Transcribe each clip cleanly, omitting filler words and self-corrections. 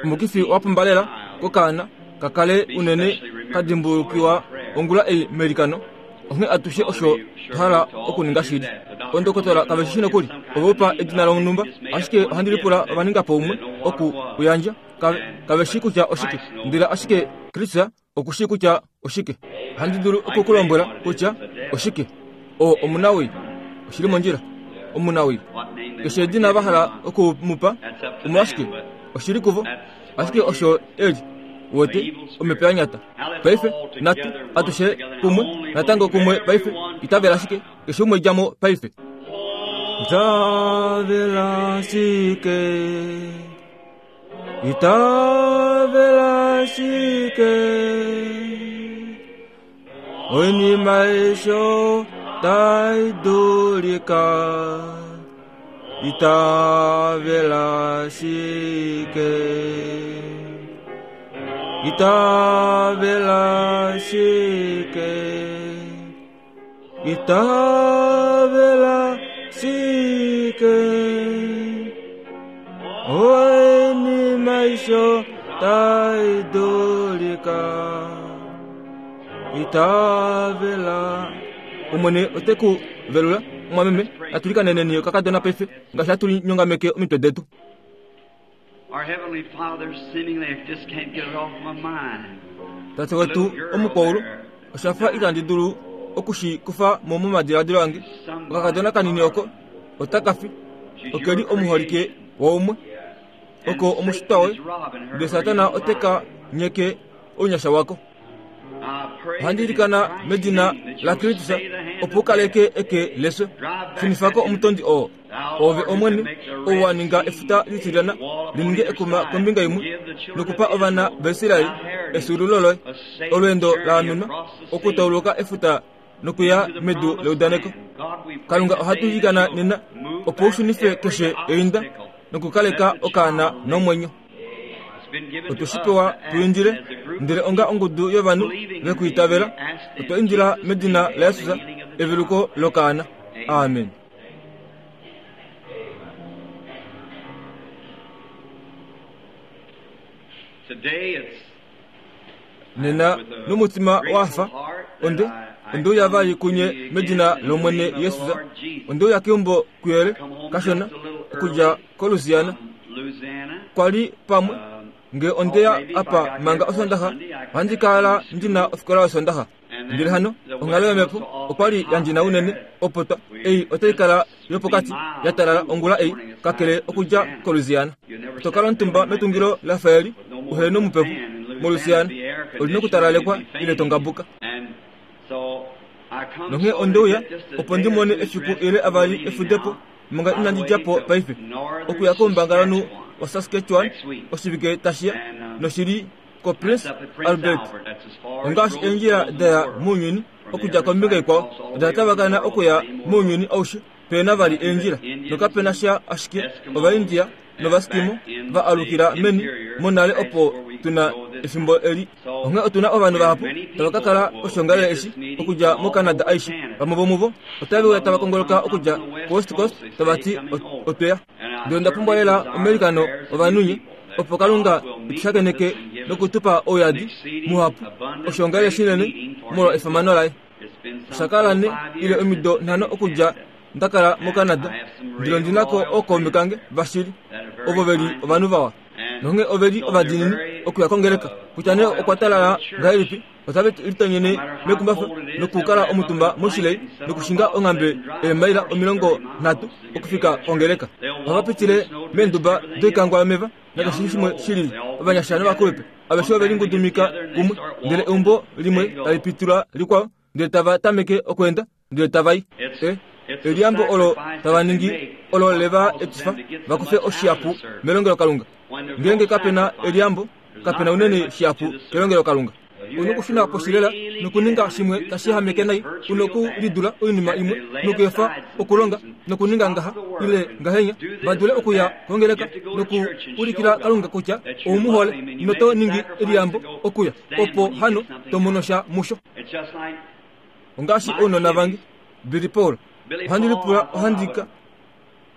Omukifi wa pumba lela kokaana ka kale unene ka dimbulukiwa ongula ei meilikano. Onghee atushe osho twa hala okuninga shili. Ondokotola kave shi nokuli ove u pa edina lonhumba, ashike ohandi lipula ova ninga po umwe oku u yandja. Kave, kave shii kutya oshike, ndele ashike Kristus oku shii kutya oshike. Ohandi dulu oku ku lombwela kutya oshike. Oo omunawii. Oshi li mondjila. Omunawii. Keshe edina va hala oku mu pa, omolwashike, oshi li kuvo. Ashike osho e li, uwete, omhepo ya nyata. Paife, natu, atushe kumwe, natango kumwe paife. Itavela ashike, keshe umwe dja mo paife. Itavela ashike. Itavela ashike. Oinima aishe tai dulika. Itavela ashike. Itavela ashike. Itavela ashike. Oinima aishe tai dulika. Itavela. Omwene ote ku velula, omwameme. Natu likaneneni okakadona paife, ngaashi hatu linyongameke omitwe detu. Tate wetu omukwaulu, osha fa itandi dulu oku shi kufa mo momadiladilo ange. Okakadona kanini oko otaka fi. Oke li omuholike waumwe. Oko omushitwa woye, ndele Satana ote ka nyeke ounyasha wako. Ohandi ilikana medina laKristus opo u kaleke eke lefyo. Shunifa ko omutondi oo. Oove Omwene, ou wa ninga efuta litilyana li ninge ekuma kombinga imwe, nokupa ovana vaIsrael efyuululo loye, olweendo la amenwa okutauluka efuta nokuya medu leudaneko. Kalunga, ohatu ilikana nena opo u shunife keshe einda nokukaleka okaana nomwenyo. Otwe shi pewa tu indile, ndele onga ongudu yovanhu ve ku itavela, otwa indila medina laJesus eveluko lokaana. Amen. Nena nomutima wa hafa, onde onde uya vali kunye medina lOmwene Jesus. Onde uya keumbo kuyele kashona okudja koLouisiana. Kwa li pamwe nge onde ya apa manga Osondaxa, ohandi kala ndi na ofikola yOsondaxa. Ndele hano onghalo yomhepo okwa li ya ndjina unene opo twa ei otai kala yopokati ya talala ongula ei, kakele okudja koLouisiana. Oto kala omutumba metungilo la fa eli uhe nomupepo. MoLouisiana oli nokutalalekwa ile to ngabuka. Nonghee onde uya opo ndi mone efiku ile avali efudepo manga inandi dja po paife, okuya koumbangalanhu waSaskatchewan oshivike tashi ya, noshi li koPrince Albert. Ongaashi eendjila da ya mounyuni okudja kombinga ikwao oda tavakana okuya mounyuni aushe, pe na vali eendjila nokape na sha ashike Ovaindia nOvaskimo va alukila meni monale opo tu na efimbo eli. Onghee otu na ovanhu vahapu tava ka kala poshoongalele eshi okudja moCanada aishe. Vamwe vomuvo otave uya tava kongoloka okudja koWest Coast tava ti, Otwe ya. Ndele onda pumbwa lela omailikano ovanhu nye, opo Kalunga e tu shakeneke noku tu pa ouyadi muhapu, oshoongalele shinene molwa efimano laye. Osha kala ne ile omido nhano okudja nda kala moCanada, ndele ondi na ko ookaume kange vashili, ovo ve li ovanhu vawa. Nonghee ove li ovadiinini okuya kongeleka, kutya nee okwa talala ngahelipi, otave litonyene mekumbafa nokukala omutumba moshilei nokushinga onghambe eemaila 30 okufika kongeleka. Ohava pitile meenduba doikangwa yomeva nakeshe shimwe shi lili. Ovanyasha novakulupe aveshe ove lingudumika kumwe, ndele eumbo limwe tali pitula likwao, ndele tava tameke okweenda ndele tava i. E, eliyambo olo tava ningi olo le va etifa va kufe oshihapu melongelokalunga. Ngeenge kape na eliyambo, kape na unene shihapu kelongelokalunga. U nokushuna poshi lela nokuninga shimwe tashi ehameke nai, u nokulidula oinima imwe nokuefa okulonga nokuninga ngaha ile ngahenya, va dule okuya kongeleka nokuulikila Kalunga kutya ou mu hole, noto ningi eliyambo okuya, opo hano to mono sha musho. Ongaashi ounona vange, Billy Paul, ohandi lipula ohandi ka.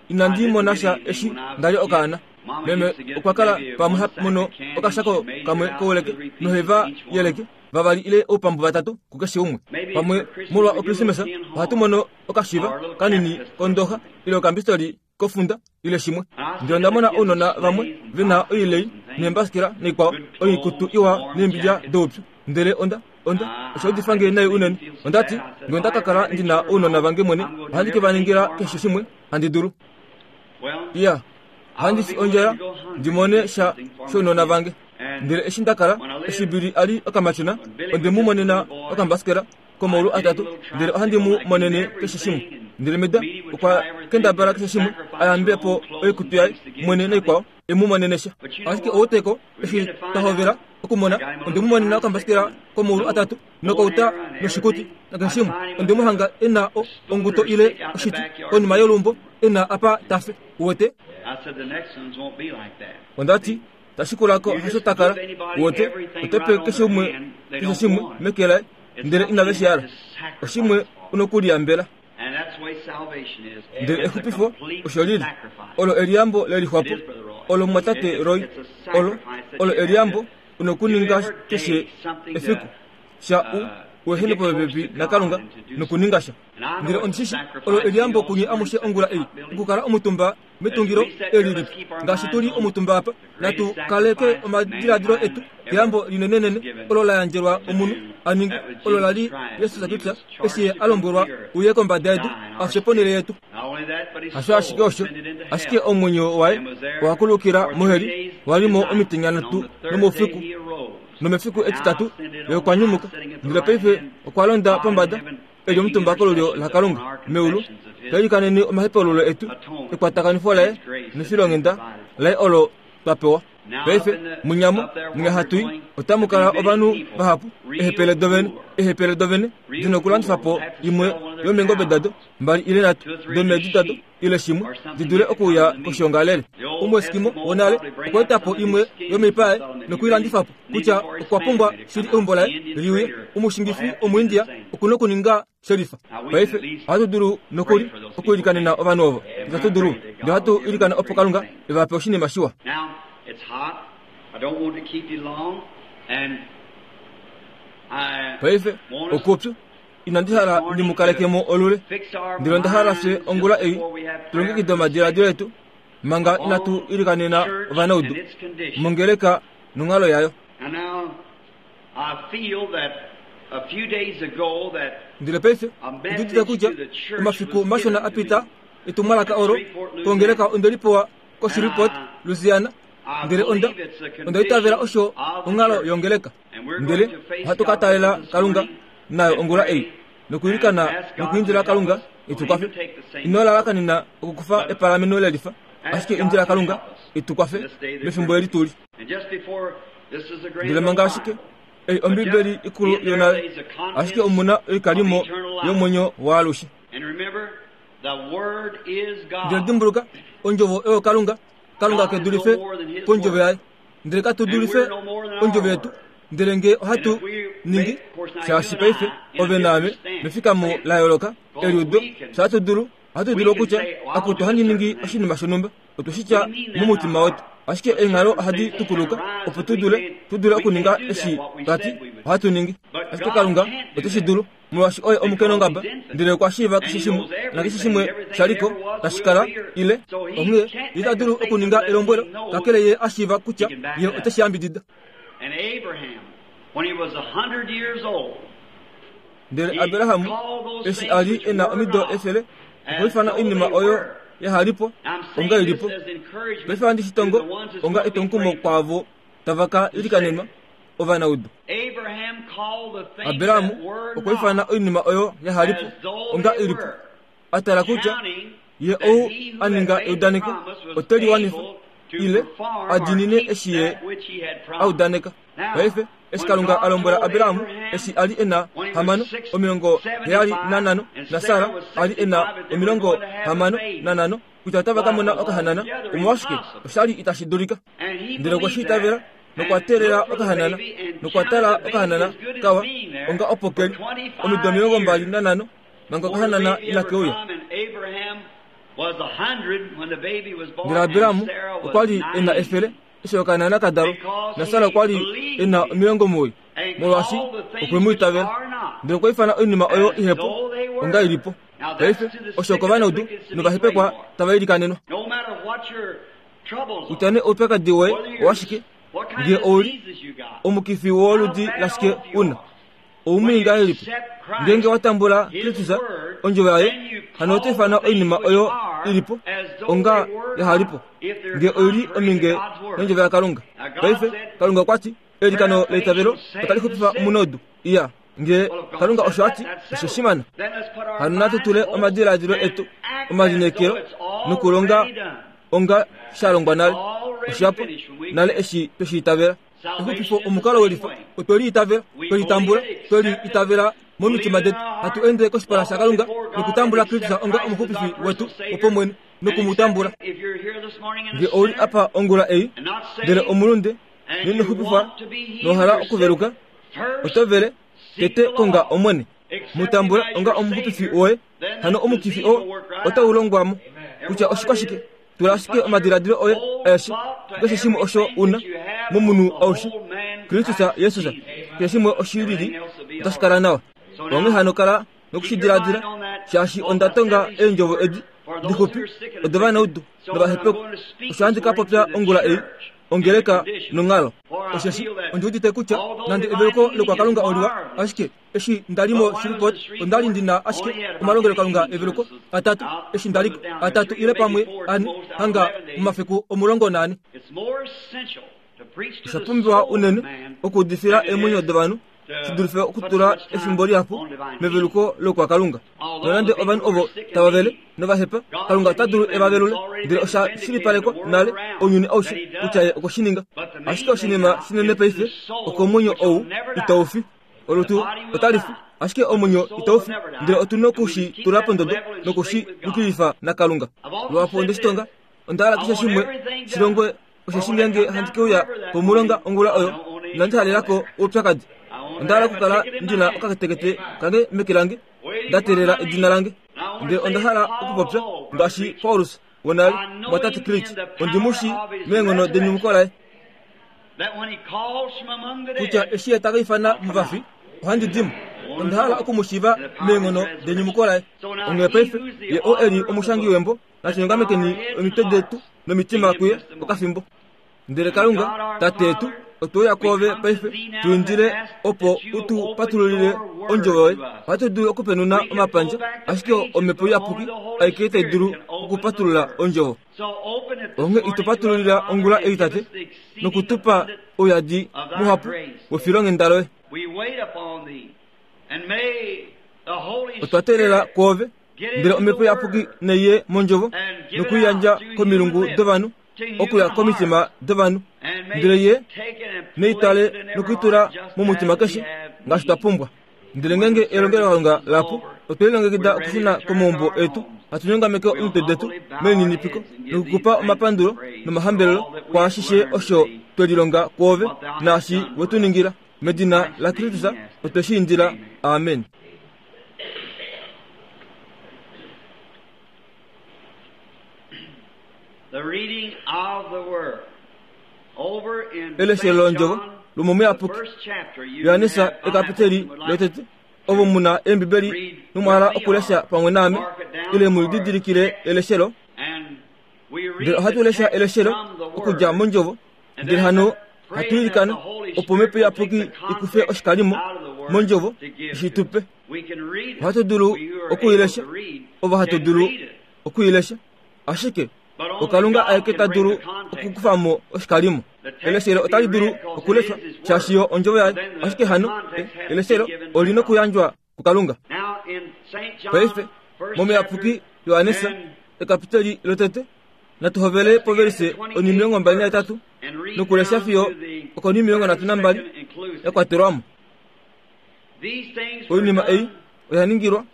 Inandi mona sha eshi nda li okaana. Meme okwa kala pamwe ha mono okashako kamwe kouleke nohe va yeleke vavali ile oupambu vatatu kukeshe umwe. Pamwe molwa Okrismesa ohatu mono okashiva kanini kondoxa ile okambistoli kofunda ile shimwe. Ndele onda mona ounona vamwe ve na oilei neembasikela naikwao, oikutu iwa neembilya doupyu. Ndele onda, onda, osha udifa nge nai unene. Onda ti, Nge onda ka kala ndi na ounona vange mwene, ohandi ke va ningila keshe shimwe handi dulu. Iya, ohandi fi ondjala ndi mone sha shounona vange. Ndele eshi nda kala, eshi Billy a li okamatyona, onde mu monena okambasikela komaulu atatu, ndele ohandi mu monene keshe shimwe. Ndele Meda okwa kendabala keshe shimwe a yambe po oikutu yaye mwene naikwao, e mu monene sha. Ashike outeko eshi twa hovela okumona, onde mu monena okambasikela komaulu atatu nokauta noshikuti nakeshe shimwe. Onde mu hanga e na o, onguto ile oshiti konima yoluumbo, e na apa ta fe. Uwete? Onda ti, Tashi kula ko hasho ta kala. Uwete, oto pe keshe umwe keshe shimwe meke laye, ndele inave shi hala. Oshimwe u nokuliyambela. Ndele exupifo osho li li. Olo eliyambo le lixwa po. Olo mumwatate Roy, olo, olo eliyambo u nokuninga keshe efiku, sha u, u ehene popepi naKalunga nokuninga sha. Ndele ondi shi shii, olo eliyambo kunye amushe ongula ei, okukala omutumba metungilo eli lipi. Ngaashi tu li omutumba apa, natu kaleke omadiladilo etu keyambo linenenene olo la yandjelwa omunhu a ninge, olo la li Jesus Kristus eshi ye a lombwelwa uye kombada yedu a fye ponhele yetu. Hasho ashike osho, ashike omwenyo waye owa kulukila moheli, wa li mo omitenya nhatu nomoufiku, nomefiku etitatu ye okwa nyumuka, ndele paife okwa londa pombada e li omutumba kolulyo laKalunga meulu, ta ilikanene omahepaululo etu, ekwatakanifo laye nefilonghenda laye olo twa pewa. Paife, munyamo, mwinya hatu i, otamu kala ovanhu vahapu, eehepele dovene, eehepele dovene di nokulandifa po imwe yomeengobe dado, mbali ile nhatu domeedi dado, ile shimwe, di dule okuuya koshoongalele. Omueskimo wonale okwa eta po imwe yomoipa yaye noku i landifa po, kutya okwa pumbwa shili eumbo laye li uye. Omushingifi Omuindia oku nokuninga shelifa. Paife, ohatu dulu nokuli okuilikanena ovanhu ovo. Itatu dulu? Ndele ohatu ilikana opo Kalunga e va pe oshinima shiwa. Paife, okupyu. Inandi hala ndi mu kaleke mo olule, ndele onda hala fye ongula ei tu longekide omadiladilo etu manga inatu ilikanena ovanaudu mongeleka nonghalo yayo. Ndele paife ondi udite kutya omafiku mashona a pita etumwalaka olo kongeleka onde li pewa koShreveport, Louisiana, ndele onda onda itavela osho onghalo yongeleka. Ndele ohatu ka taalela Kalunga nayo ongula ei, nokuilikana nokuindila Kalunga e tu kwafe. Ino lalakanena okukufa epalameno lelifa, ashike indila Kalunga e tu kwafe mefimbo eli tu li. Ndele manga ashike ei Ombibeli ikulu yonale, ashike omu na oikalimo yomwenyo waalushe. Ndele dimbuluka, Ondjovo oyo Kalunga. Kalunga ke dulife pOndjovo yaye. Ndele katu dulife ondjovo yetu. Ndele nge ohatu ningi, shaashi paife ove naame mefikamo la yooloka eliudo, fye ohatu dulu, ohatu dulu okutya, Akutu, ohandi ningi oshinima shonhumba. Otwe shi tya momutima wetu. Ashike eenghalo ohadi tukuluka opo tu dule, tu dule okuninga eshi twa ti ohatu ningi. Ashike Kalunga ote shi dulu. Molwaashi oye omukenongaba, ndele okwa shiiva keshe shimwe, nakeshe shimwe sha li ko, tashi kala, ile, onghee ye ita dulu okuninga elombwelo, kakele ye a shiiva kutya ye ote shi yambidida. Ndele Abraham eshi a li e na omido 100, okwa ifana oinima oyo yaha li po onga i li po. Paife ohandi shi tongo onga etwomukumo kwaavo tava ka ilikanenwa. ovanaudu. Abraham okwa ifana oinima oyo yaha li po onga i li po, a tala kutya ye ou a ninga eudaneko ote li wanifa ile a diinine eshi ye a udaneka. Paife, eshi Kalunga a lombwela Abraham eshi a li e na 75 naSara a li e na 65 kutya otava ka mona okahanana, omolwashike osha li itashi dulika? Ndele okwe shi itavela nokwa teelela okahanana nokwa tala okahanana kawa onga opo ke li omido 25 manga okahanana inake uya. Ndele Abraham okwa li e na 100 eshi okaana ka dalwa, naSara okwa li e na 90, molwaashi okwe mu itavela. Ndele okwa ifana oinima oyo ihepo onga i li po. Paife osho okovanaudu novahepekwa tava ilikanenwa. Kutya nee oupyakadi woye owashike, ngee ou li omukifi woludi lashike u na, ou mwii ngahelipi? Ngeenge wa tambula Kristus, ondjovo yaye, hano oto ifana oinima oyo i li po onga yaha li po, ngee oi li ominge nondjovo yaKalunga. Paife, Kalunga okwa ti, Eilikano leitavelo otali xupifa omunaudu. Iya, ngee Kalunga osho a ti, osho shimana. Hano natu tule omadiladilo etu, omalineekelo nokulonga onga sha longwa nale. Osha pwa nale eshi twe shi itavela. Exupifo omukalo welifa. Otwe li itavela, twe li tambula, twe li itavela momitima detu, hatu ende koshipala shaKalunga nokutambula Kristus onga omuxupifi wetu wopomwene noku mu tambula. Nge ou li apa ongula ei, ndele omulunde, noino xupifwa nowa hala okuveluka, oto vele, tete konga Omwene. Mu tambula onga omuxupifi woye. Hano omukifi oo otau longwa mo. Kutya oshikwashike, tula ashike omadiladilo oye aeshe kukeshe shimwe osho u na momunhu aushe, Kristus Jesus. Keshe shimwe oshilili otashi kala nawa. Onghee hano kala noku shi diladila, shaashi onda tonga eendjovo edi dixupi odovanaudu novahepekwa. Osho handi ka popya ongula ei, ongeleka nonghalo. Osheshi ondi udite kutya nande eveluko lokwaKalunga oliwa, ashike Eshi nda li moShreveport, onda li ndi na ashike omalongelokalunga eveluko atatu eshi nda li ko, atatu ile pamwe ane, hanga momafiku 14. Osha pumbiwa unene okuudifila eemwenyo dovanhu shi dulife okutula efimbo lihapu meveluko lokwakalunga. Nonande ovanhu ovo tava vele nova hepa, Kalunga ota dulu e va velule, ndele osha shilipalekwa nale ounyuni aushe kutya ye okwe shi ninga. Ashike oshinima shinene paife okomwenyo ou itau fi. Olutu otali fi, ashike omwenyo itau fi, ndele otu noku shi tula pondodo noku shi yukilifa naKalunga. Luhapu onde shi tonga, onda hala keshe shimwe shi longwe, osheshi ngeenge handi ke uya pomulonga ongula oyo, inandi halela ko oupyakadi. Onda hala okukala ndi na okatekete kange meke lange, nda teelela edina lange. Ndele onda hala okupopya ngaashi Paulus wonale, Mumwatate Creech, ondi mu shii meenghono denyumuko laye. Kutya eshi ye ta ka ifana movafi, ohandi di mo. Onda hala oku mu shiiva meenghono denyumuko laye. Onghee paife, ye oo e li omushangi wembo, natu nyongamekeni omitwe detu nomitima kuye okafimbo. Ndele Kalunga, Tate yetu, otwe uya kwoove paife, tu indile opo u tu patululile Ondjovo yoye. Ohatu dulu okupenuna omapandja, ashike Omhepo Iyapuki aike tai dulu okupatulula Ondjovo. Onghee ito patululila ongula ei, Tate, noku tu pa ouyadi muhapu wefilonghenda loye. Otwa teelela kwoove, ndele Omhepo Iyapuki nai ye mOndjovo noku i yandja komilungu dovanhu, okuya komitima dovanhu, ndele Ye nei tale noku i tula momutima keshe ngaashi twa pumbwa. Ndele ngeenge elongelokalunga la pu, otwe lilongekida okushuna komaumbo etu, hatu nyongameke omitwe detu melininipiko noku ku pa omapandulo nomahambelelo kwaashishe osho twe lilonga kwoove naashi we tu ningila. Medina laKristus otwe shi indila. Amen. Eleshelo londjovo lomomuyapuki Johannes ekapiteli lotete. Ovo mu na Eembibeli nomwa hala okulesha pamwe naame ile mu lididilikile eleshelo, ndele ohatu lesha eleshelo okudja mondjovo, ndele hano hatu ilikana opo Omhepo Iyapuki i kufe oshikalimo mondjovo i shi tu pe. Ohatu dulu oku i lesha, ovo hatu dulu oku i lesha, ashike oKalunga aeke ta dulu okukufa mo oshikalimo. Eleshelo otali dulu okuleshwa shaashi yo ondjovo yaye, ashike hano eleshelo oli nokuyandjwa kuKalunga. Paife, momuyapuki Johannes, ekapiteli lotete, natu hovele povelise onimilongo mbali nahetatu nokulesha fiyo okonimilongo nhatu nambali ya kwatelwa mo. Oinima ei oya ningilwa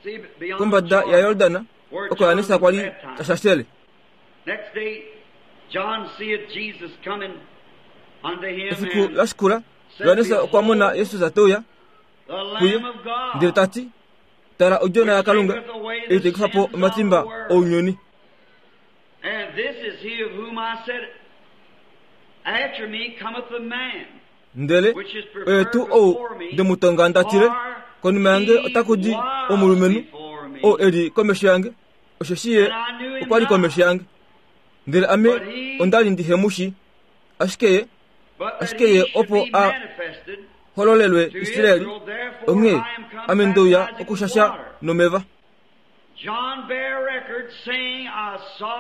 kombada yaJordan oko Johannes kwa li ta shashele. Efiku la shikula, Johannes okwa mona Jesus te uya kuye ndele ta ti, Tala Odjona yaKalunga ei tai kufa po omatimba ounyuni. Ndele oye tuu ou nde mu tonga nda tile, Konima yange otaku di omulumenhu ou e li komesho yange, osheshi ye okwa li komesho yange. Ndele ame onda li ndihe mu shii, ashike ye, ashike ye opo a hololelwe Israel, onghee ame nde uya okushasha nomeva.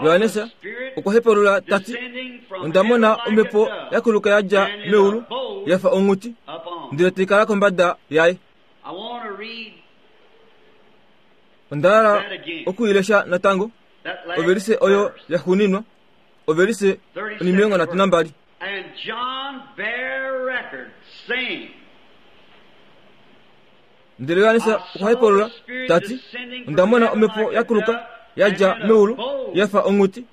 Johannes okwa hepalula ta ti, Onda mona omhepo ya kuluka ya dja meulu ya fa onghuti, ndele tai kala kombada yaye. Onda hala oku i lesha natango, ovelise oyo ya xuuninwa, ovelise onimilongo nhatu nambali. Ndele Johannes okwa hepalula ta ti, Onda mona omhepo ya kuluka ya dja meulu ya fa onghuti,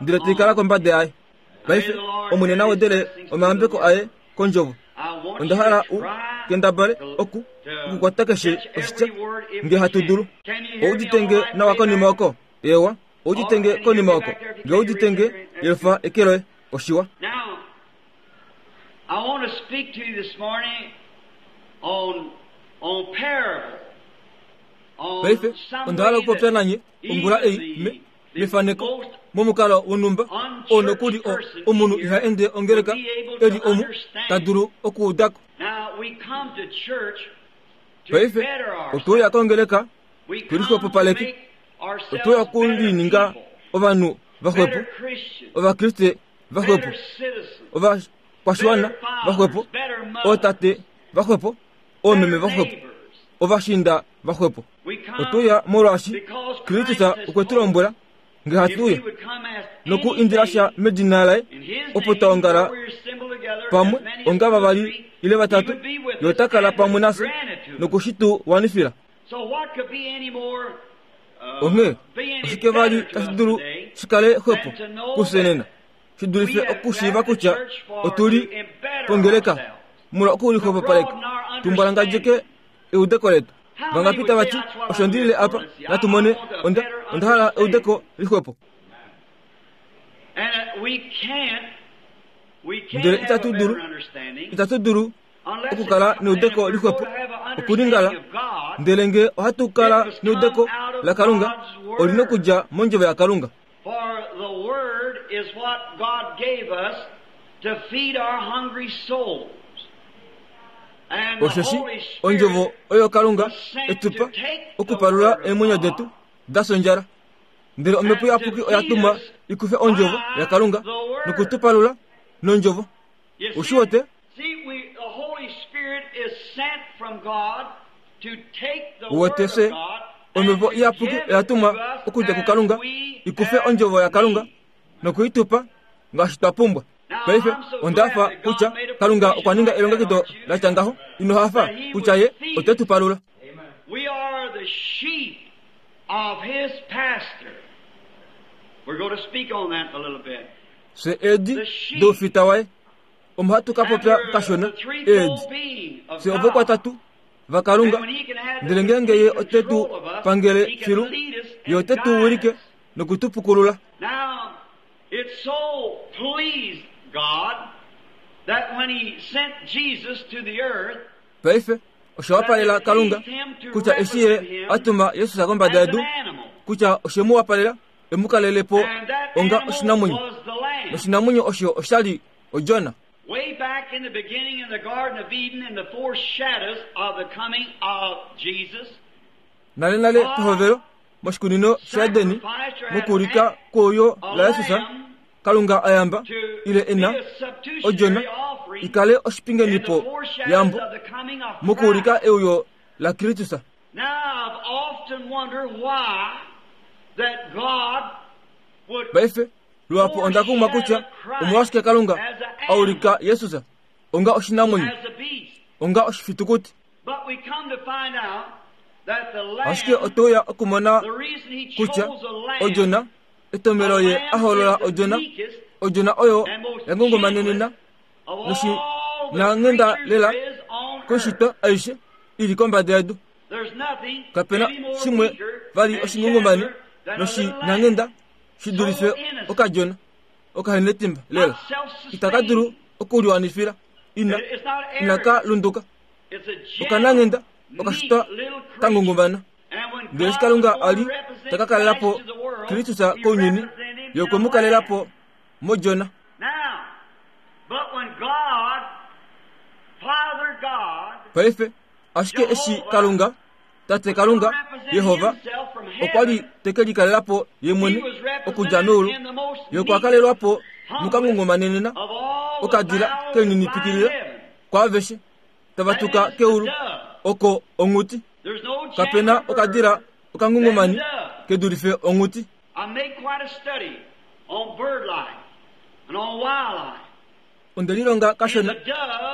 ndele tai kala kombada yaye. Paife Omwene na wedele omayambeko aye kondjovo. Onda hala u kendabale oku okukwata keshe oshitya nge hatu dulu. Ou udite nge nawa konima oko? Eewa, ou udite nge konima oko? Nge ou udite nge, yelufa eke loye. Oshiwa. I want to speak to you this morning on, on parable. Paife onda hala okupopya nanye ongula ei me, mefaneko momukalo wonhumba oo nokuli o, omunhu iha ende ongeleka e li omu ta dulu okuuda ko. Paife otwe uya kongeleka tu lixwepopaleke, otwe uya okulininga ovanhu vaxwepo, Ovakriste vaxwepo, ovakwashiwana vaxwepo, ootate vaxwepo, oomeme vaxwepo, ovashiinda vaxwepo. Otwe uya molwaashi Kristus okwe tu lombwela nge hatu uya noku indila sha medina laye opo twa ongala pamwe onga vavali ile vatatu, ye ota kala pamwe nafye noku shi tu wanifila. Onghee oshike vali tashi dulu shi kale xwepo kufye nena shi dulife okushiiva kutya otu li pongeleka molwa okulixwepopaleka tu mbwalangadjeke eudeko letu? Vangapi tava ti, Osho ndi lile apa, natu mone, onda, onda hala eudeko lixwepo. Ndele itatu dulu, itatu dulu okukala neudeko lixwepo okulingala, ndele nge ohatu kala neudeko laKalunga, oli nokudja mondjovo yaKalunga. For the Word is what God gave us to feed our hungry souls. And the Osheshi Holy Spirit ondjovo oyo Kalunga was sent e tu to pa take the okupalula Word of eemwenyo God detu da fya ondjala. Ndele Omhepo and to Iyapuki oya feed tumwa us i kufe ondjovo by yaKalunga the Word. noku tu palula nondjovo. You Ushi see, wete? see, we, the Holy Spirit is sent from God to take the Uwete Word fye of God and Omhepo to Iyapuki give oya it to tumwa us okudja as kuKalunga we i kufe have ondjovo yaKalunga need. noku i tu pa ngaashi twa pumbwa. Now, Paife I'm so onda glad hafa that God kutya made a Kalunga okwa provision ninga like that, elongekido aren't you? la tya ngaho. Ino hafa That He kutya would Ye feed ote tu us. palula. We are the sheep of His pasture. We're going to speak on that in a little bit. Fye eedi The sheep doufita waye. Omo hatu ka and popya we're kashona the eedi. threefold being of Fye God. ovokwatatu vaKalunga. And when He can have the Ndele ngeenge Ye complete ote tu control of us, pangele He can filu, lead us Ye and ote tu guide wilike us. noku tu pukulula. Now, it so pleased God that when He sent Jesus to the earth, Paife, osha that wapalela it Kalunga pleased Him to kutya eshi represent Ye Him a tuma Jesus kombada as yedu, an animal. kutya oshe mu wapalela e mu kalele po And that onga animal oshinamwenyo. was the lamb. Noshinamwenyo osho osha li odjona. Way back in the beginning in the Garden of Eden, in the foreshadows of the coming of Jesus, Nalenale God pehovelo, moshikunino shaEdeni, sacrificed or had mokuulika kweuyo a laJesus, lamb Kalunga a yamba to ile be e na a odjona substitutionary i offering kale in the oshipingenipo foreshadows yambo of the coming of mokuulika Christ. euyo laKristus. Now I've often wondered why that God would Paife, luhapu onda kumwa kutya omolwashike Kalunga foreshadow Christ as a an ulika animal, Jesus onga oshinamwenyo, as a beast. onga oshifitukuti. But we come to find out that the Ashike lamb, otwe uya okumona the reason he kutya chose a lamb, odjona, a etomelo ye a lamb hoolola is the odjona, meekest odjona oyo and most ya ngongomanenena gentlest of noshi all the nanghenda creatures lela there is on earth. koishitwa aishe i li kombada yedu. There's nothing Kape na any more shimwe weaker vali and oshingongomani gentler than a noshi little lamb. nanghenda. shi dulife okadjona okahenetimba lela itaka dulu okuliwanifila ina inaka lunduka okananghenda okashitwa kangungumana ndele eshi kalunga a li ta ka kalela po kristus kounyuni ye okwe mu kalela po mojona paife ashike eshi kalunga tate kalunga yehova okwa li te ke likalela po ye mwene okudja meulu ye okwa kalelwa po mukangungumanenena okadila keninipikilila kwaaveshe tava tuka keulu oko onghuti kape na okadila okangungumani ke dulife onghuti Onde lilonga kashona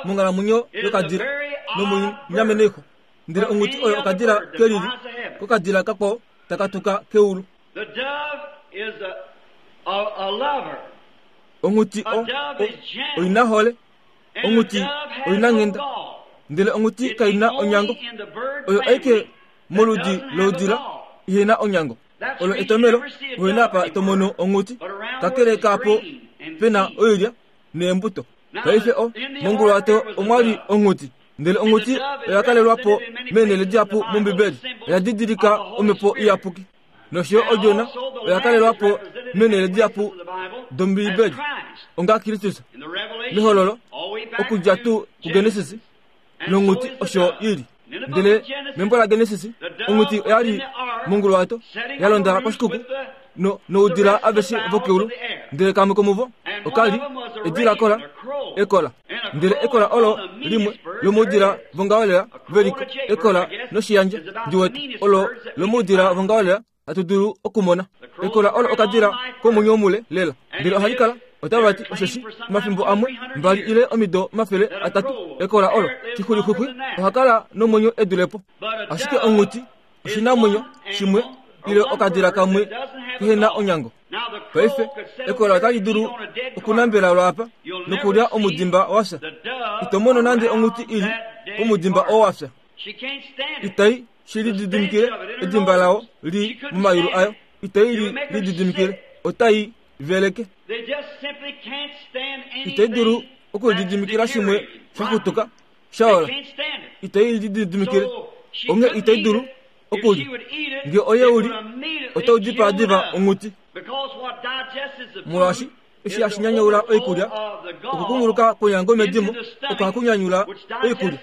monghalamwenyo yokadila nomoinyamenoixwa ndele onghuti oyo okadila ke lili kokadila kakwao taka tuka keulu. Onghuti o, o, oinahole, onghuti oinanghenda, ndele onghuti kai na onyango. Oyo aike moludi loudila ihe na onyango. Olo etomelo uhe apa to mono onghuti, kakele kaapo pe na oilya neembuto. Paife o, monguluwato omwa li onghuti, ndele onghuti oya kalelwa po meenhele dihapu mOmbibeli. Oya didilika omhepo iyapuki. Nosho yo Odjona oya kalelwa po meenhele dihapu dOmbibeli onga Kristus. Mehololo, okudja tuu kuGenesis, nonghuti osho i li. Ndele membo laGenesis, onghuti oya li monguluwato ya londa koshikuku no, noudila aveshe vokeulu, ndele kamwe komuvo oka li edila kola, ekola. Ndele ekola olo limwe lomoudila vongaholela ve li ko, ekola noshiyandja, ndi wete, olo lomoudila vongaholela hatu dulu okumona. Ekola olo okadila komwenyo mule lela, ndele ohali kala otava ti osheshi omafimbo amwe mbali ile omido 300 ekola olo xixulixwixwi oha kala nomwenyo e dule po. Ashike onghuti oshinamwenyo shimwe ile okadila kamwe kehe na onyango. Paife ekola otali dulu okunambela lwaapa nokulya omudimba wa fya. Ito mono nande onghuti i li pomudimba oo wa fya. Itai shi lididimikile edimba lao li momayulu ayo. Itai li lididimikile. Otai veleke. Itai dulu okulididimikila shimwe sha xutuka sha ola. Itai lididimikile. Onghee itai dulu okulya. Nge oye u li, otau dipaa diva onghuti. Molwaashi eshi hashi nyanyaula oikulya, okukunguluka kwonyango medimo oko haku nyanyula oikulya.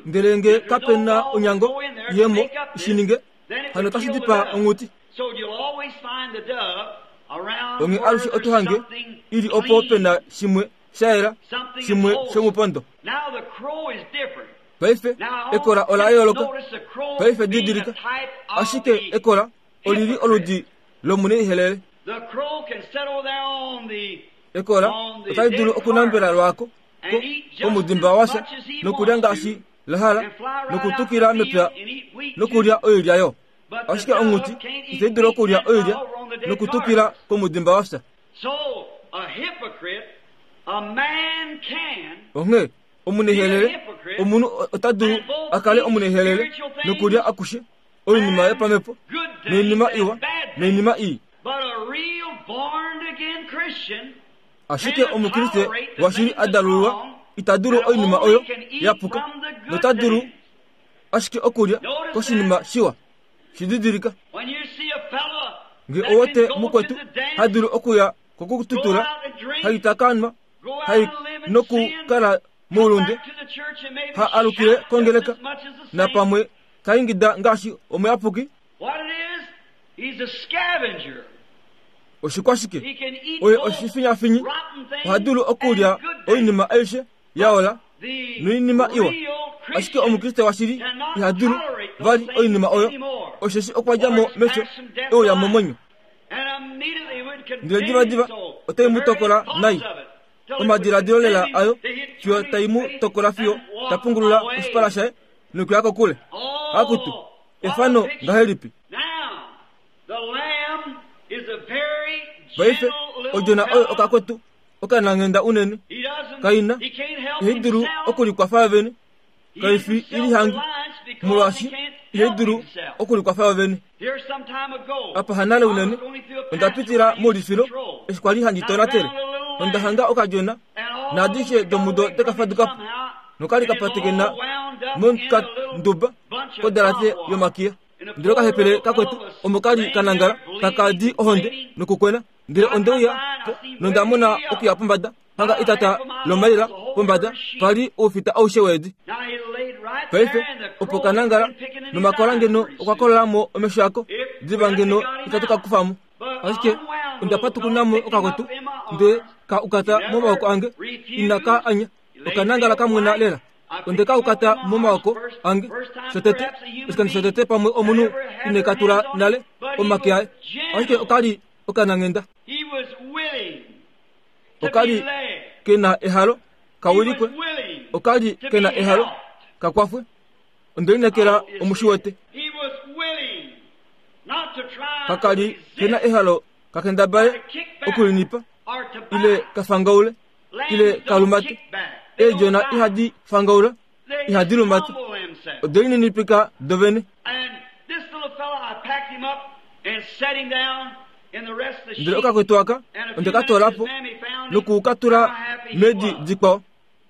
Ndele nge kape na onyango yemo i shi ninge, hano otashi dipaa onghuti. Onghee alushe oto hange i li opo pe na shimwe sha yela, shimwe shomupondo. Paife, ekola ola yooloka. Paife didilika, ashike ekola oli li oludi lomuneihelele. Ekola otali dulu okunambela lwaako ko, komudimba wafya nokulya ngaashi la hala nokutukila mepya nokulya oilya yo. Ashike onghuti itai dulu okulya oilya nokutukila komudimba wafya. Onghee omuneihelele, omunhu ota dulu a kale omuneihelele nokulya akushe oinima yopamhepo noinima iwa noinima ii. Ashike Omukriste washili a dalululwa ita dulu oinima oyo ya puka nota dulu ashike okulya koshinima shiwa. Shi didilika. Nge owote mukwetu ha dulu okuya kokututula, ha ita ka nwa, ha nokukala moulunde, ha alukile kongeleka, napamwe ta ingida ngaashi omuyapuki. Oshikwashike? Oye oshifinyafinyi, oha dulu okulya oinima aishe ya ola noinima iwa. Ashike Omukriste washili iha dulu vali oinima oyo, osheshi okwa dja mo mefyo e uya momwenyo. Ndele divadiva otai mu tokola nai omadiladilo lela ayo fiyo tai mu tokola fiyo ta pungulula oshipala shaye nokuya kokule. Akutu, efano ngahelipi! Paife, odjona oyo okakwetu okananghenda unene, kai na, ihai dulu okulikwafa yovene, kai fi ilihangi, molwaashi ihai dulu okulikwafa yovene. Apa hanale unene, onda pitila moulifilo eshi kwa li handi tonatele. Onda hanga okadjona naadishe domudo deka faduka po nokali ka patekena momukanduba kodalate yomakiya. Ndele okahepele kakwetu omo kali ka nangala taka di ohonde nokukwena. Ndele onde uya po nonda mona okuya pombada hanga etata lomaila pombada pa li oufita aushe weedi. Paife opo ka nangala nomakola ngeno okwa kolola mo omesho ako, diva ngeno itatu ka kufa mo. Ashike onda patukuna mo okakwetu nde ka ukata momaoko ange, ina ka anya, oka nangala ka mwena lela. Onde ka ukata momaoko ange shotete, oshikando shotete pamwe omunhu ine ka tula nale omake aye, ashike oka li okananghenda. Oka li ke na ehalo ka wilikwe, oka li ke na ehalo ka kwafwe. Onde lineekela omu shi wete. Kaka li ke na ehalo ka kendabale okulinipa ile ka fangaule ile ka lumate. Eedjona ihadi fangaula, ihadi lumata, ode lininipika dovene. Ndele okakwetu aka onde ka toola po noku ka tula meedi dikwao.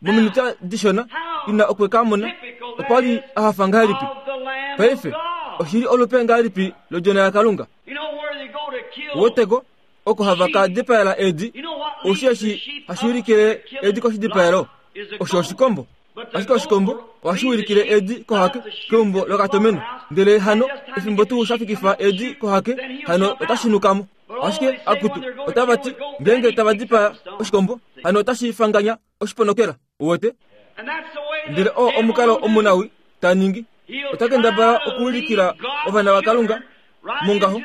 Mominute dishona ina okwe ka mona, okwa li a hafa ngahelipi. Paife oshi li olupe ngahelipi lodjona yaKalunga? Woteko oko hava ka dipaela eedi, oushi eshi hashi ulikile eedi koshidipaelo osho oshikombo. Ashike oshikombo ohashi ulikile eedi kohake keumbo lokatomeno. Ndele hano efimbo tuu sha fikifa eedi kohake, hano otashi nuka mo. Ashike akutu, otava ti, ngeenge tava dipaa oshikombo, hano otashi fanganya oshiponokela. Uwete? Ndele oo omukalo omunawi ta ningi. Ota kendabala okuulikila ovana vaKalunga mongaho.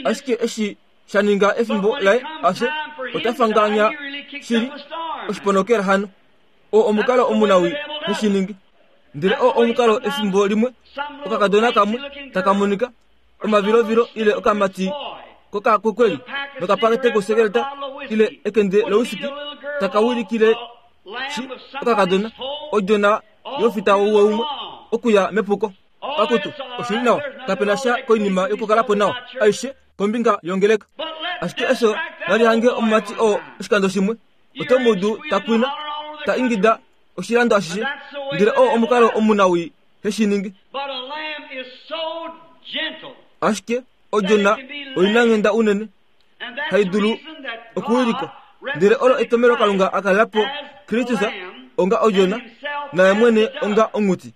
Ashike eshi sha ninga efimbo laye afye, ota fanganya shili oshiponokela hano. Oo omukalo omunawi he shi ningi. Ndele oo omukalo efimbo limwe okakadona kamwe taka monika omavilovilo ile okamati kokakukweli nokapakete kosekeleta ile ekende lowisiki taka wilikile shi okakadona odjona yofita ouwe umwe okuya mepuko. Akutu, oshi li nawa, kape na sha koinima yokukala po nawa aishe kombinga yongeleka. Ashike efyo nali hange omumati oo oshikando shimwe, oto mu udu ta kwina, ta ingida oshilando ashishe, ndele oo omukalo omunawii he shi ningi. Ashike odjona oinanghenda unene hai dulu okuwilikwa, ndele olo etomelo Kalunga a kalela po Kristus onga odjona naye mwene onga onghuti.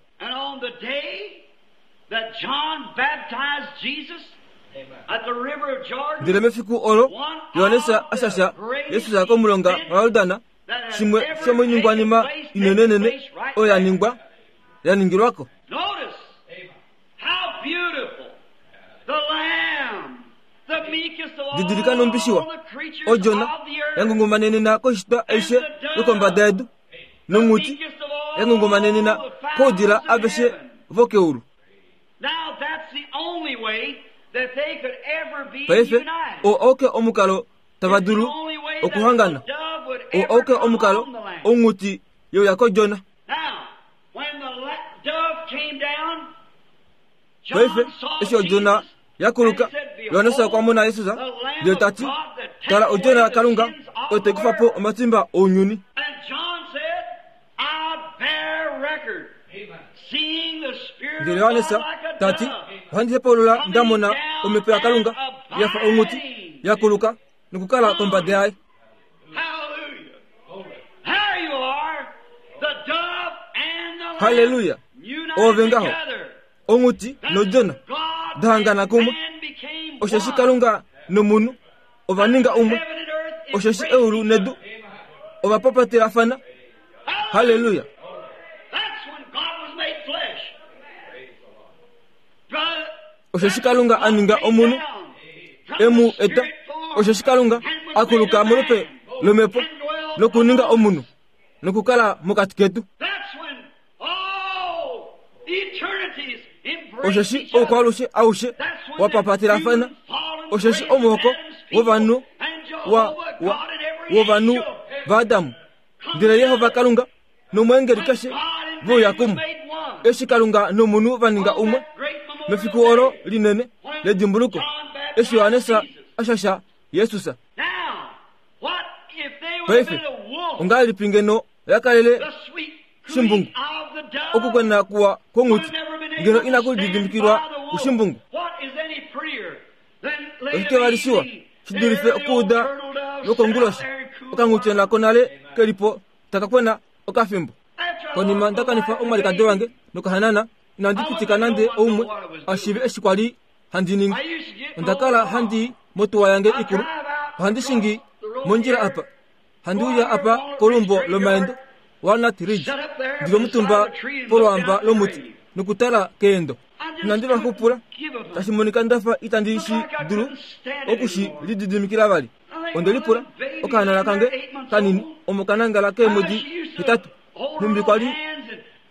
Ndele mefiku olo Johannes a shasha Jesus komulonga waJordan, shimwe shomoiningwanima inenenene oyo ya ningwa ya ningilwa ko. Didilika nhumbi shiwa odjona ya ngungumanenena koishitwa aishe yokombada yedu nonghuti ya ngungumanenena koudila aveshe vokeulu. Paife oo auke omukalo tava dulu okuhangana. Oo auke omukalo onghuti yeuya kodjona. Paife eshi odjona ya kuluka, Johannes okwa mona Jesus ndele ta ti, Tala odjona yaKalunga oyo tai kufa po omatimba ounyuni. Ndele Johannes ta ti, Ohandi hepaulula nda mona omhepo yaKalunga ya fa onghuti ya kuluka nokukala kombada yaye. Halleluya! Oove ngaho, onghuti nodjona da hangana kumwe, osheshi Kalunga nomunhu ova ninga umwe, osheshi eulu nedu ova papatelafana. Halleluya! Osheshi Kalunga a ninga omunhu, e mu eta, osheshi Kalunga a kuluka molupe lomhepo nokuninga omunhu nokukala mokati ketu. Osheshi oukwaalushe aushe wa papatelafana, osheshi omuhoko wovanhu wa, wa, wovanhu vaAdam, ndele Jehova Kalunga nomweengeli keshe ve uya kumwe. Eshi Kalunga nomunhu va ninga umwe, Mefiku olo linene ledimbuluko, eshi Johannes a shasha Jesus. Paife, ongahelipi ngeno oya kalele shimbungu okukwena kuwa kwonghuti ngeno inaku lididimikilwa kushimbungu? Oshike vali shiwa shi dulife okuuda lwokonguloshi okanghutyona konale ke li po taka kwena okafimbo? Konima nda kanifa omwalikadi wange nokahanana, inandi pitika nande oumwe a shiive eshi kwa li handi ningi. Onda kala handi i motuwa yange ikulu, ohandi shingi mondjila apa, handi uya apa koluumbo lomaendo Walnut Ridge, ndi li omutumba polwaamba lomuti nokutala keendo. Inandi va xupula, tashi monika nda fa itandi shi dulu oku shi lididimikila vali. Onde lipula, okahanana kange kanini omo ka nangala keemwedi hetatu, nhumbi kwa li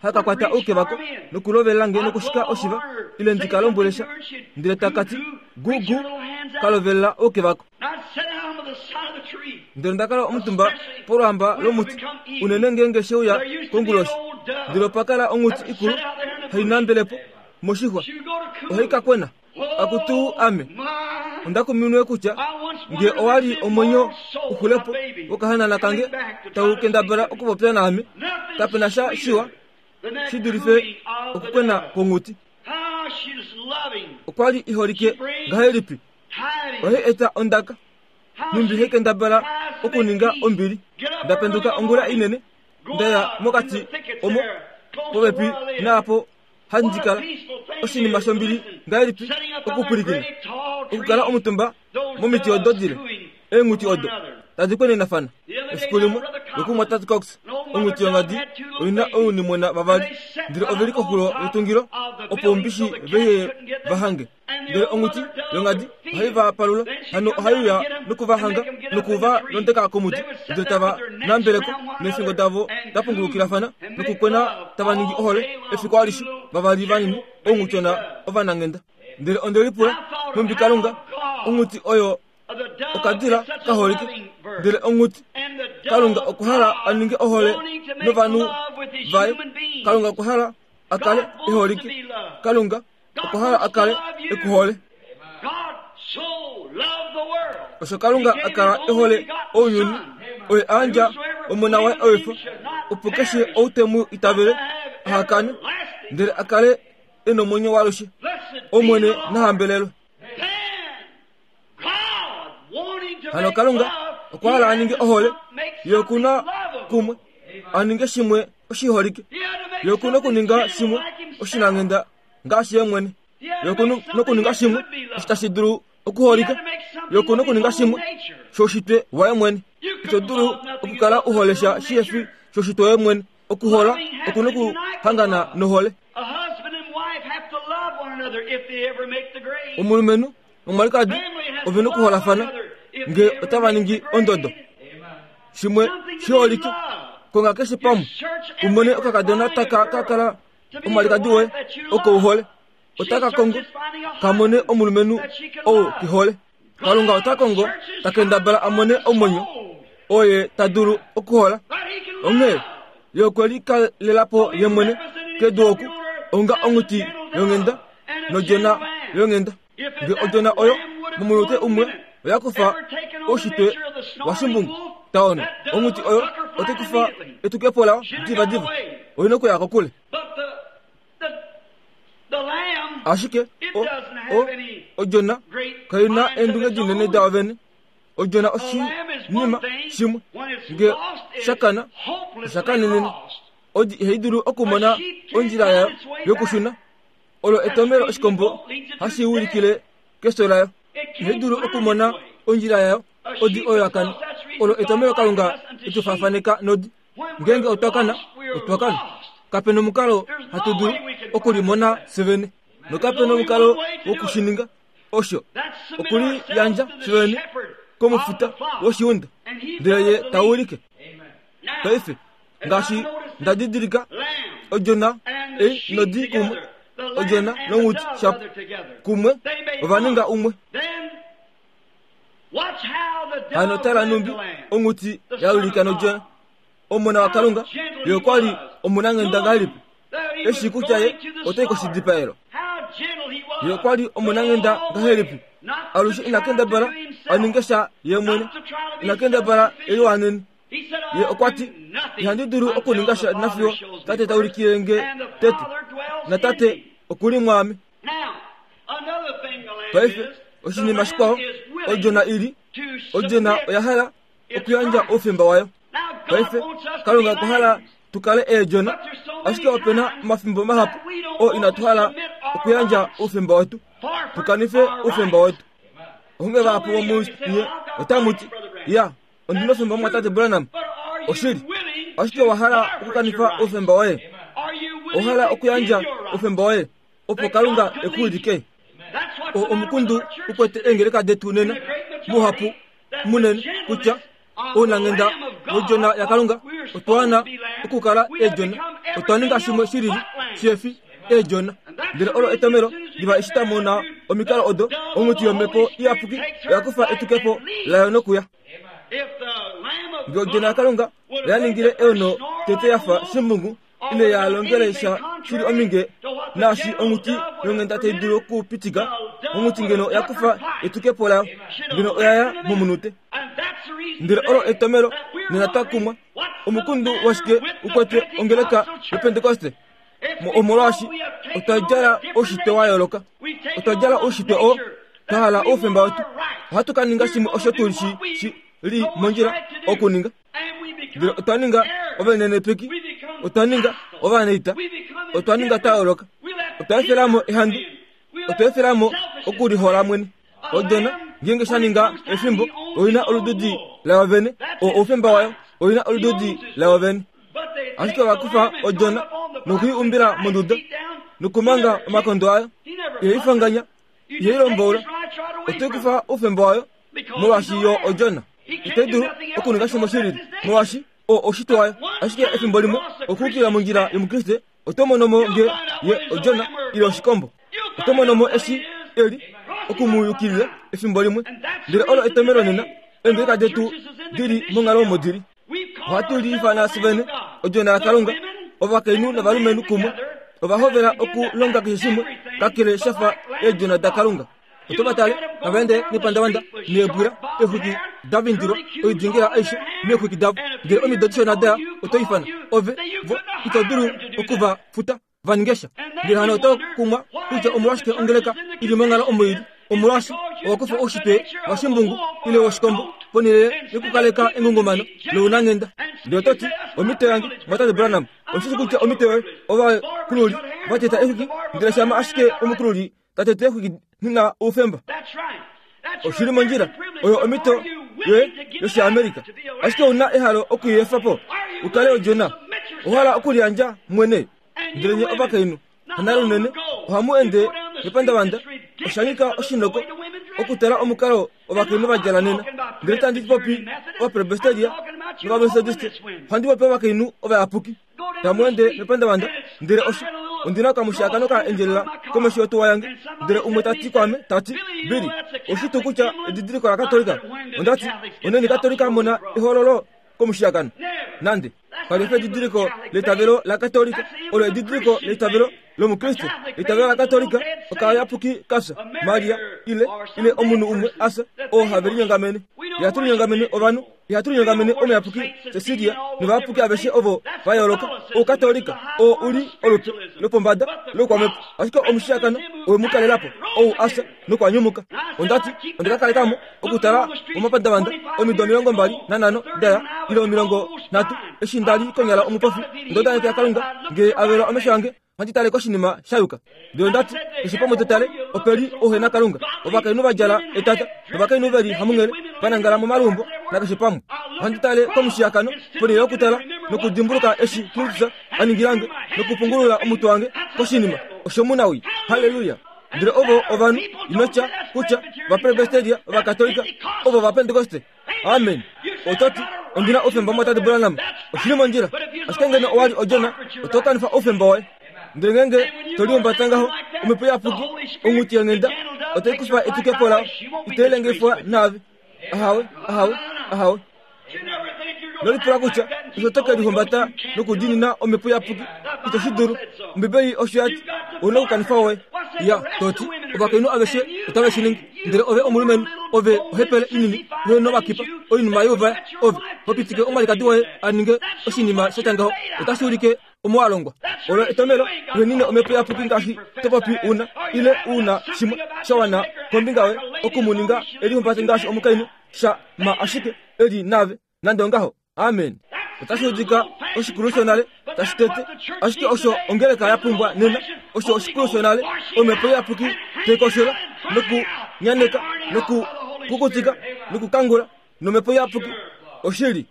haka kwata ouke vako nokulovela nge nokushika oshiva ile ndi ka lombwele sha, ndele taka ti, Gu gu, ka lovelela ouke vako. Ndele onda kala omutumba polwaamba lomuti, unene ngeenge she uya konguloshi. Ndele opa kala onghuti ikulu hai nambele po moshixwa, ohai ka kwena. Akutu ame, onda kuminwe kutya nge owa li omwenyo u xule po wokahanana kange tau kendabala okupopya naame, kape na sha shiwa shi dulife okukwena kwonghuti. Okwa li i holike ngahelipi? Ohai eta ondaka, nhumbi hai kendabala okuninga ombili. Nda penduka ongula inene, nda ya mokati omo popepi naapo handi kala. Oshinima shombili ngahelipi okupwilikina, okukala omutumba momiti odo dile, eenghuti odo tadi kwenenafana. Efiku limwe, lokumwatate Cox, onghuti yongadi oi na ounimwena vavali, ndele ove li koxulo yetungilo opo oumbishi vehe va hange. Ndele onghuti yongadi ohai va palula, hano ohai uya noku va hanga noku va londeka komuti, ndele tava nambele ko, neefingo davo da pungulukilafana nokukwena tava ningi ohole efiku alishe, vavali vanini, ounghutyona ovananghenda. Ndele onde lipula, Nhumbi Kalunga, onghuti oyo okadila ka holike, ndele onghuti, Kalunga okwa hala a ninge ohole novanhu vaye. Kalunga okwa hala a kale e holike. Kalunga okwa hala a kale e ku hole. Osho Kalunga a kala e hole ounyuni, oye a yandja Omona waye ewifa, opo keshe ou te mu itavele aha kane, ndele a kale e nomwenyo waalushe. Omwene na hambelelwe. Hano Kalunga okwa hala a ninge ohole ye oku na kumwe a ninge shimwe oshiholike. Ye oku na okuninga shimwe oshinanghenda ngaashi ye mwene. Ye oku na okuninga shimwe osho tashi dulu okuholika. Ye oku na okuninga shimwe shoushitwe waye mwene. Ito dulu okukala u hole sha shihe fi shoushitwe woye mwene. Okuhola oku na okuhangana nohole. Omulumenhu nomwalikadi ove na okuholafana nge otava ningi ondodo. Shimwe shiholike, konga keshe pamwe u mone okakadona taka ka kala omwalikadi woye oko u hole. Otaka kongo ka mone omulumenhu ou ke hole. Kalunga ota kongo ta kendabala a mone omwenyo oo ye ta dulu okuhola. Onghee ye okwe likalela po ye mwene kedu oku onga onghuti yonghenda nodjona yonghenda. Nge odjona oyo momunute umwe oya kufa oushitwe washimbungu, taona, onghuti oyo otai kufa etukepo layo divadiva. Oi na okuya kokule. Ashike o, o, odjona kai na eendunge dinene dayo vene. Odjona oshinima shimwe nge sha kana, osha kanenene. Odi ihai dulu okumona ondjila yayo yokushuna. Olo etomelo oshikombo hashi ulikile kefyo layo. Ihai dulu okumona ondjila yayo. Odi oyo ya kana. Olo etomelo Kalunga e tu faafaneka nodi. Ngeenge otwa kana, otwa kana. Kape na omukalo hatu dulu okulimona fye vene, nokape na omukalo woku shi ninga. Osho okuliyandja fye vene komufuta woshiunda, ndele ye ta ulike. Paife, ngaashi nda didilika, odjona ei nodi kumwe, odjona nonghuti shapo kumwe, ova ninga umwe. Hano tala nhumbi onghuti ya ulika nodjona. Omona waKalunga, ye okwa li omunanghenda ngahelipi, e shii kutya ye otai koshidipaelo. Ye okwa li omunanghenda ngahelipi? Alushe ina kendabala a ninge sha ye mwene, ina kendabala e liwanene. Ye okwa ti, Ihandi dulu okuninga sha nafiyo Tate ta ulikile nge tete, naTate oku li mwaame. Paife, oshinima shikwao, odjona i li, odjona oya hala okuyandja oufemba wayo. Paife, Kalunga okwa hala tu kale eedjona, ashike ope na omafimbo mahapu oo inatu hala okuyandja oufemba wetu, tu kanife oufemba wetu. Onghee vahapu vomunye otamu ti, Ya, ondi na oufemba mumwatate Branham. Oshili. Ashike owa hala okukanifa oufemba woye. Owa hala okuyandja oufemba woye, opo Kalunga e ku wilike. O omukundu u kwete eengeleka detu nena, muhapu munene, kutya ounanghenda wodjona yaKalunga otwa wana okukala eedjona. Otwa ninga shimwe shilili shihefi eedjona. Ndele olo etomelo liva eshi twa mona omikalo odo, onghuti yOmhepo Iyapuki oya kufa etukepo layo nokuya. Nge odjona yaKalunga oya ningile eono tete ya fa shimbungu, ile ya longele sha shili ominge naashi onghuti yonghenda tai dulu okupitika onghuti ngeno oya kufa etukepo layo ngeno oya ya momunute. Ndele olo etomelo nena twa kumwa omukundu washike u kwete ongeleka yoPentekoste omolwaashi otwa djala oushitwe wa yooloka otwa djala oushitwe oo twa hala oufemba wetu ohatu ka ninga shimwe osho tu shi shi li mondjila okuninga Ndele otwa ninga ovalinenepeki, otwa ninga ovanaita, otwa ninga twa yooloka, otwa efela mo ehandu, otwa efela mo okulihola mwene. Odjona ngeenge sha ninga efimbo oi na olududi layo vene, oo oufemba wayo, oi na olududi layo vene. Ashike ova kufa odjona noku i umbila monduda nokumanga omakondo ayo, ihai fanganya, ihai lomboula, otai kufa oufemba wayo molwaashi yo odjona itai dulu okuninga shimwe shi lili molwaashi oo oushitwe wayo. Ashike efimbo limwe okuukilila mondjila yOmukriste oto mono mo nge ye odjona ile oshikombo. Oto mono mo eshi e li oku mu yukilila efimbo limwe. Ndele olo etomelo nena eengeleka detu di li monghalo omo di li. Ohatu liifana fye vene odjona yaKalunga, ovakainhu novalumenhu kumwe ova hovela okulonga keshe shimwe kakele sha fa eedjona daKalunga. Oto va tale tava ende nepandavanda neebwila, eexwiki da vindilwa, oidingila aishe meexwiki davo. Ndele omido dishona da ya, oto ifana ove, vo, ito dulu oku va futa va ninge sha. Ndele hano oto kumwa kutya omolwashike ongeleka i li monghalo omo i li. Omolwaashi owa kufa oushitwe washimbungu ile woshikombo ponhele yokukaleka engungumano lounanghenda. Ndele oto ti, Omhito yange, Mumwatate Branham, oshishi kutya omhito yoye, ovakululi va teta exwiki, ndele shama ashike omukululi ta tete exwiki na oufemba. Oshi li mondjila, oyo omhito yoye yOshiamerika. Ashike ou na ehalo oku i efa po u kale odjona. Owa hala okuliyandja mwene. Ndele nye ovakainhu, hanale unene, ohamu ende mepandavanda, osha nyika oshinoko okutala omukalo ovakainhu va djala nena. Ndele itandi popi Ovapresbiteria nOvametodiste, ohandi popi ovakainhu ovayapuki. Tamu ende mepandavanda, ndele osho, ondi na okamushiyakano ka endjelela komesho yotuwa yange, ndele umwe ta ti kwaame, ta ti, Billy, oshi tuu kutya edidiliko laKatolika? Onda ti, Oneni Katolika mona ehololo komushiyakano? Nande. Kali fi edidiliko leitavelo laKatolika, olo edidiliko leitavelo lOmukriste. Eitavelo laKatolika okayapuki ka fya, Maria, ile, ile omunhu umwe a fya, oo have linyongamene. Ihatu linyongamene ovanhu, ihatu linyongamene omuyapuki Cecilia novayapuki aveshe ovo va yooloka. Oukatolika oo u li olupe lopombada loukwamhepo, ashike omushiyakano owe mu kalela po, ou a fya nokwa nyumuka. Onda ti, Onda ka kaleka mo okutala momapandavanda omido 25 da ya, ile 30, eshi nda li konyala omupofi. Onda udanekela Kalunga, nge a vela omesho ange, ohandi tale koshinima sha yuka. Ndele onda ti, Keshe pamwe to tale, ope li ouhenakalunga, ovakainhu va djala etata, novakainhu ve li hamunghele, va nangala momaluumbo, nakeshe pamwe. Ohandi tale komushiyakano, ponhele yokutala nokudimbuluka eshi Kristus a ningila nge, nokupungulula omutwe wange koshinima osho munawii. Halleluya! Ndele ovo ovanhu, ino tya kutya Ovapresbiteria, Ovakatolika, ovo Ovapentekoste. Amen. Oto ti, Ondi na oufemba mwatate Branham. Oshi li mondjila. Ashike ngeno owa li odjona, oto kanifa oufemba woye. Ndele ngeenge to lihumbata ngaho, Omhepo Iyapuki, onghuti yonghenda, otai kufa etukepo layo. Itai lengifwa naave. Ahawe, ahawe, ahawe. Ino lipula kutya osho to ke lihumbata nokudiinina Omhepo Iyapuki. Ito shi dulu. Ombibeli osho ya ti. Ou na okukanifa woye. Ya, to ti, ovakainhu aveshe otave shi ningi. Ndele ove omulumenhu, ove ohepele inini, uhe novakipa, oinima youvaya, ove ho pitike omwalikadi woye a ninge oshinima sha tya ngaho, otashi ulike omo wa longwa. Olo etomelo uhenine omhepo iyapuki ngaashi to popi una, ile u na shimwe sha wana kombinga yoye oku mu ninga e lihumbate ngaashi omukainhu, sha ma ashike e li naave, nande ongaho. Amen. Otashi udika oshikulu shonale tashi tete, ashike osho ongeleka ya pumbwa nena, osho oshikulu shonale, omhepo iyapuki tai koshola nokunyaneka nokukukutika nokukangula nomhepo iyapuki. Oshili.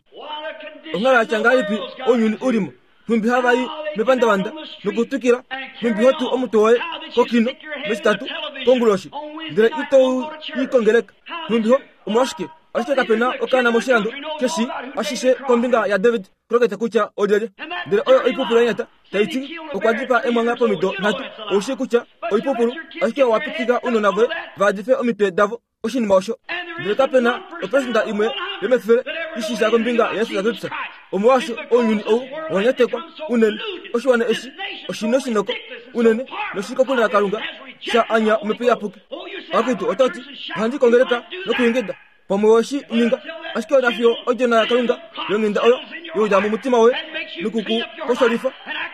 Onghalo ya tya ngahelipi ounyuni u li mo? Nhumbi hava i mepandavanda nokutwikila, nhumbi ho tu omutwe woye kokino mEtitatu konguloshi, ndele ito i kongeleka. Nhumbi ho, omolwashike, ashike kape na okaana moshilando ke shii ashishe kombinga yaDavid Crockett kutya olyelye. Ndele oyo oipupulu ya nyata, tai ti okwa dipaa emwangha pomido nhatu. Ou shii kutya oipupulu, ashike owa pitika ounona voye va dife omitwe davo oshinima osho. Ndele kape na opersenda imwe yomefele i shii sha kombinga yaJesus Kristus. Omolwaashi ounyuni ou owa nyatekwa unene, oshiwana eshi oshi noshinoko unene noshi kokule naKalunga, sha anya Omhepo Iyapuki. Akutu, oto ti, ohandi kongeleka nokuingida. Pamwe owe shi ninga, ashike ona fiyo odjona yaKalunga yonghenda oyo ye uya momutima woye noku ku kosholifa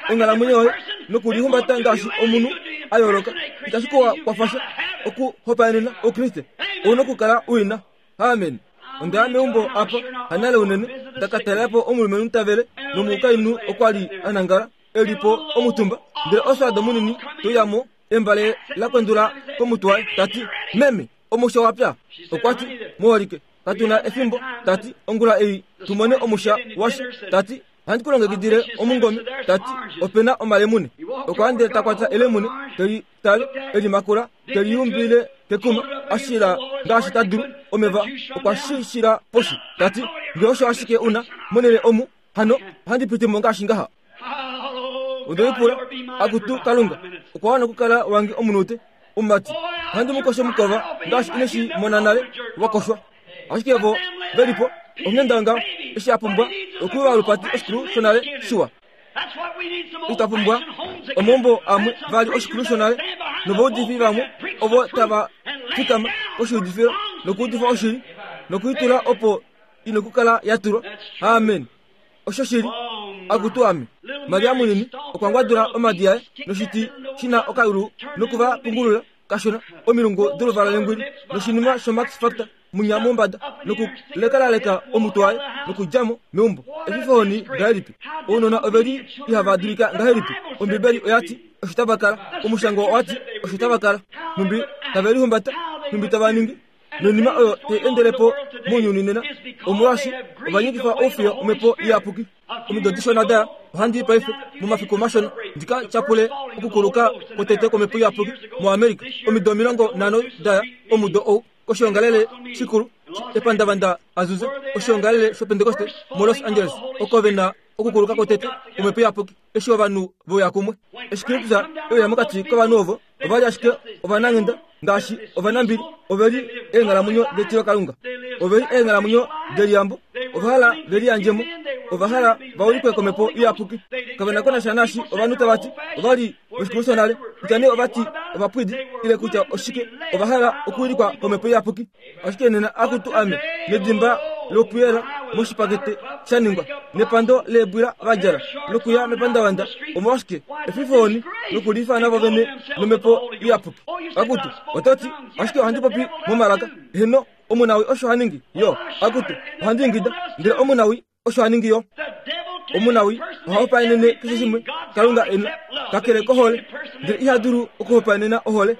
onghalamwenyo yoye nokulihumbata ngaashi omunhu a yooloka, itashi ku kwafa sha okuhopaenena Oukriste. Ou na okukala u i na. Amen. Onda ya meumbo apa hanale unene, nda ka talela po omulumenhu ta vele, nomukainhu okwa li a nangala e li po omutumba, ndele oswaado munini te uya mo, embale la kwendula komutwe waye, ta ti, Meme, omusha wa pya. Okwa ti, Muholike, katu na efimbo, ta ti, ongula ei tu mone omusha washa. Ta ti, Ohandi ku longekidile omungome. Ta ti, Ope na omalemune. Okwa ndele ta kwata elemune, te li tale, e li makula, te li umbile kekuma, a shila ngaashi ta dulu. Omeva okwa shishila poshi. Ta ti, Nge osho ashike u na monhele omu, hano ohandi piti mo ngaashi ngaha. Onde lipula, Akutu Kalunga, okwa wana okukala wange omunute, omumati. Ohandi mu kosho mukova ngaashi ine shi mona nale wa koshwa. Ashike vo ve li po, onghenda ngaho, eshi a pumbwa okuyuva olupati oshikulu shonale shiwa. Ita pumbwa omaumbo amwe vali oshikulu shonale novaudifi vamwe ovo tava fikama koshiudifilo nokuudifa oshili nokuitula opo i nokukala ya tulwa. Amen. Oshoshili, akutu ame. Maria munini okwa ngwadula omadi aye noshiti shi na okayulu noku va pungulula kashona omilungu doluvala lengwili noshinima shoMax Factor munya mombada nokulekalaleka omutwe waye nokudja mo meumbo. Efifohoni ngahelipi! Ounona ove li ihava dulika ngahelipi! Ombibeli oya ti osho tava kala. Omushango owa ti osho tava kala. Nhumbi tave lihumbata, nhumbi tava ningi. Noinima oyo tai endele po mounyuni nena, omolwaashi ova nyikifa oufiyo omhepo iyapuki. Omido dishona daya, ohandi i paife, momafiku mashona, ndi ka tyapule okukuluka kwotete kwomhepo iyapuki moAmerica. Omido 50 daya, omudo ou, koshiongalele shikulu epandavanda Azusa, oshiongalele shOpentekoste moLos Angeles, oko ve na okukuluka kwotete kwomhepo iyapuki, eshi ovanhu ve uya kumwe. Eshi Kristus e uya mokati kovanhu ovo, Ova li ashike ovananghenda ngaashi ovanambili. Ove li eenghalamwenyo detilokalunga. Ove li eenghalamwenyo deliyambo. Ova hala ve liyandje mo. Ova hala va ulikwe komhepo iyapuki. Kave na ko nasha naashi ovanhu tava ti. Ova li voshikulu shonale, kutya nee ova ti ovapwidi ile kutya oshike. Ova hala okuwilikwa komhepo iyapuki. Ashike nena akutu ame, nedimba lopuyela moshipakete sha ningwa, nepando leebwila va djala, nokuya mepandavanda, omolwashike, efifohoni, nokuliifana vo vene nomhepo iyapuki. Akutu, oto ti, ashike ohandi popi momalaka. Heeno, omunawi osho ha ningi, yo. Akutu, ohandi ingida, ndele omunawi osho a ningi yo. Omunawi oha hopaenene keshe shimwe Kalunga e na, kakele kohole, ndele iha dulu okuhopaenena ohole.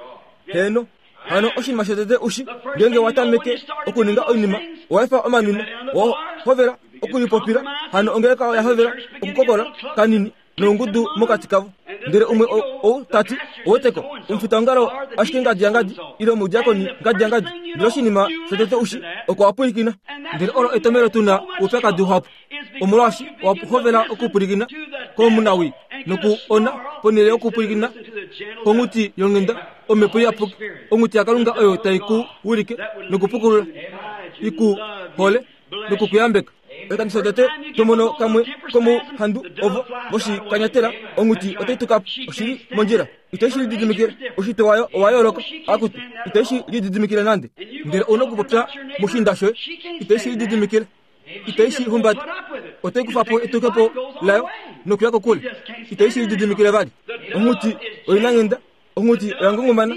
Heeno. Hano oshinima shotete ushi, ngeenge wa tameke okuninga oinima, owa efa omanwino, wa hovela okulipopila, hano ongeleka oya hovela okukokola kanini nongudu mokati kavo. Ndele umwe ou ta ti, Oweteko, omufitaongalo ashike ngadi yangadi, ile omudiakoni ngadi yangadi. Ndele oshinima shotete ushi, oko wa pwilikina. Ndele olo etomhelo tu na oupyakadi uhapu, omolwaashi owa hovela okupwilikina komunawii noku ona ponhele yokupwilikina konghuti yonghenda, omhepo iyapuki, onghuti yaKalunga oyo tai ku wilike nokupukulula, i ku hole noku ku yambeka. Oshikando shotete to mono kamwe komouhandu ovo voshikanyatela, onghuti otai tuka po. Oshi li mondjila. Itai shi lididimikile. Oushitwe wayo owa yooloka. Akutu, itai shi lididimikile nande. Ndele ou na okupopya moshiinda shoye. Itai shi lididimikile. Itai shi humbata. Otai kufa po etukepo layo nokuya kokule. Itai shi lididimikile vali. Onghuti oinanghenda. Onghuti oya ngungumana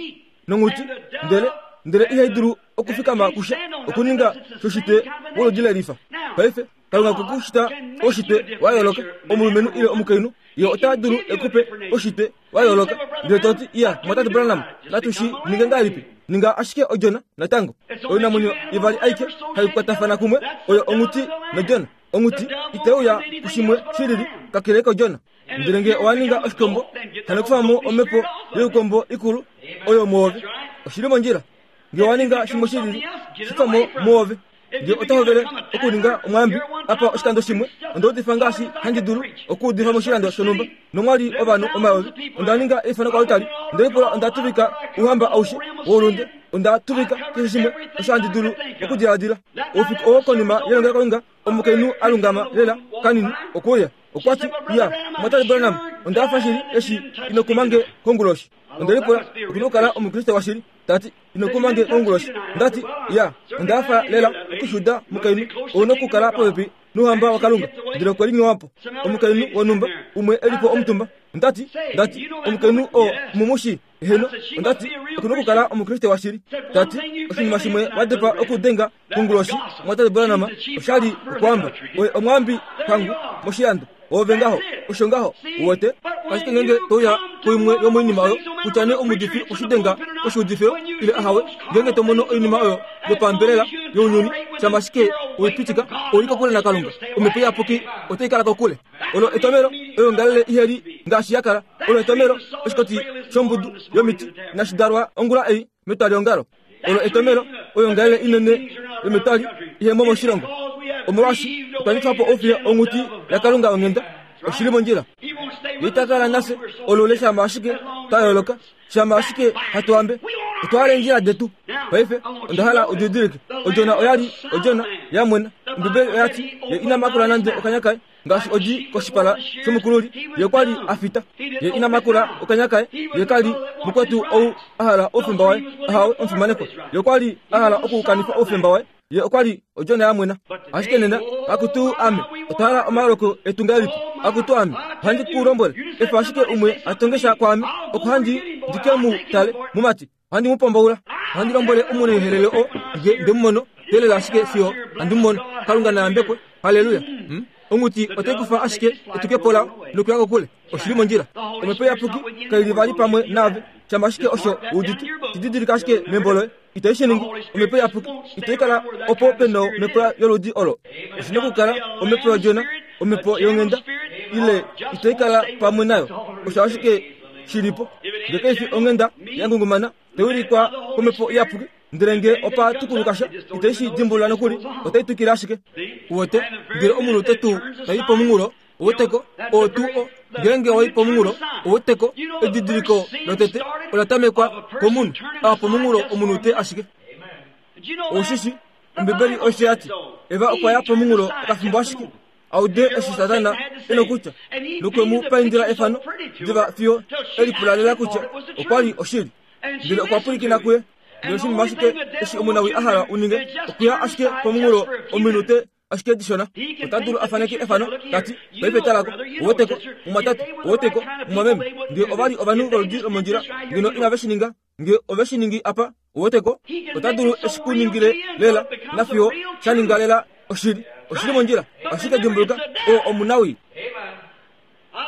nonghuti, ndele ndele ihai dulu okufikama kusha okuninga shoshitwe woludi lelifa. Paife Kalunga okwe ku shita oshitwe wa yooloka, omulumenhu ile omukainhu, ye ota dulu e ku pe oshitwe wa yooloka. Ndele to ti, Iya, Mumwatate Branham, natu shi ninge ngahelipi? Ninga ashike odjona natango. Oinamwenyo ivali aike hai kwatafana kumwe oyo onghuti nodjona. Onghuti itai uya kushimwe shilili kakele kodjona. Ndele nge owa ninga oshikombo, hano kufa mo omhepo youkombo ikulu oyo mwoove. Oshi li mondjila. Nge owa ninga shimwe shilili, shi kufa mo mwoove. Nge ota hovele okuninga omwaambi apa oshikando shimwe, onda udifa ngaashi handi dulu okuudifa moshilando shonhumba, nomwa li ovanhu omayovi. Onda ninga eifano koaltari, nde lipula onda tuvika ouhamba aushe woulunde, onda tuvika keshe shimwe osho handi dulu okudiladila. Oufiku oo konima yelongelokalunga, omukainhu a lungama lela kanini okwe uya. Okwa ti, Ya, Mumwatate Branham, onda hafa shili eshi ino kuma nge konguloshi. Onde lipula, Oku na okukala Omukriste washili. Ta ti, Ino kuma nge konguloshi. Onda ti, Ya, onda hafa lela okushuda mukainhu. Ou na okukala popepi nOuhamba waKalunga. Ndele okwe linyowa po. Omukainhu wonhumba, umwe e li po omutumba. Onda ti, Onda ti, Omukainhu oo omu mu shii? Eheno, onda ti, oku na okukala Omukriste washili. Ta ti, Oshinima shimwe wa dopa okudenga konguloshi, Mumwatate Branham, osha li okwaamba. Oye omwaambi pangu moshilando. Oove ngaho, osho ngaho, uwete. Ashike ngeenge to uya kuimwe yomoinima oyo, kutya nee omuudifi oshidenga oshiudifilo ile ahawe, ngeenge to mono oinima oyo yopambelela younyuni, shama ashike we i pitika, ou li kokule naKalunga. Omhepo Iyapuki otai kala kokule. Olo etomelo oyoongalele ihe li ngaashi ya kala. Olo etomelo oshikoti shombudu yomiti inashi dalwa ongula ei metwaliongalo. Olo etomelo oyoongalele inene yometwali ihe mo moshilongo. Omolwaashi otwa nyukifa po oufiya onghuti yaKalunga yonghenda. Oshi li mondjila. Ye ita kala nafye olule shama ashike twa yooloka. Shama ashike hatu ambe, otwa hala eendjila detu. Paife, onda hala u didilike, odjona oya li odjona ya mwena. Ombibeli oya ti, Ye ina makula nande okanya kaye, ngaashi odi koshipala shomukululi. Ye okwa li a fita. Ye ina makula okanya kaye. Ye ka li mukwetu ou a hala oufemba waye. Ahawe, omufimanekwa. Ye okwa li a hala okukanifa oufemba waye. Ye okwa li odjona ya mwena. Ashike nena, akutu ame, otwa hala omaoloko etu ngahelipi? Akutu ame, ohandi ku lombwele, efa ashike umwe a tonge sha kwaame, opo handi ndi ke mu tale, mumati, ohandi mu pombaula. Ohandi lombwele omunaihelele oo nge nde mu mono, teelela ashike fiyo handi mu mono. Kalunga na yambekwe. Halleluya! Hmm? Onghuti otai kufa ashike etukepo lao nokuya kokule. Oshi li mondjila. Omhepo Iyapuki kai li vali pamwe naave, shama ashike osho u udite. Shi didilika ashike membo loye. Itai shi ningi. Omhepo Iyapuki itai kala opo pe na omhepo yoludi olo. Oshi na okukala omhepo yOdjona, omhepo yonghenda, ile itai kala pamwe nayo. Osho ashike shi li po. Nge kai fi onghenda ya ngungumana, tai wilikwa komhepo Iyapuki, ndele nge opa tukuluka sha, itai shi dimbulula nokuli, otai twikile ashike. Uwete, ndele omunhu te tu tai pomunghulo, Ouweteko, oo tuu o, ngeenge wa i pomunghulo, ouweteko, edidiliko lotete ola tamekwa komunhu, a pomunghulo omunhu te ashike. Ou shi shi, Ombibeli osho ya ti, Eva okwa ya pomunghulo okafimbo ashike, a ude eshi Satana e nokutya, nokwe mu paindila efano diva fiyo e lipula lela kutya okwa li oshili. Ndele okwa pwilikina kuye. Ndele oshinima ashike eshi omunawii a hala u ninge, okuya ashike pomunghulo ominute ashike dishona. Ota dulu a faneke efano, ta ti, Paife tala ko, uwete ko, mumwatate, uwete ko, mumwameme. Nge ova li ovanhu voludi lomondjila, ngeno inave shi ninga. Nge ove shi ningi apa, uwete ko, ota dulu e shi ku ningile lela, nafiyo sha ninga lela oshili. Oshi li mondjila. Ashike dimbuluka, oo omunawii.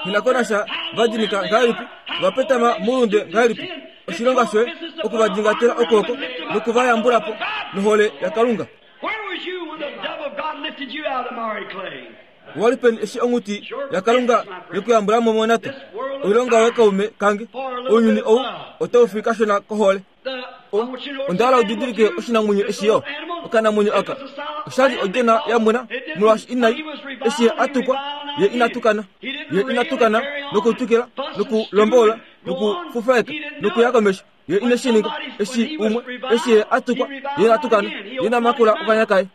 Nghi na ko nasha va dinika ngahelipi, va petama moulunde ngahelipi, oshilonga shoye oku va dingatela okwooko noku va yambula po nohole yaKalunga. Owa li peni eshi onghuti yaKalunga ye ku yambula mo monata? Oilonga yoye kaume kange, ounyuni ou otau fi kashona kohole. Onda hala u didilike oshinamwenyo eshi yo, okanamwenyo aka. Osha li odjona ya mwena, molwaashi inai, eshi ye a tukwa, ye ina tukana. Ye ina tukana nokutukila, nokulombola, nokufufaeka, nokuya komesho. Ye ine shi ninga. Eshi umwe, eshi ye a tukwa, ye ina tukana. Ye ina makula okanya kaye.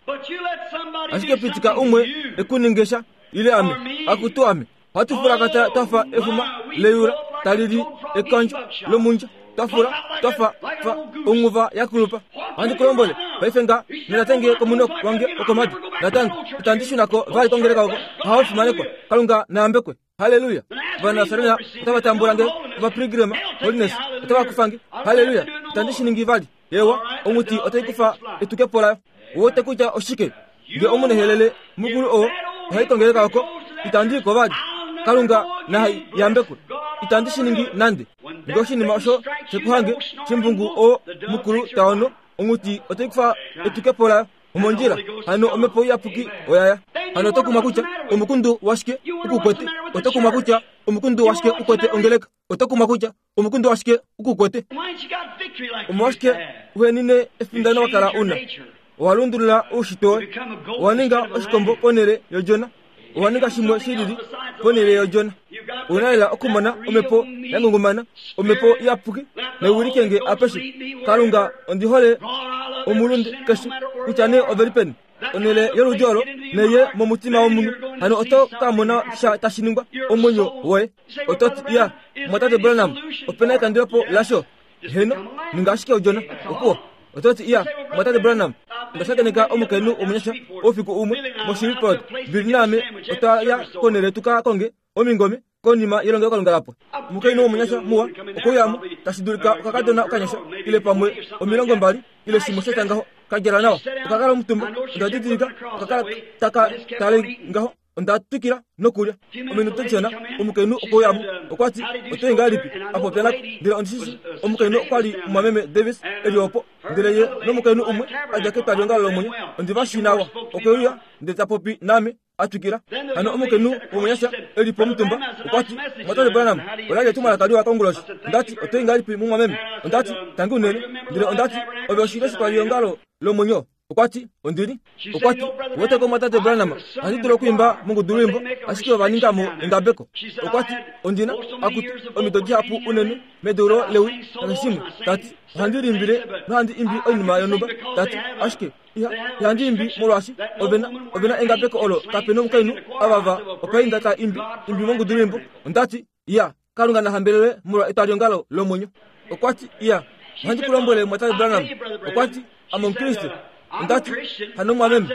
Ashike pitika umwe e ku ninge sha, ile ame, akutu ame. Ohatu fulakata twa fa efuma leyula tali li ekandjo lomundja, twa fula twa fa fa onghuva ya kulupa. Ohandi ku lombwele paife nga nonatenge komunoko wange wokomadu, natango itandi shuna ko vali kongeleka oko. Ohava fimanekwa, Kalunga na yambekwe. Halleluya! Ovanasarena otava tambula nge, Ovapilgrim, Holiness otava kufa nge. Halleluya! Itandi shi ningi vali. Ewa, onghuti otai kufa etukepo layo. Uwete kutya oshike? Nge omunehelele mukulu oo ohai kongeleka oko, itandi i ko vali. Kalunga na yambekwe. Itandi shi ningi nande. Nge oshinima osho she ku hange, shimbungu oo mukulu ta ono, onghuti otai kufa etukepo layo. Omondjila, hano omhepo iyapuki oya ya. Hano oto kumwa kutya omukundu washike u ku kwete. Oto kumwa kutya omukundu washike u kwete ongeleka. Oto kumwa kutya omukundu washike u ku kwete. Omolwashike uhenine efindano wa kala una? Owa lundulula oushitwe woye. Owa ninga oshikombo ponhele yodjona. Owa ninga shimwe shi lili ponhele yodjona. Ou na lela okumona omhepo ya ngungumana, omhepo iyapuki, nai wilike nge apeshe. Kalunga, ondi hole omulunde keshe, kutya nee ove li peni. Onhele yoludi olo neye momutima womunhu, hano oto ka mona sha tashi ningwa omwenyo woye. Oto ti, Iya, Mumwatate Branham, ope na ekandulepo lasho? Heeno, ninga ashike odjona. Opuwo. Oto ti, Iya, Mumwatate Branham, onda shakeneka omukainhu womunyasha oufiku umwe moShreveport. Billy naame otwa ya konhele tu ka konge omingome konima yelongelokalunga la pwa. Omukainhu womunyasha muwa okwe uya mo, tashi dulika okakadona okanyasha, ile pamwe 20 ile shimwe sha tya ngaho, ka djala nawa. Oka kala omutumba, onda didilika, oka kala taka tale ngaho. Onda twikila nokulya. Ominute dishona, omukainhu okwe uya mo. Okwa ti, Oto i ngahelipi? A popya nako. Ndele ondi shi shii omukainhu okwa li Mumwameme Davis e li opo. Ndele ye nomukainhu umwe a dja ketwaliongalo lomwenyo, ondi va shii nawa. Okwe uya ndele ta popi naame, a twikila. Hano omukainhu womunyasha e li pomutumba okwa ti, Mumwatate Branham, ola li etumwalaka liwa konguloshi. Onda ti, Oto i ngahelipi, mumwameme? Onda ti, Tangi unene. Ndele onda ti, Ove oshilyo shetwaliongalo lomwenyo? Okwa ti, Ondi li. Okwa ti, Uwete ko Mumwatate Branham, ohandi dulu okwiimba mongudulwiimbo, ashike ova ninga mo engabeko. Okwa ti, Ondi na, akutu, omido dihapu unene medeulo lewi nakeshimwe. Ta ti, Ohandi liimbile nohandi imbi oinima yonhumba. Ta ti, Ashike, iha, ihandi imbi molwaashi ove na, ove na engabeko olo kape nomukainhu ava va opainda ta imbi, imbi mongudulwiimbo. Onda ti, Iya, Kalunga na hambelelwe molwa etwaliongalo lomwenyo. Okwa ti, Iya, ohandi ku lombwele, Mumwatate Branham. Okwa ti, Ame Omukriste. Onda ti, Hano mumwameme,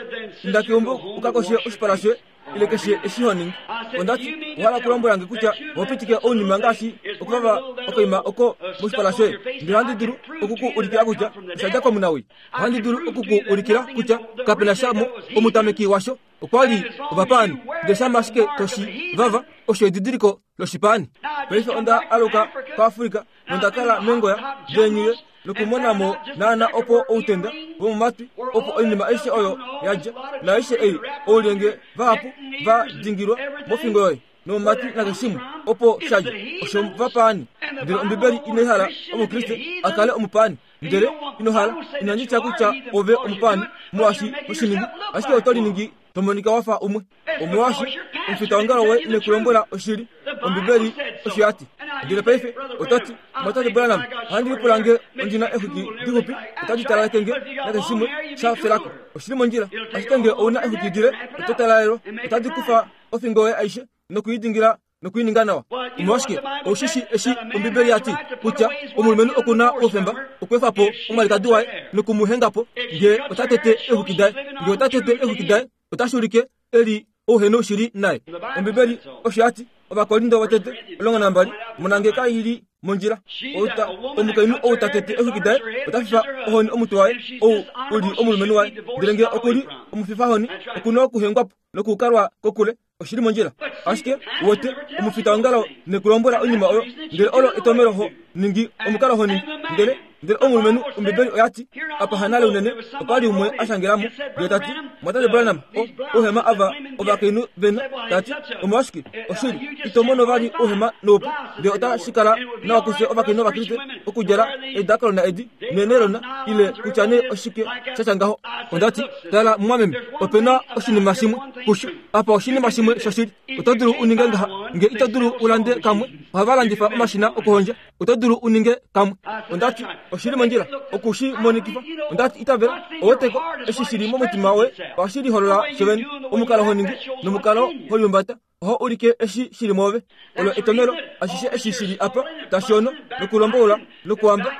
inda keumbo u ka koshe oshipala shoye, ile keshe eshi ho ningi. Onda ti, Owa hala okulombwela nge kutya oho pitike ounima ngaashi okuvava okoima oko moshipala shoye? Ndele ohandi dulu oku ku ulikila kutya osha dja komunawii. Ohandi dulu oku ku ulikila kutya kape na sha mo omutameki washo. Okwa li ovapaani, ndele shama ashike to shi vava, osho edidiliko loshipaani. Paife onda aluka koAfrika nonda kala mengoya leenyuye nokumona mo naana opo outenda vomomatwi, opo oinima aishe oyo ya dja, naaishe ei, oulyenge vahapu va dingilwa mofingo yoye nomomatwi nakeshimwe, opo sha dja, osho vapaani. Ndele Ombibeli inai hala Omukriste a kale omupaani. Ndele ino hala, inandi tya kutya ove omupaani molwaashi ho shi ningi, ashike oto liningi to monika wa fa umwe. Omolwaashi omufitaongalo we ine ku lombwela oshili. Ombibeli osho ya ti. Ndele paife oto ti, Mumwatate Branham, ohandi lipula nge ondi na exwiki dixupi, otadi talaleke nge nakeshe shimwe sha felako. Oshi li mondjila. Ashike nge ou na exwiki dile, oto talalelwa. Otadi kufa ofingo yoye aishe noku i dingila noku i ninga nawa. Omolwashike, ou shi shii eshi Ombibeli ya ti kutya omulumenhu oku na oufemba okweefa po omwalikadi waye noku mu henga po nge ota tete eexwiki daye. Nge ota tete eexwiki daye, otashi ulike e li ouhenoushili naye. Ombibeli osho ya ti, Ovakorinto votete 12, Mona nge kai li mondjila. Outa, omukainhu ou ta tete eexwiki daye ota fifa ohoni omutwe waye, ou u li omulumenhu waye. Ndele nge oku li omufifahoni, oku na okuhengwa po nokukalwa kokule. Oshi li mondjila. Ashike, uwete, omufitaongalo ne ku lombwela oinima oyo, ndele olo etomelo ho ningi omukalo ho ningi. Ndele, ndele omulumenhu, Ombibeli oya ti, apa hanale unene, opa li umwe a shangela mo, ndele ta ti, Mumwatate Branham, o, ouhema ava ovakainhu ve na, ta ti, omolwashike, oshili, ito mono vali ouhema noupu, ndele ota shi kala nawa kufye ovakainhu Ovakriste okudjala eedakalona edi, neenelona, ile kutya nee oshike sha tya ngaho. Onda ti, Tala, mumwameme, ope na oshinima shimwe kusho. Apa oshinima shimwe shoshili. Oto dulu u ninge ngaha, nge ito dulu u lande kamwe. Ohava landifa omashina okuhondja. Oto dulu u ninge kamwe. Onda ti, Oshi li mondjila oku shi monikifa. Onda ti, Itavela, oweteko, eshi shi li momutima woye ohashi liholola shovene. Omukalo ho ningi nomukalo ho lihumbata oho ulike eshi shi li mwoove. Olo etomelo, ashishe eshi shi li apa tashi ono, nokulomboula, nokuhamba,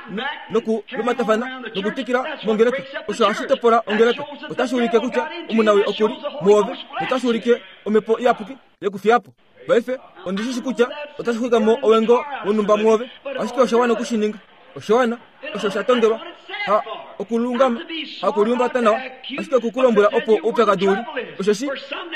nokulumatafana, nokutwikila mongeleka, osho hashi topola ongeleka. Otashi ulike kutya omunawii oku li mwoove, notashi ulike Omhepo Iyapuki yekufiya po. Paife, ondi shi shi kutya otashi xwika mo owengo wonhumba mwoove, ashike osha wana oku shi ninga. Osha wana, osho sha tongelwa, ha okulungama, hakuliumbata nawa, ashike oku ku lombwela opo oupyakadi u li. Osheshi,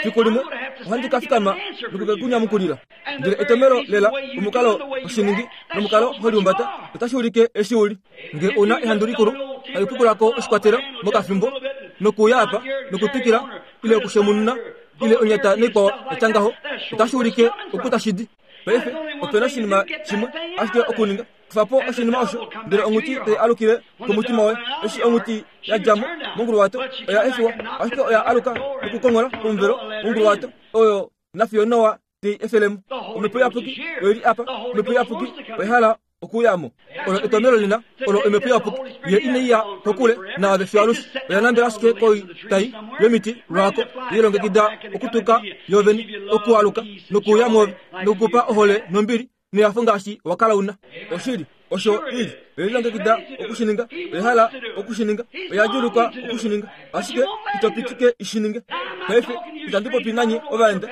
fiku limwe ohandi ka fikama noku ke ku nyamukulila. Ndele etomelo lela, omukalo ho shi ningi nomukalo ho liumbata, otashi ulike eshi u li. Nge ou na ehandu likulu, hali pukula ko oshikwatelo mokafimbo, nokuuya apa, nokutwikila, ile okushemununa, ile onyata naikwao ya tya ngaho, otashi ulike oku tashi di. Paife, ope na oshinima shimwe ashike okuninga, kufa po oshinima osho, ndele onghuti tai alukile komutima woye. Eshi onghuti ya dja mo monguluwato, oya efiwa, ashike oya aluka nokukonghola pomuvelo wonguluwato oyo nafiyo Noa te i efele mo. Omhepo Iyapuki oi li apa. Omhepo Iyapuki oya hala okuuya mo. Olo etomelo lina, olo Omhepo Iyapuki. Ye inai ya kokule naave fiyo alushe. Oya nambela ashike koitai yomiti lwako, ye lilongekida okutuka yoovene, okualuka nokuuya mwoove, nokukupa ohole nombili nehafo ngaashi wa kala u na. Oshili, osho i li. Oye lilongekida oku shi ninga. Oya hala oku shi ninga. Oya djuulukwa oku shi ninga. Ashike ito pitike i shi ninge. Paife, itandi popi nanye ovaenda.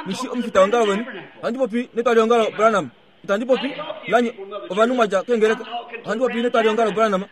Nghi omufitaongalo weni. Ohandi popi netwaliongalo Branham. Itandi popi nanye ovanhu mwa dja keengeleka. Ohandi popi netwaliongalo Branham.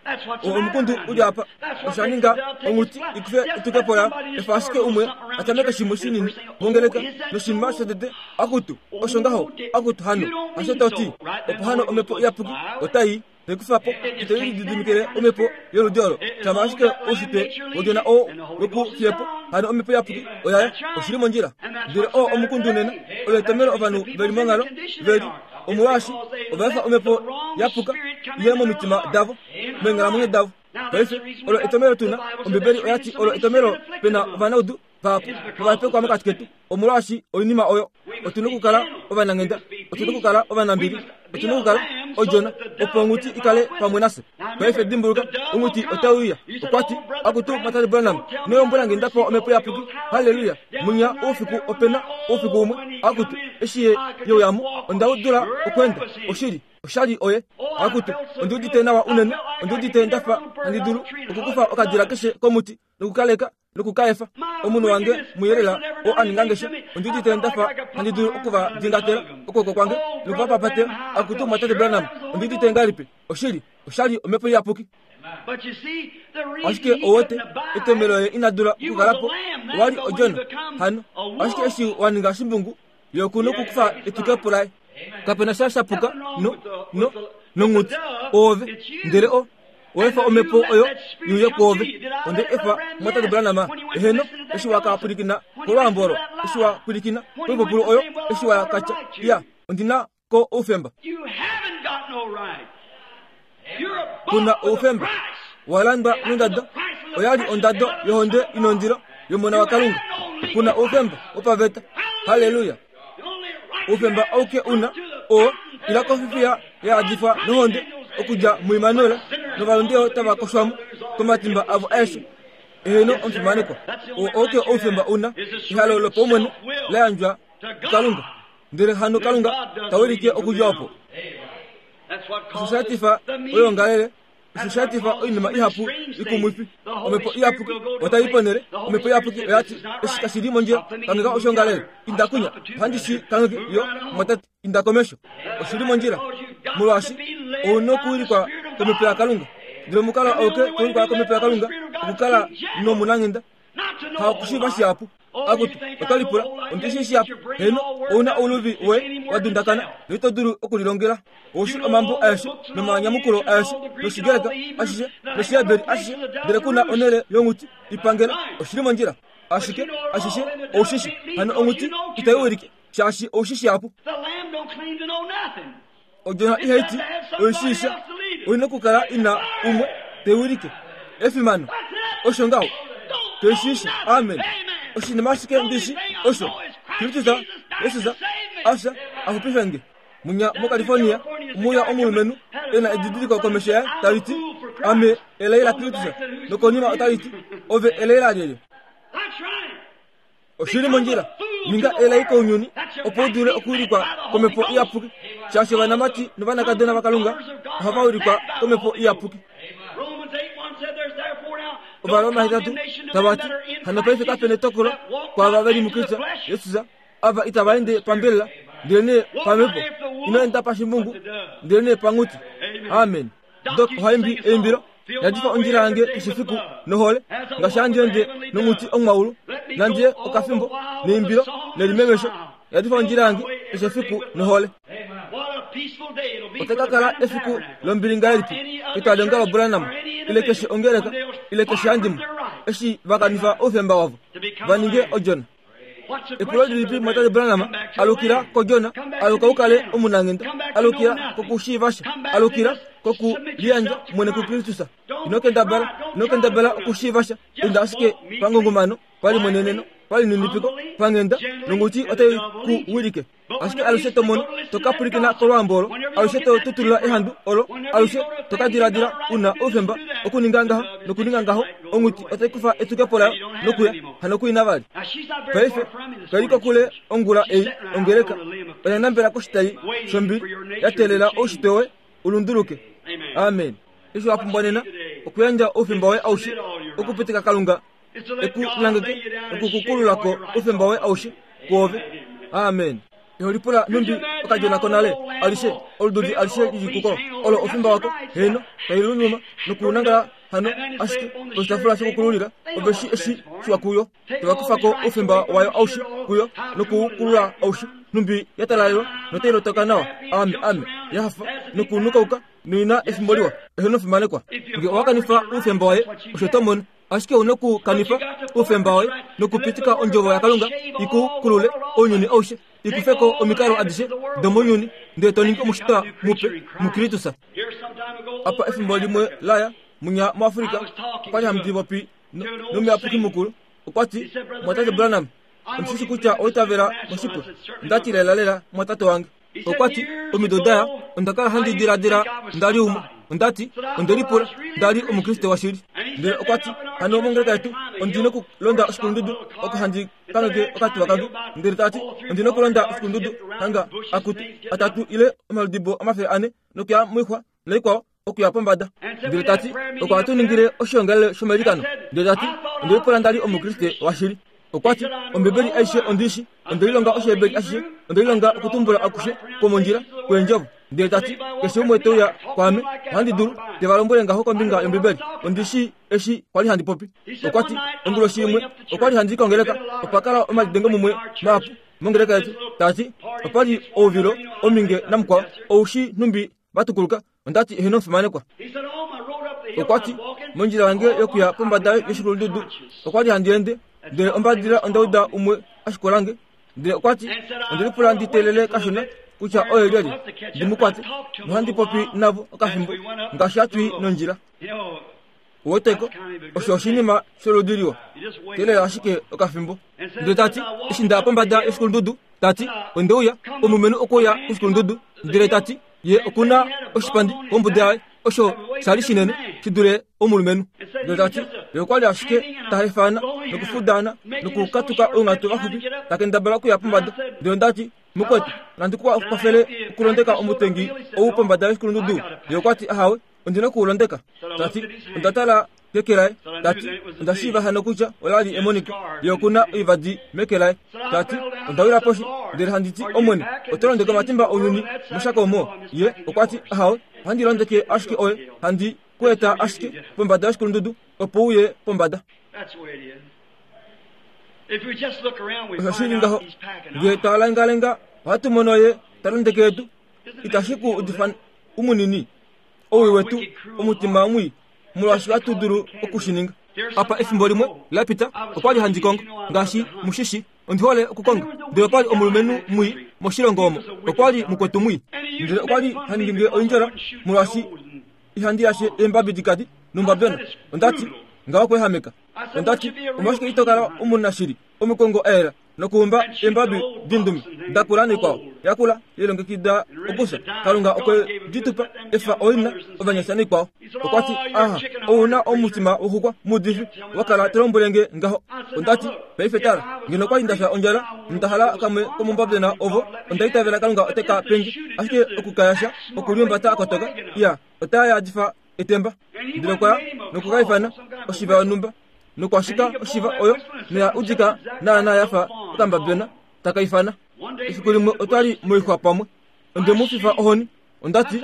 Oo omukundu u li apa. Osha ninga onghuti i kufe etukepo layo. Efa ashike umwe a tameke shimwe shinini mongeleka, noshinima shotete, Akutu, osho ngaho, akutu hano, hasho to ti, opo hano omhepo iyapuki otai te kufa po, ito lididimikile omhepo yoludi olo, shama ashike oushitwe wodjona oo we ku fiye po, hano omhepo iyapuki oya ya, oshi li mondjila. Ndele oo omukundu nena, olo etomelo ovanhu ve li monghalo ve li, omolwaashi ova efa omhepo ya puka i ye momitima davo, meenghalamwenyo davo. Paife, olo etomelo tu na, Ombibeli oya ti olo etomelo pe na ovanaudu vahapu novahepekwa mokati ketu. Omolwaashi oinima oyo, otu na okukala ovananghenda, otu na okukala ovanambili, otu na okukala odjona, opo onghuti i kale pamwe nafye. Paife dimbuluka, onghuti otai uya. Okwa ti, Akutu, Mwatate Branham, ino lombwela nge nda pewa Omhepo Iyapuki. Halleluya! Munya oufiku ope na oufiku umwe, akutu, eshi ye, ye uya mo, onda dula okweenda. Oshili. Oshali oye. Akutu, ondi udite nawa unene, ondi udite nda fa handi dulu okukufa okadila keshe komuti nokukaleka noku ka efa. Omunhu wange muyelela oo a ninga nge sha, ondi udite nda fa handi dulu oku va dingatela okwooko kwange noku va papatela. Akutu, Mumwatate Branham, ondi udite ngahelipi? Oshili, oshali Omhepo Iyapuki. Ashike ou wete, etomelo ye ina dula okukala po, owa li odjona. Hano, ashike eshi wa ninga shimbungu, ye oku nokukufa etukepo laye. Kape na sha sha puka no, no, nonghuti, oove. Ndele o, owa efa omhepo oyo i uye kwoove. Onde efa Mumwatate Branham, eheno, eshi wa ka pwilikina kolwaambo olo, eshi wa pwilikina koipupulu oyo, eshi wa ka tya, Iya, ondi na ko oufemba. Ku na oufemba. Wa landwa nondado. Oya li ondado yohonde i nondilo yOmona waKalunga. Ku na oufemba wopaveta. Halleluya! Oufemba auke u na, oo, ila kofifiya ya yadifwa nohonde okudja muImmanuel, novalunde tava koshwa mo komatimba avo aeshe. Eheno, omufimanekwa. Oo auke oufemba u na, ehalo lopaumwene la yandjwa kuKalunga. Ndele hano Kalunga ta wilike okudja opo. Osho sha etifa oyoongalele, osho sha etifa oinima ihapu ikumwifi. Omhepo Iyapuki otai i ponhele. Omhepo Iyapuki oya ti, Eshi kashi li mondjila, kangheka oshoongalele. Inda kwinya. Ohandi shi kangheke, yo, mumwatate. Inda komesho. Oshi li mondjila. Molwaashi, ou nokuwilikwa kOmhepo yaKalunga. Ndele omukalo auke to wilikwa kOmhepo yaKalunga, okukala nomunanghenda. Hakushiiva shihapu. Akutu, oto lipula, ondi shii shihapu. Heeno, ou na ouluvi woye wa dundakana, noito dulu okulilongela. Ou shii omambo aeshe, nomanyamukulo aeshe, nOshigreka ashishe, nOshiheberi ashishe, ndele ku na onhele yonghuti i pangela. Oshi li mondjila. Ashike, ashishe, ou shi shii. Hano onghuti itai wilike, shaashi ou shii shihapu. Odjona ihai ti oi shii sha, oi na okukala i na umwe te wilike. Efimano! Osho ngaho. Toi shii sha. Amen. Oshinima ashike ndi shi osho, Kristus Jesus a fya a xupife nge. Munya moCalifornia omuya omulumenhu e na edidiliko komesho yaye tali ti, Ame elai laKristus, nokonima otali ti, Ove elai lalyelye? Oshi li mondjila. Ninga elai kounyuni opo u dule okuwilikwa komhepo iyapuki, shaashi ovanamati novanakadona vaKalunga ohava wilikwa komhepo iyapuki. Ovaroma 8 tava ti, Hano paife kape netokolo kwaava ve li muKristus Jesus, ava itava ende pambelela, ndelenee pamhepo. Ino enda pashimbungu, ndelenee panghuti. Amen. Dok oha imbi eimbilo, Yadifa ondjila yange keshe fiku nohole, ngaashi handi ende nonghuti omwaulu, nandi ye okafimbo neimbilo nelimemesho. Yadifa ondjila yange keshe fiku nohole. Otai ka kala efiku lombili ngahelipi ketwalionga loBranham ile keshe ongeleka ile keshe handimwe eshi va kanifa oufemba wavo va ninge odjona. Epulo lilipi Mwatate Branham alukila koJona, aluka u kale omunanghenda, alukila kokushiiva sha, alukila koku liyandja mwene kuKristus. Ino kendabala, ino kendabala okushiiva sha, inda ashike pangungumano, palimweneneno, palininipiko, panghenda, nonghuti otai ku wilike. Ashike alushe to mono, to ka pwilikina kolwaambo olo, alushe to tutulula ehandu olo, alushe to ka diladila u na oufemba okuninga ngaha nokuninga ngaho, onghuti otai kufa etukepo layo nokuya, hano ku ina vali. Paife, kai li kokule ongula ei, ongeleka oya nambela koshitai shombili, ya teelela oushitwe woye u lunduluke. Amen. Eshi wa pumbwa nena, okuyandja oufemba woye aushe okupitika Kalunga e ku langeke nokukukulula ko oufemba woye aushe kwoove. Amen. Iho lipula nhumbi okadjona konale alishe, olududi alishe li li kuko, olo oufemba wako, heeno, tai luluma nokunangala hano ashike poshitafula shokukululila, ove shi eshi shiwa kuyo. Tova kufa ko oufemba wayo aushe kuyo nokuukulula aushe, nhumbi ya talalelwa notai lotoka nawa, ame, ame, ya hafa nokunukauka noina efimbo liwa, eheno fimanekwa. Nge owa kanifa oufemba waye, osho to mono. Ashike u nokukanifa oufemba woye nokupitika Ondjovo yaKalunga i ku kulule ounyuni aushe, i kufe ko omikalo adishe domounyuni, ndele to ningi omushitwa mupe muKristus. Apa efimbo limwe la ya, munya muAfrika, okwa li handi popi nomuyapuki mukulu. Okwa ti, Mumwatate Branham, ondi shi shi kutya owa itavela moshipwe. Onda ti, Lelalela, mumwatate wange. Okwa ti, Omido da ya, onda kala handi diladila nda li umwe. Onda ti, Onde lipula nda li Omukriste washili. Ndele okwa ti, Hano mongeleka yetu ondi nokulonda oshikulundudu oko handi kangheke okatuwa kange. Ndele ta ti, Ondi nokulonda oshikulundudu hanga akutu atatu ile omaludibo 400 nokuya moixwa noikwao okuya pombada. Ndele ta ti, Oko hatu ningile oshiongalele shomailikano. Ndele ta ti, Onde lipula nda li Omukriste washili. Okwa ti, Ombibeli aishe ondi i shii. Onde lilonga Oshiheberi ashishe. Onde lilonga okutumbula akushe kwomondjila kweendjovo. Ndele ta ti, Keshe umwe te uya kwaame, ohandi dulu, te va lombwele ngaho kombinga yOmbibeli. Ondi shii eshi kwa li handi popi. Okwa ti, Onguloshi imwe, okwa li handi i kongeleka, opa kala omalidengo mumwe mahapu mongeleka yetu. Ta ti, Opa li ouvilo, ominge namukwao, ou shii nhumbi va tukuluka. Onda ti, Eheno omufimanekwa. Okwa ti, Mondjila yange yokuya pombada yoshikulundudu okwa li handi ende, ndele ombadilila onda uda umwe a shikola nge. Ndele okwa ti, Onde lipula ndi teelele kashona kutya oye lyelye, ndi mu kwate, nohandi popi navo okafimbo ngaashi hatu i nondjila. Uweteko, osho oshinima sholudi liwa. Teelela ashike okafimbo. Ndele ta ti, eshi nda ya pombada yoshikulundudu, ta ti, onde uya, omulumenhu okwe uya koshikulundudu, ndele ta ti, ye oku na oshipandi kombuda yaye, osho sha li shinene shi dule omulumenhu. Ndele ta ti, ye okwa li ashike ta hefana nokufudaana nokukatuka ounghatu vaxupi, ta kendabala okuya pombada. Ndele onda ti, Mukwetu, nandi ku kwafele okulondeka omutengi ou pombada yoshikulundudu? Ye okwa ti, Ahawe. Ondi na oku u londeka. Ta ti, Onda tala keke laye. Ta ti, Onda shiiva hano kutya ola li emoniko. Ye oku na oivadi meke laye. Ta ti, Onda wila poshi, ndele handi ti, Omwene, oto londeke omatimba ounyuni moshako omo? Ye okwa ti, Ahawe, ohandi londeke ashike oye, handi ku eta ashike pombada yoshikulundudu, opo u ye pombada. Osho shi li ngaho. Nge twa lengalenga, ohatu mono ye ta londeke edu. Itashi ku udifa umunini? Owii wetu, omutima mwii, molwaashi ohatu dulu oku shi ninga. Apa efimbo limwe la pita, okwa li handi kongo, ngaashi mu shi shii, ondi hole okukonga. Ndele opa li omulumenhu mwii moshilongo omo, okwa li mukwetu mwii. Ndele okwa li ha ningi nge oindjola, molwaashi ihandi yashe eembabi dikadi nombabyona. Onda ti, Ngaho okweehameka. Onda ti, Omolwashike ito kala omunashili, omukongo a yela? Nokuumba eembabi dindume da kula naikwao yakula lilongekida okufya. Kalunga okwe di tupa efa oina ovanyasha naikwao. Okwa ti, Aha, ou na omutima woxukwa muudifi, wa kala to lombwele nge ngaho. Onda ti, Paife tala, ngeno okwa li nda fya ondjala nonda hala kamwe komombabjona ovo, onda itavela Kalunga ote ka pe nge. Ashike oku ka yasha, okuliumbata a kotoka, iya, otaa yadifa etemba. Ndele okwa ya noku ka ifana oshiva yonhumba, nokwa shika oshiva oyo noya udika naanaa ya fa okambabjona taka ifana. Efiku limwe otwa li moixwa pamwe. Onde mu fifa ohoni. Onda ti,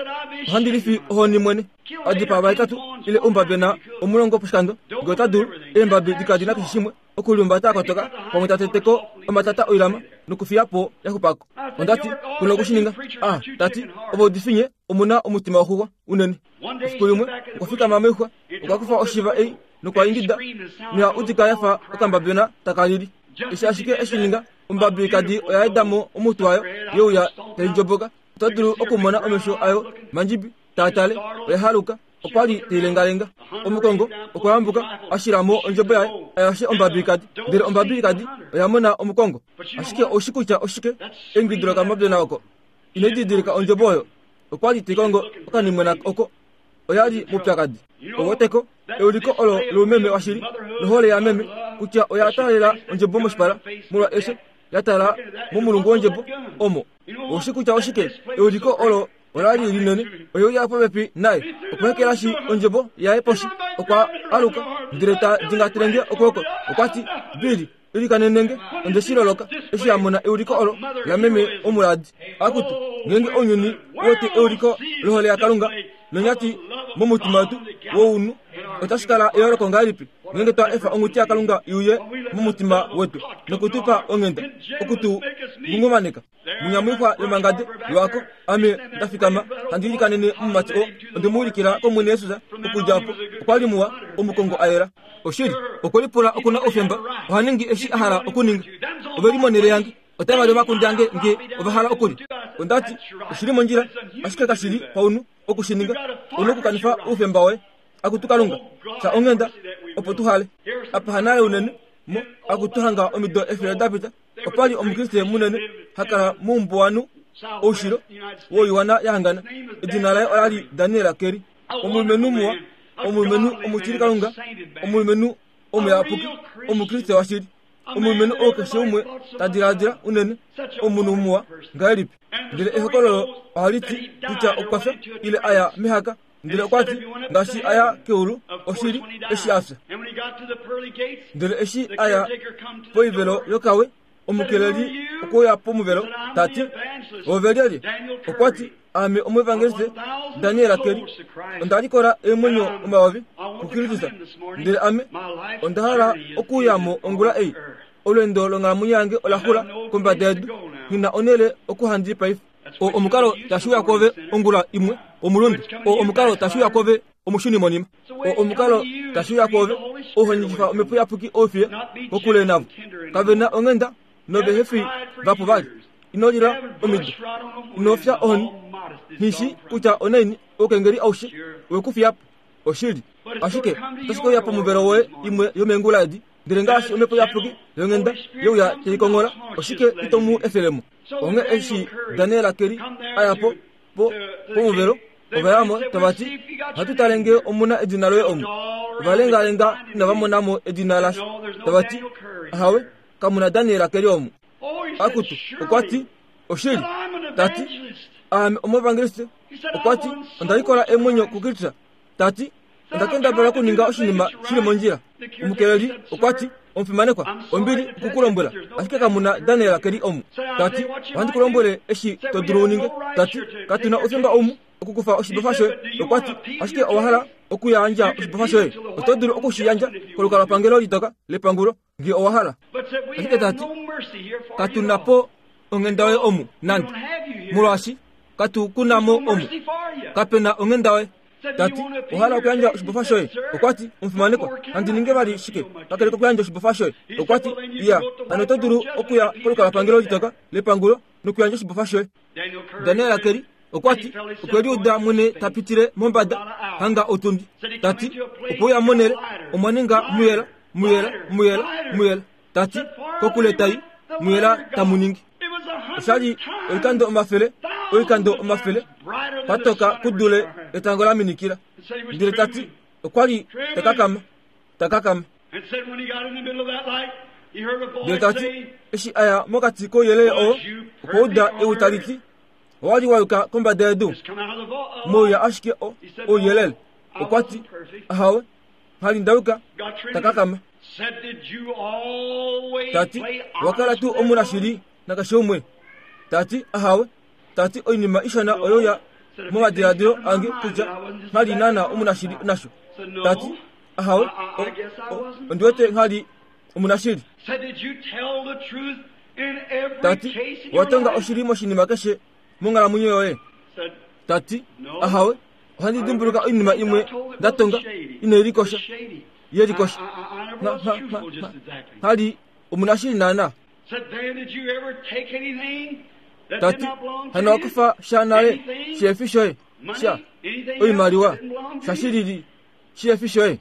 Ohandi lifi ohoni mwene. A dipaa vahetatu ile oumbabjona omulongo poshikando, nge ota dulu. Eembabi di kadi na keshe shimwe, okuliumbata a kotoka, pamwe ta tete ko omatata oilama nokufiya po ya xupa ko. Onda ti, Ku na oku shi ninga. A, ta ti, Ovaudifi nye omu na omutima woxuxwa unene. Efiku limwe okwa fikama moixwa, okwa kufa oshiva ei nokwa ingida, noya udika ya fa okambabjona taka lili. Eshi ashike e shi ninga, ombabikadi oya eda mo omutwe wayo, ye uya tai ndjoboka. Oto dulu okumona omesho ayo mandjibi taa tale. Oya haluka, okwa li tai lengalenga. Omukongo okwa yambuka, a shila mo ondjebo yaye a yashe ombabikadi, ndele ombabikadi oya mona omukongo. Ashike ou shi kutya oshike? Eingido lokamabyona oko. Ino didilika ondjebo oyo? Okwa li tai kongo okanimwena oko. Oya li moupyakadi. Ou weteko? Euliko olo loumeme washili nohole yameme kutya oya taalela ondjebo moshipala molwa efyo, ya tala momulungu wondjebo omo. Oushi kutya oshike? Euliko olo ola li linene. Oye uya popepi naye. Okwa ekelashi ondjebo yaye poshi. Okwa aluka ndele ta dingatele nge okwooko. Okwa ti, Billy, ilikanene nge. Onde shi loloka eshi a mona euliko olo lameme omuladi. Akutu, ngeenge ounyuni u wete euliko lohole yaKalunga nonyati momutima wetu wounhu, otashi kala eyooloko ngahelipi ngeenge twa efa onghuti yaKalunga i uye momutima wetu noku tu pa onghenda, oku tu ngungumaneka. Munyamuixwa yomangade lwako, ame nda fikama handi ilikanene omumati oo. Onde mu ulikila kOmwene Jesus. Okudja opo, okwa li muwa, omukongo a yela. Oshili, okwe lipula oku na oufemba, oha ningi eshi a hala okuninga. Ove li monhele yange. Otava li omakunde ange nge ova hala okulya. Onda ti, Oshi li mondjila, ashike kashi li paunhu oku shi ninga. Ou na okukanifa oufemba woye. Akutu Kalunga, fya onghenda, opo tu hale. Apa hanale unene, mo, akutu hanga omido efele da pita, opa li Omukriste munene ha kala moumbuwanhu oushilo woiwana ya hangana. Edina laye ola li Daniel Kerry. Omulumenhu muwa, omulumenhu omutilikalunga, omulumenhu omuyapuki, Omukriste washili. Omulumenhu oo keshe umwe ta diladila unene omunhu muwa ngahelipi. Ndele ehokololo ohali ti kutya okwa fya ile a ya mehaka. Ndele okwa ti, ngaashi a ya keulu, oshili, eshi a fya. Ndele eshi a ya poivelo yokawe, omukeleli okwe uya pomuvelo, ta ti, Ove lyelye? Okwa ti, Aame omuevangeliste Daniel Kelly. Onda likola eemwenyo omayovi kuKristus, ndele ame onda hala okuuya mo ongula ei. Olweendo longhalamwenyo yange ola xula kombada yedu. Nghi na onhele oku handi paife. Oo omukalo tashi uya kwoove ongula imwe, omulunde. Oo omukalo tashi uya kwoove, omushunimonima. Oo omukalo tashi uya kwoove, ou ho ningifa Omhepo Iyapuki oufiye kokule navo. Kave na onghenda nove he fi vapo vali. Ino lila omido. Ino fya ohoni. Nghi shi kutya onaini oukengeli aushe we ku fiya po. Oshili. Ashike otashi ke uya pomuvelo woye imwe yomeengula edi. Ndele ngaashi Omhepo Iyapuki yonghenda ye uya tai konghola, oshike ito mu efele mo? Onghee eshi Daniel Kelly a ya po, po, pomuvelo, ova ya mo tava ti, Ohatu tale nge omu na edina loye omu. Ova lengalenga inava mona mo edina lasha. Tava ti, Ahawe, kamu na Daniel Kelly omu. Akutu, okwa ti, Oshili. Ta ti, Aame omuevangeliste. Okwa ti, Onda likola eemwenyo kuKristus. Ta ti, Onda kendabala okuninga oshinima shi li mondjila. Omukeleli okwa ti, Omufimanekwa, ombili oku ku lombwela, ashike kamu na Daniel ke li omu. Ta ti, Ohandi ku lombwele eshi to dulu u ninge. Ta ti, Katu na oufemba omu okukufa oshibofa shoye. Okwa ti, Ashike owa hala okuyandja oshibofa shoye? Oto dulu oku shi yandja kolukalwapangelo litoka lepangulo nge owa hala. Ashike ta ti, Katu na po onghenda yoye omu nande, molwaashi katu ku na mo omu. Kape na onghenda yoye. Ta ti, Owa hala okuyandja oshibofa shoye? Okwa ti, Omufimanekwa, nandi ninge vali shike kakele kokuyandja oshibofa shoye? Okwa ti, Iya, hano oto dulu okuya kolukalwapangelo litoka lepangulo nokuyandja oshibofa shoye. Daniel Kelly okwa ti okwe liuda mwene ta pitile mombada hanga otundi, ta ti okwe uya monhele omwa ninga muyela, muyela, muyela, muyela, ta ti kokule tai. muyela tamu ningi. Osha li oikando omafele, oikando omafele, patoka kudule etango la minikila. Ndele ta ti, okwa li ta kakama, ta kakama. Ndele ta ti, eshi a ya mokati kouyelele oo, okwa uda ewi tali ti, Owa li wa yuka kombada yedu, mouya ashike o, ouyelele. Okwa ti, Ahawe, ngha li nda yuka, ta kakama. Ta ti, Owa kala tuu omunashili nakeshe umwe? Ta ti, Ahawe. Ta ti, Oinima ishona oyo ya momadiladilo ange kutya ngha li naana omunashili nasho. Ta ti, Ahawe, o, o, ondi wete ngha li omunashili. Ta ti, Owa tonga oshili moshinima keshe monghalamwenyo yoye? Ta ti, Ahawe, ohandi dimbuluka oinima imwe nda tonga inai likosha, ye likosha. Ngha li omunashili naana. Ta ti, Hano wa kufa sha nale sheefi shoye, sha, oimaliwa, sha shilili sheefi shoye?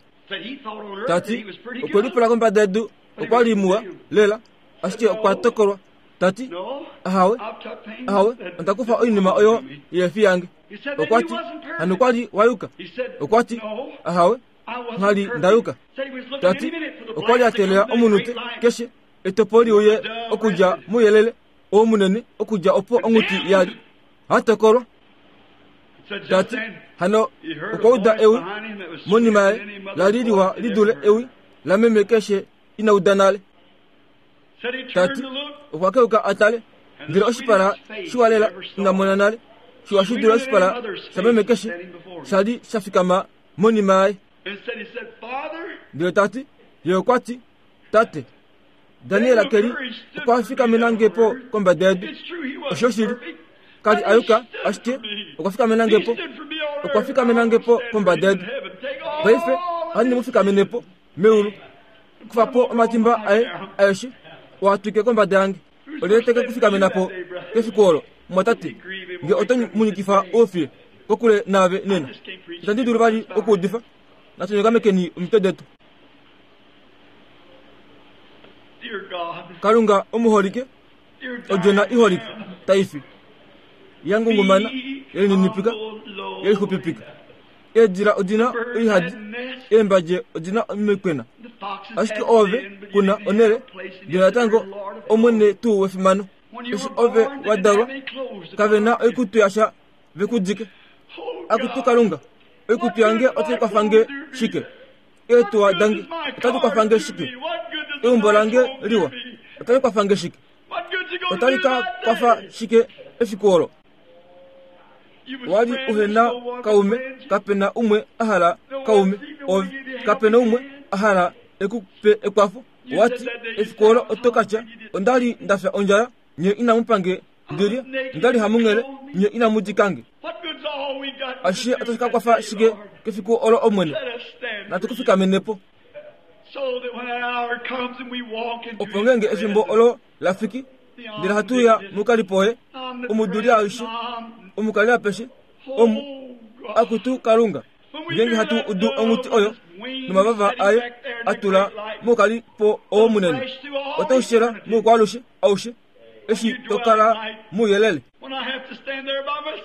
Ta ti, Okwe lipula kombada yedu okwa li muwa lela, ashike okwa tokolwa. Ta ti, Ahawe, ahawe, onda kufa oinima oyo yeefi yange. Okwa ti, Hano kwa li wa yuka? Okwa ti, Ahawe, ngha li nda yuka. Ta ti, Okwa li a teelela omunute keshe etopo li uye okudja mouyelele oo munene okudja opo onghuti ya li. Ha tokolwa. Ta ti, Hano okwa uda ewi monima yaye la li liwa li dule ewi lameme keshe ina uda nale. Ta ti, Okwa keuka a tale, ndele oshipala shiwa lela ina mona nale, shiwa shi dule oshipala shameme keshe sha li sha fikama monima yaye. Ndele ta ti, Ye okwa ti, Tate, Daniel ke li okwa fikamena nge po kombada yedu. Oshoshili, ka li a yuka, ashike okwa fikamena nge po. Okwa fikamena nge po kombada yedu. Paife ohandi mu fikamene po meulu. Kufa po omatimba aye aeshe, oo a twike kombada yange. Olyelye te ke ku fikamena po kefiku olo, mumwatate, nge oto mu nyikifa oufiye kokule naave nena? Itandi dulu vali okuudifa. Natu nyokamekeni omitwe detu. Kalunga omuholike, odjona iholike tai fi, ya ngungumana, ye lininipika, ye lixupipika. Eedila odi na oihadi, eembadje odi na omikwena, ashike oove ku na onhele, ndele natango Omwene tuu wefimano. Eshi ove wa dalwa, kave na oikutu yasha ve ku dike. Akutu Kalunga, oikutu yange otai kwafa nge shike? Eetuwa dange otadi kwafa nge shike? Eumbo lange liwa otali kwafa nge shike? Otali ka kwafa shike efiku olo? Wa li uhe na kaume, kape na umwe a hala kaume ove, kape na umwe a hala e ku pe ekwafo. Wa ti, efiku olo oto ka tya, Onda li nda fya ondjala, nye inamu pa nge ndi lye, onda li hamunghele, nye inamu dika nge. Ashishe otashi ka kwafa shike kefiku olo Omwene? Natu ku fikamene po. Opo ngeenge efimbo olo la fiki, ndele hatu ya mokalipo ye, omuduli aishe, omukali apeshe, omu, akutu Kalunga, ngeenge hatu udu onghuti oyo nomavava aye a tula mokalipo oo munene, otau shela moukwaalushe aushe, eshi to kala mouyelele.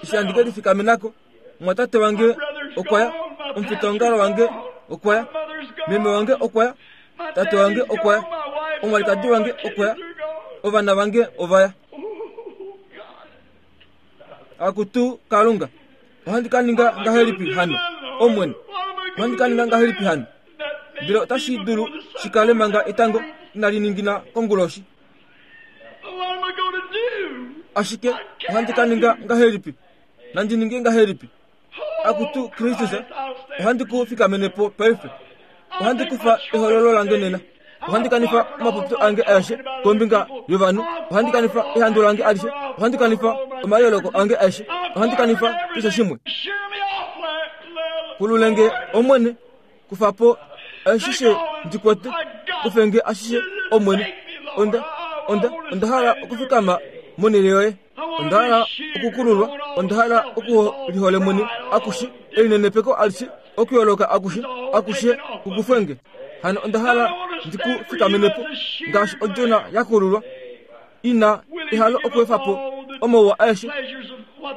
Eshi handi ke lifikamena ko, mumwatate wange okwa ya, omufitaongalo wange okwa ya, meme wange okwa ya, tate wange okwa ya, omwalikadi wange okwa ya, ovana vange ova ya. Akutu Kalunga, ohandi ka ninga ngahelipi hano, Omwene? Ohandi ka ninga ngahelipi hano? Ndele otashi dulu shi kale manga etango inali ningina konguloshi. Ashike ohandi ka ninga ngahelipi? Nandi ninge ngahelipi? Akutu Kristus, ohandi ku fikamene po paife. Ohandi kufa ehololo lange nena. Ohandi kanifa omapopyo ange aeshe kombinga yovanhu. Ohandi kanifa ehandu lange alishe. Ohandi kanifa omayooloko ange aeshe. Ohandi kanifa keshe shimwe. Kululenge Omwene, kufa po ashishe ndi kwete. Kufe nge ashishe Omwene. Onda, onda, onda hala okufikama monhele yoye. Onda hala okukululwa, onda hala okulihole mwene akushe, elinenepeko alishe, okuyooloka akushe, akushe kukufwe nge. Hano onda hala ndi ku fikamene po, ngaashi odjona ya kululwa. Ina ehalo okuefa po omauwa aeshe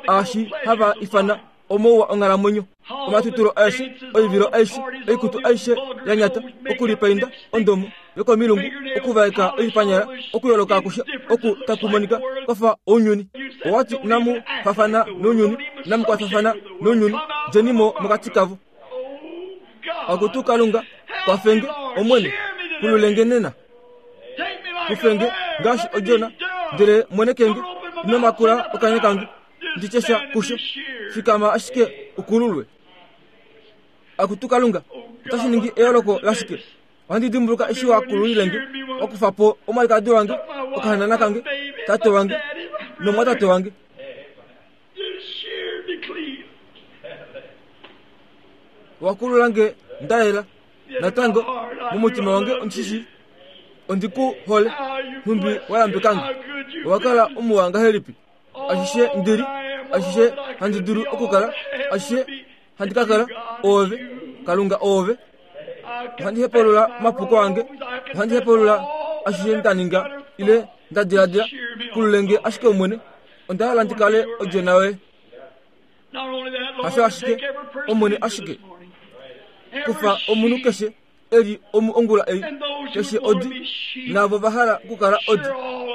aashi hava ifana omauwa onghalamwenyo, omatutilo aeshe, oivilo aishe, oikutu aishe ya nyata, okulipainda ondomo yokomilungu, okuvaeka oipanyala, okuyoloka akushe oku taku monika kwa fa ounyuni. Owa ti inamu fafana nounyuni, inamu kwatafana nounyuni, djeni mo mokati kavo. Akutu Kalunga, kwafenge, Omwene, kululenge nena. Kufenge ngaashi odjona, ndele mwenekenge, ino makula okanya kange, ndi tye sha kusho. Fikama ashike u kululwe. Akutu Kalunga, otashi ningi eyooloko lashike? Ohandi dimbuluka eshi wa kululile nge, wa kufa po omwalikadi wange, okahanana kange, tate wange nomwatate wange. Wa kulula nge nda yela. Natango, momutima wange ondi shi ondi ku hole, nhumbi wa yambeka nge. Owa kala omuwa ngahelipi? Ashishe ndi li, ashishe handi dulu okukala, ashishe handi ka kala, oove, Kalunga oove. Ohandi hepulula omapuko ange, ohandi hepulula ashishe nda ninga ile nda diladila. Kulule nge ashike Omwene, onda hala ndi kale odjona yoye. Hasho ashike, Omwene ashike. Kufa omunhu keshe e li omu ongula ei, keshe odi, naavo va hala okukala odi,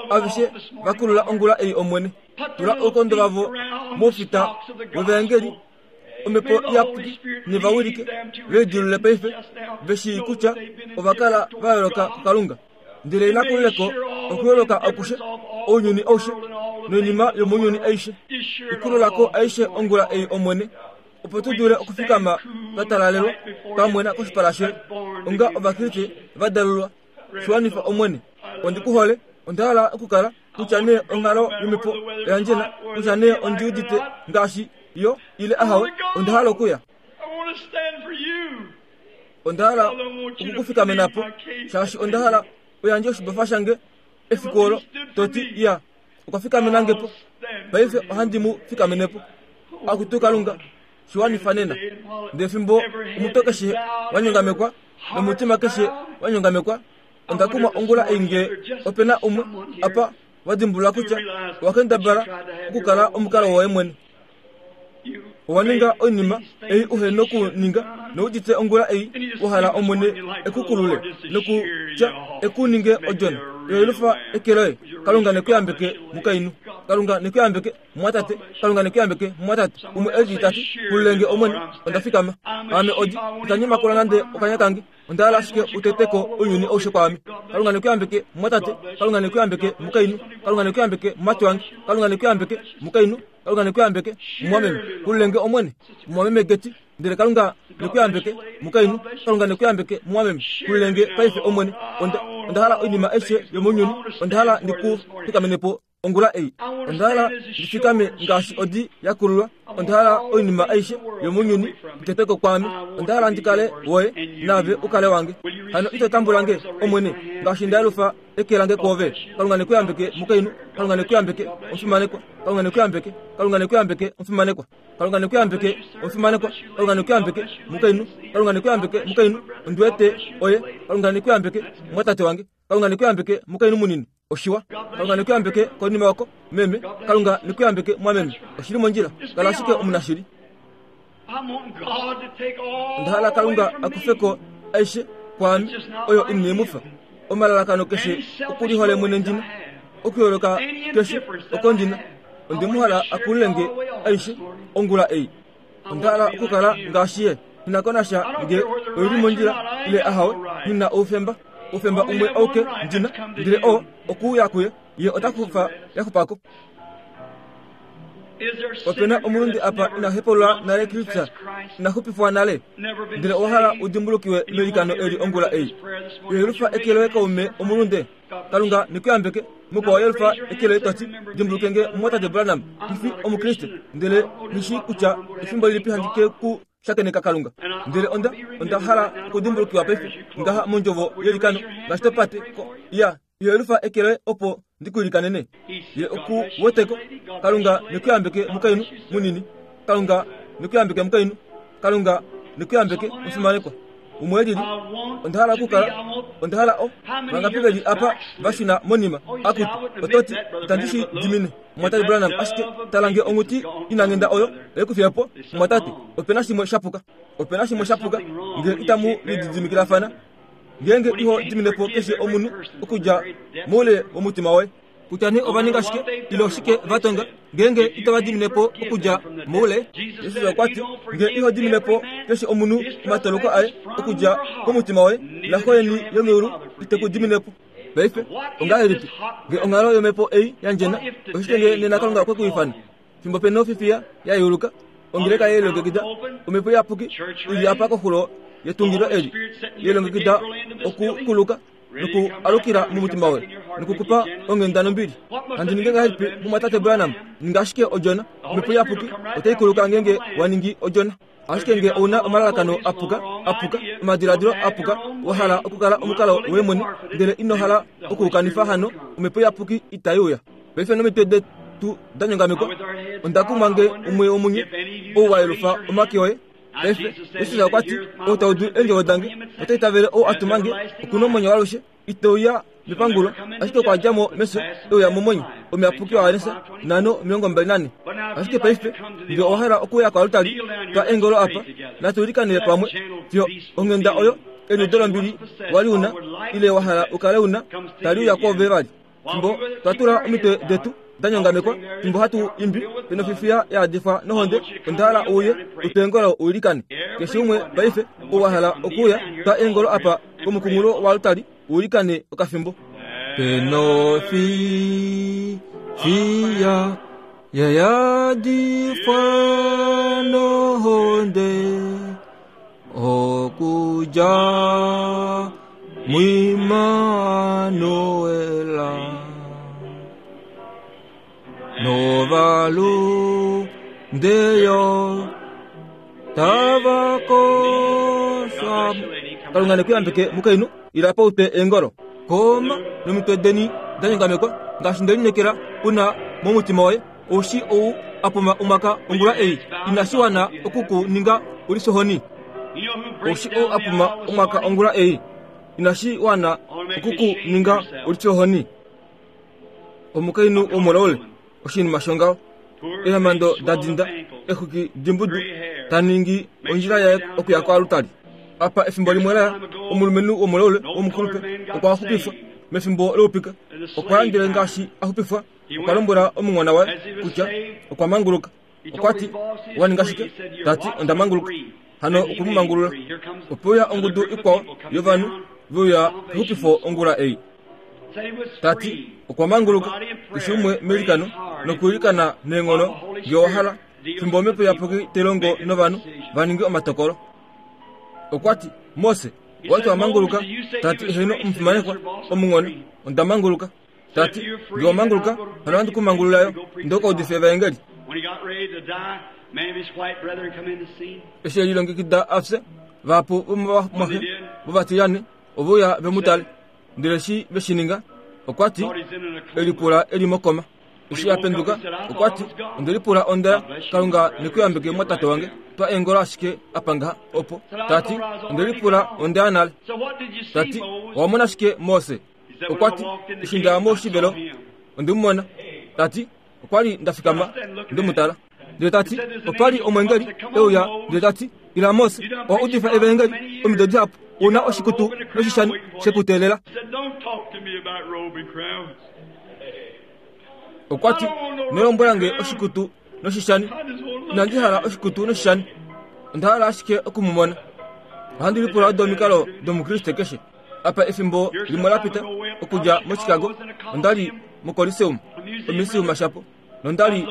aveshe va kulula ongula ei, Omwene. Tula oukondo vavo moufita wevaengeli, Omhepo Iyapuki ne va wilike, ve lidilulule paife, ve shii kutya ova kala va yooloka kuKalunga. Ndele ina kulile ko okuyooloka akushe, ounyuni aushe, noinima yomounyuni aishe. Ikulula ko aishe ongula ei, Omwene, opo tu dule okufikama twa talalelwa, twa mwena koshipala shoye, onga Ovakriste va dalulwa. Shi wanifa, Omwene. Ondi ku hole. Onda hala okukala, kutya nee onghalo yomhepo oya ndjena, kutya nee ondi udite ngaashi yo, ile ahawe, onda hala okuya. Onda hala oku ku fikamena po, shaashi onda hala u yandje oshibofa shange efiku olo, to ti, Iya, okwa fikamena nge po. Paife ohandi mu fikamene po. Akutu Kalunga, shi wanifa nena. Ndele fimbo omutwe keshe wa nyongamekwa nomutima keshe wa nyongamekwa, onda kumwa ongula ei nge ope na umwe apa wa dimbulula kutya owa kendabala okukala omukalo woye mwene. Owa ninga oinima ei uhe nokuninga noudite ongula ei wa hala Omwene e ku kulule nokutya e ku ninge odjona. Yoyelufa eke loye. Kalunga ne ku yambeke, mukainhu. Kalunga ne ku yambeke, mumwatate. Kalunga ne ku yambeke, mumwatate. Umwe e lili ta ti, Kululenge Omwene, onda fikama. Aame odi, itandi makula nande okanya kange. Onda hala ashike u tete ko ounyuni aushe kwaame. Kalunga ne ku yambeke, mumwatate. Kalunga ne ku yambeke, mukainhu. Kalunga ne ku yambeke, mumati wange. Kalunga ne ku yambeke, mukainhu. Kalunga ne ku yambeke, mumwameme. Kululenge Omwene, mumwameme Geti. Ndele Kalunga ne ku yambeke, mukainhu. Kalunga ne ku yambeke, mumwameme. Kululenge paife, Omwene. Onda, onda hala oinima aishe yomounyuni. Onda hala ndi ku fikamene po ongula ei. Onda hala ndi fikame ngaashi odi ya kululwa. Onda hala oinima aishe yomounyuni i tetwe ko kwaame. Onda hala ndi kale woye, naave u kale wange. Hano ito tambula nge, Omwene, ngaashi nda yelufa eke lange kwoove. Kalunga ne ku yambeke, mukainhu. Kalunga ne ku yambeke, omufimanekwa. Kalunga ne ku yambeke. Kalunga ne ku yambeke, omufimanekwa. Kalunga ne ku yambeke, omufimanekwa. Kalunga ne ku yambeke, mukainhu. Kalunga ne ku yambeke, mukainhu. Ondi wete oye. Kalunga ne ku yambeke, mumwatate wange. Kalunga ne ku yambeke, mukainhu munini. Oshiwa. Kalunga ne ku yambeke konima oko, meme. Kalunga ne ku yambeke, mwameme. Oshi li mondjila. Kala ashike omunashili. Onda hala Kalunga a kufe ko aishe kwaame oyo ine mu fa. Omalalakano keshe okulihole mwene ndi na, okuyooloka keshe oko ndi na, onde mu hala a kulule nge aishe ongula ei. Onda hala okukala ngaashi ye. Nghi na ko nasha nge oi li mondjila ile ahawe, nghi na oufemba. Oufemba umwe auke ndi na, ndele oo okuuya kuye, ye ota kufa ya xupa ko. Ope na omulunde apa ina hepaulula nale Kristus, ina xupifwa nale, ndele owa hala u dimbulukiwe meilikano eli ongula ei. Yelufa eke loye kaume omulunde. Kalunga ne ku yambeke. Mukwao yelufa eke loye to ti, Dimbuluke nge, mumwatate Branham, ndi fi Omukriste, ndele nghi shii kutya efimbo lilipi handi ke ku shakeneka Kalunga. Ndele onda, onda hala okudimbulukiwa paife, ngaha mondjovo yeilikano, ngaashi to pate ko. Iya. Yelufa eke loye opo ndi ku ilikanene. Ye oku wete ko. Kalunga ne ku yambeke mukainhu munini. Kalunga ne ku yambeke mukainhu. Kalunga ne ku yambeke omufimanekwa. Umwe e lili. Onda hala okukala, onda hala o. Vangapi ve li apa va shuna monima? Akutu, oto ti, Itandi shi dimine, Mumwatate Branham, ashike tala nge onghuti inanghenda oyo oye ku fiya po, mumwatate. Ope na shimwe sha puka. Ope na shimwe sha puka nge itamu lididimikilafana, ngeenge iho dimine po keshe omunhu okudja moule womutima woye. Kutya nee ova ninga shike ile oshike va tonga, ngeenge itava dimine po okudja moule. Jesus okwa ti, Nge iho dimine po keshe omunhu omatoloko aye okudja komutima woye, naXo yeni yomeulu ite ku dimine po. Paife, ongahelipi nge onghalo yomhepo ei ya ndjena? Oshike nge nena Kalunga okwe ku ifana? Fimbo pe nofifiya ya yeuluka, ongeleka ye lilongekida, Omhepo Iyapuki i li apa koxulo yetungilo eli, ye lilongekida okukuluka noku alukila momutima woye noku ku pa onghenda nombili. Handi ninge ngahelipi, mumwatate Branham? Ninga ashike odjona. Omhepo Iyapuki otai kuluka ngeenge wa ningi odjona. Ashike nge ou na omalalakano a puka, a puka, omadiladilo a puka, wa hala okukala omukalo woye mwene, ndele ino hala oku u kanifa hano, Omhepo Iyapuki itai uya. Paife nomitwe detu da nyongamekwa, onda kumwa nge umwe womunye ou wa yelufa omake oye. Paife, Jesus okwa ti, Ou ta udu eendjovo dange, nota itavele ou a tuma nge, oku na omwenyo waalushe, ite uya mepangulo, ashike okwa dja mo mefyo e uya momwenyo. Omuyapuki waJohannes 5:24. Ashike paife, nge owa hala okuuya koaltari, twa eengolo apa, natu ilikanele pamwe, fiyo onghenda oyo, eliudo lombili wa li u na, ile wa hala u kale u na, tali uya kwoove vali. Fimbo twa tula omitwe detu da nyongamekwa, fimbo hatu imbi penofifiya ya yadifwa nohonde, onda hala uye u twe eengolo u ilikane. Keshe umwe paife ou wa hala okuuya, twa eengolo apa komukunghulo woaltari u ilikane okafimbo. Penofifiya ya yadifwa nohonde. Okudja muImmanuela novalunde yo tava koshwa. Kalunga ne ku yambeke mukainhu, ila pa u twe eengolo. Koma nomitwe deni da nyongamekwa, ngaashi nde lineekela u na momutima woye. Oushi ou a puma omwaka ongula ei, inashi wana oku ku ninga u lisohoni. Oushi ou a puma omwaka ongula ei, inashi wana oku ku ninga u lisohoni. Omukainhu womulaule, oshinima shongaho, eemhando da dinda, exwiki dimbudu, ta ningi ondjila yaye okuya koalutali. Apa efimbo limwe la ya, omulumenhu womulaule womukulupe okwa xupifwa mefimbo loupika. Okwa ya ndele ngaashi a xupifwa, Okwa lombwela omunghona waye kutya okwa manguluka. Okwa ti, Owa ninga shike? Ta ti, Onda manguluka. Hano okwe mu mangulula. Ope uya ongudu ikwao yovanhu ve uya kexupifo ongula ei. Ta ti, Okwa manguluka, keshe umwe meilikano, nokwiilikana neenghono nge owa hala, fimbo Omhepo Iyapuki tai longo novanhu va ninge omatokolo. Okwa ti, Mose, owa ti owa manguluka? Ta ti, Heeno, omufimanekwa, omunghona, onda manguluka. Ta ti, Nge wa manguluka, hano ohandi ku mangulula yo, ndo ka udife evaengeli. Eshi e lilongekida a fye, vahapu vomovamwaxe vovatilyane ove uya ve mu tale. Ndele eshi ve shi ninga, okwa ti, E lipula e li mokoma. Eshi a penduka, okwa ti, Onde lipula onda ya, Kalunga ne ku yambeke mwatate wange. Twa eengolo ashike apa ngaha, opo. Ta ti, Onde lipula onda ya nale. Ta ti, Owa mona shike, Mose? Okwa ti, Eshi nda ya moshivelo, onde mu mona. Ta ti, Okwa li nda fikama nde mu tala. Ndele ta ti, Opa li omweengeli e uya ndele ta ti, Ila Mose, owa udifa evaengeli omido dihapu, u na oshikutu noshishani she ku teelela. Okwa ti, Ino lombwela nge oshikutu noshishani. Inandi hala oshikutu noshishani. Onda hala ashike oku mu mona. Ohandi lipula odo omikalo dOmukriste keshe. Apa efimbo limwe la pita, okudja moChicago, onda li moColiseum, omisiuma shapo, nonda li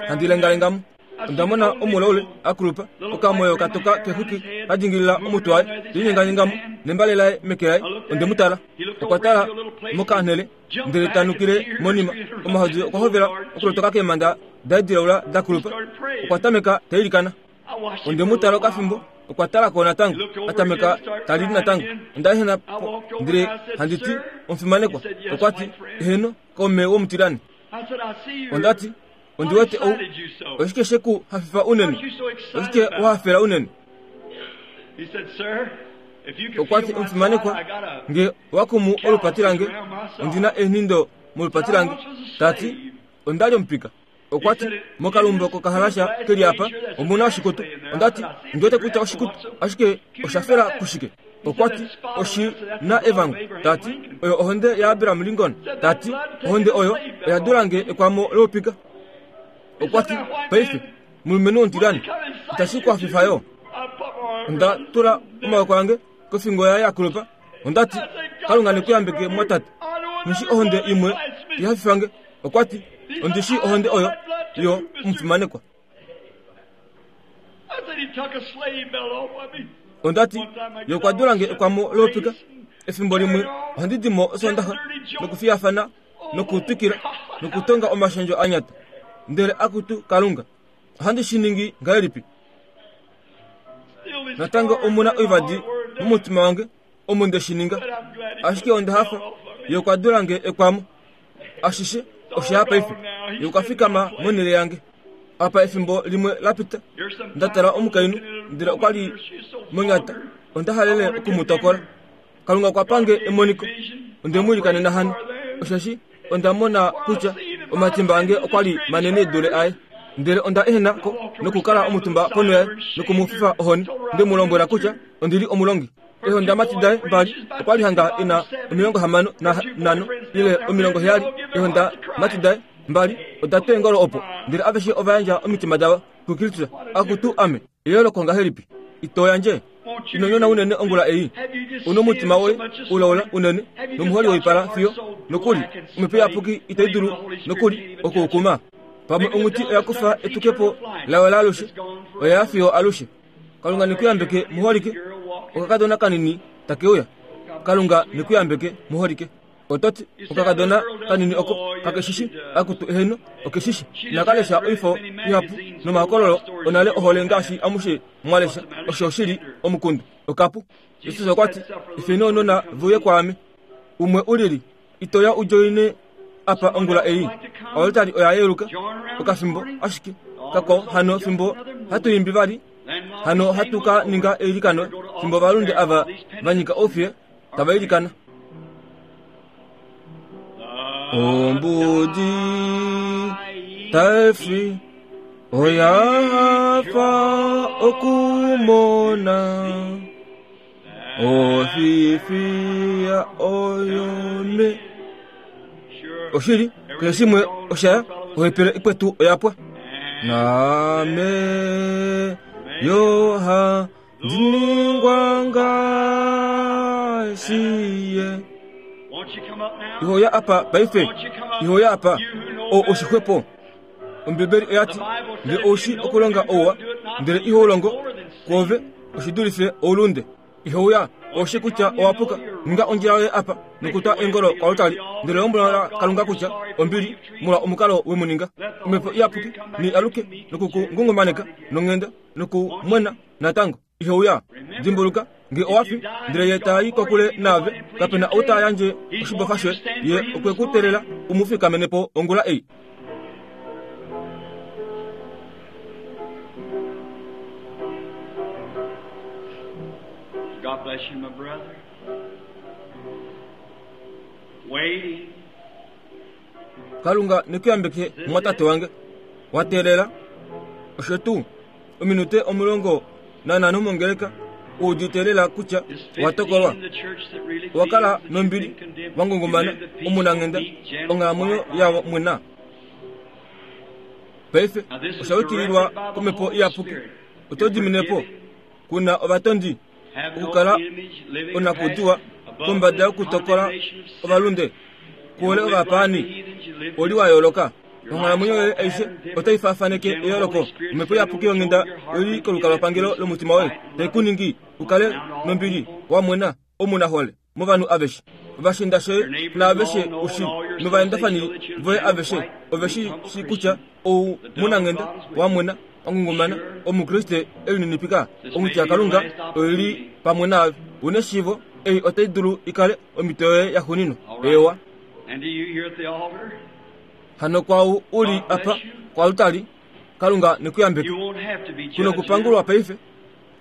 handi lengalenga mo. Onda mona omulaule a kulupa, okamoyo ka toka kexwiki ka dingilila omutwe waye, te linyenganyenga mo, nembale laye meke laye. Onde mu tala. Okwa tala mokanhele, ndele ta nukile monima. Omahodi okwa hovela okulotoka keemhanda daye dilaula da kulupa. Okwa tameka ta ilikana. Onde mu tala okafimbo, okwa tala ko natango, a tameka ta lili natango. Onda ehena po ndele handi ti, Omufimanekwa, okwa ti, Eheno, kaume womutilane. Onda ti, Ondi wete ou. Oshike she ku hafifa unene? Oshike wa hafela unene? Okwa ti, Omufimanekwa, nge owa kumu olupati lange, ondi na eenhindo molupati lange. Ta ti, Onda li omupika. Okwa ti, Mokalumbo kokahalasha ke li apa, omu na oshikutu. Onda ti, Ondi wete kutya oshikutu, ashike osha fela kushike? Okwa ti, Oshi na evango. Ta ti, Oyo ohonde yaAbraham Lincoln. Ta ti, Ohonde oyo oya dula nge ekwamo loupika. Okwa ti, Paife, mulumenhu womutilyane, itashi ku hafifa yo? Onda tula omaoko ange kofingo yaye ya kulupa. Onda ti, Kalunga ne ku yambeke, mumwatate. Nghi shi ohonde imwe ihafifa nge. Okwa ti, Ondi shii ohonde oyo yo omufimanekwa. Onda ti, Ye okwa dula nge ekwamo loupika. Efimbo limwe ohandi di mo Osoondaxa nokufiyafana nokutwikila nokutonga omashendjo a nyata. Ndele akutu Kalunga, ohandi shi ningi ngahelipi? Natango omu na oivadi momutima wange omo nde shi ninga. Ashike onda hafa, Ye okwa dula nge ekwamo. Ashishe osha ya paife. Ye okwa fikama monhele yange. Apa efimbo limwe la pita, nda tala omukainhu, ndele okwa li monyata. Onda halele oku mu tokola. Kalunga okwa pa nge emoniko. Onde mu ilikanena hano, osheshi onda mona kutya omatimba ange okwa li manene e dule aye. Ndele onda ehena ko nokukala omutumba ponho yaye noku mu fifa ohoni, nde mu lombwela kutya ondi li omulongi. Eehondamati daye mbali okwa li hanga e na 65 ile 70. Eehondamati daye mbali oda twa eengolo opo, ndele aveshe ova yandja omitima davo kuKristus. Akutu ame, eyooloko ngahelipi! Ito yandje? Ino nyona unene ongula ei. U nomutima woye ulaula unene nomuholi woipala fiyo nokuli Omhepo Iyapuki itai dulu nokuli oku u kuma. Pamwe onghuti oya kufa etukepo layo laalushe, oya ya fiyo alushe. Kalunga ne ku yambeke, muholike. Okakadona kanini take uya. Kalunga ne ku yambeke, muholike. Oto ti, Okakadona kanini oko kake shi shi? Akutu, eheno, oke shi shi. Inaka lesha oifo ihapu nomahokololo onale ohole ngaashi amushe mwa lesha. Osho oshi li omukundu. Okapu. Jesus okwa ti, Efeni ounona ve uye kwaame. Umwe u lili, ito ya u djoine apa ongula ei? Oaltari oya yeluka okafimbo ashike kakwao hano fimbo hatu imbi vali, hano hatu ka ninga eilikano fimbo ovalunde ava va nyika oufiye tava ilikana. Ombudi taifi oya hafa okumona ofifiya oyome. Oshili, keshe shimwe osha ya, ohepele ikwetu oya pwa. Naame yo handi ningwa ngaashi ye. Iho ya apa paife, iho ya apa, o oshixwepo. Ombibeli oya ti, Nge ou shii okulonga ouwa, ndele iho u longo, kwoove oshi dulife oulunde. Iho uya, ou shii kutya owa puka, ninga ondjila yoye apa nokutwa eengolo koaltari, ndele lombwela Kalunga kutya ombili molwa omukalo we mu ninga. Omhepo Iyapuki nei aluke noku ku ngungumaneka nonghenda noku mwena natango. Ihe uya. Dimbuluka, nge owa fi, ndele ye ta i kokule naave, kape na ou ta yandje oshibofa shoye. Ye okwe ku teelela u mu fikamene po ongula ei. God bless you, my brother. Waiting. Kalunga ne ku yambeke, mumwatate wange. Wa teelela. Osho tuu. Ominute 15 mongeleka u udite lela kutya owa tokolwa. Owa kala nombili, wa ngungumana, omunanghenda, onghalamwenyo yavo mwena. Paife osha yukililwa kOmhepo Iyapuki. Oto dimine po? Ku na ovatondi, okukala onakudiwa kombada yokutokola ovalunde, kuhole ovapaani, oli wa yooloka. Onghalamwenyo yoye aishe otai faafaneke eyooloko. Omhepo iyapuki yonghenda oi li kolukalwapangelo lomutima woye, tai ku ningi u kale nombili, wa mwena, omunahole movanhu aveshe. Ovashiinda shoye naaveshe u shii, novaendafani voye aveshe ove shi shii kutya ou munanghenda, wa mwena, wa ngungumana, Omukriste e lininipika. Onghuti yaKalunga oi li pamwe naave. U neshiivo, ei otai dulu i kale omhito yoye yaxuuninwa. Eewa. Hano kwaau u li apa koaltari, Kalunga ne ku yambeke. Ku nokupangulwa paife.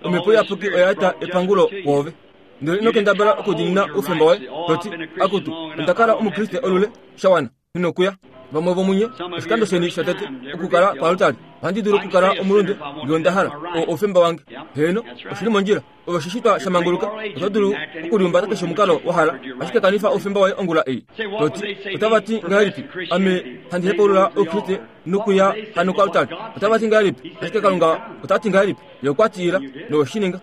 Omhepo Iyapuki oya eta epangulo kwoove. Ndele ino kendabala okudiinina oufemba woye, to ti, Akutu, onda kala Omukriste olule sha wana. Ino kuya. Vamwe vomunye, oshikando sheni shotete okukala koaltari. Ohandi dulu okukala omulunde ngee onda hala. Oo oufemba wange. Heeno, oshi li mondjila. Ove oshishitwa sha manguluka, oto dulu okulihumbata keshe omukalo wa hala, ashike kanifa oufemba woye ongula ei. To ti, Otava ti ngahelipi ame handi hepaulula Oukriste nokuya hano koaltari? Otava ti ngahelipi? Ashike Kalunga ota ti ngahelipi? Ye okwa ti ila, nowe shi ninga.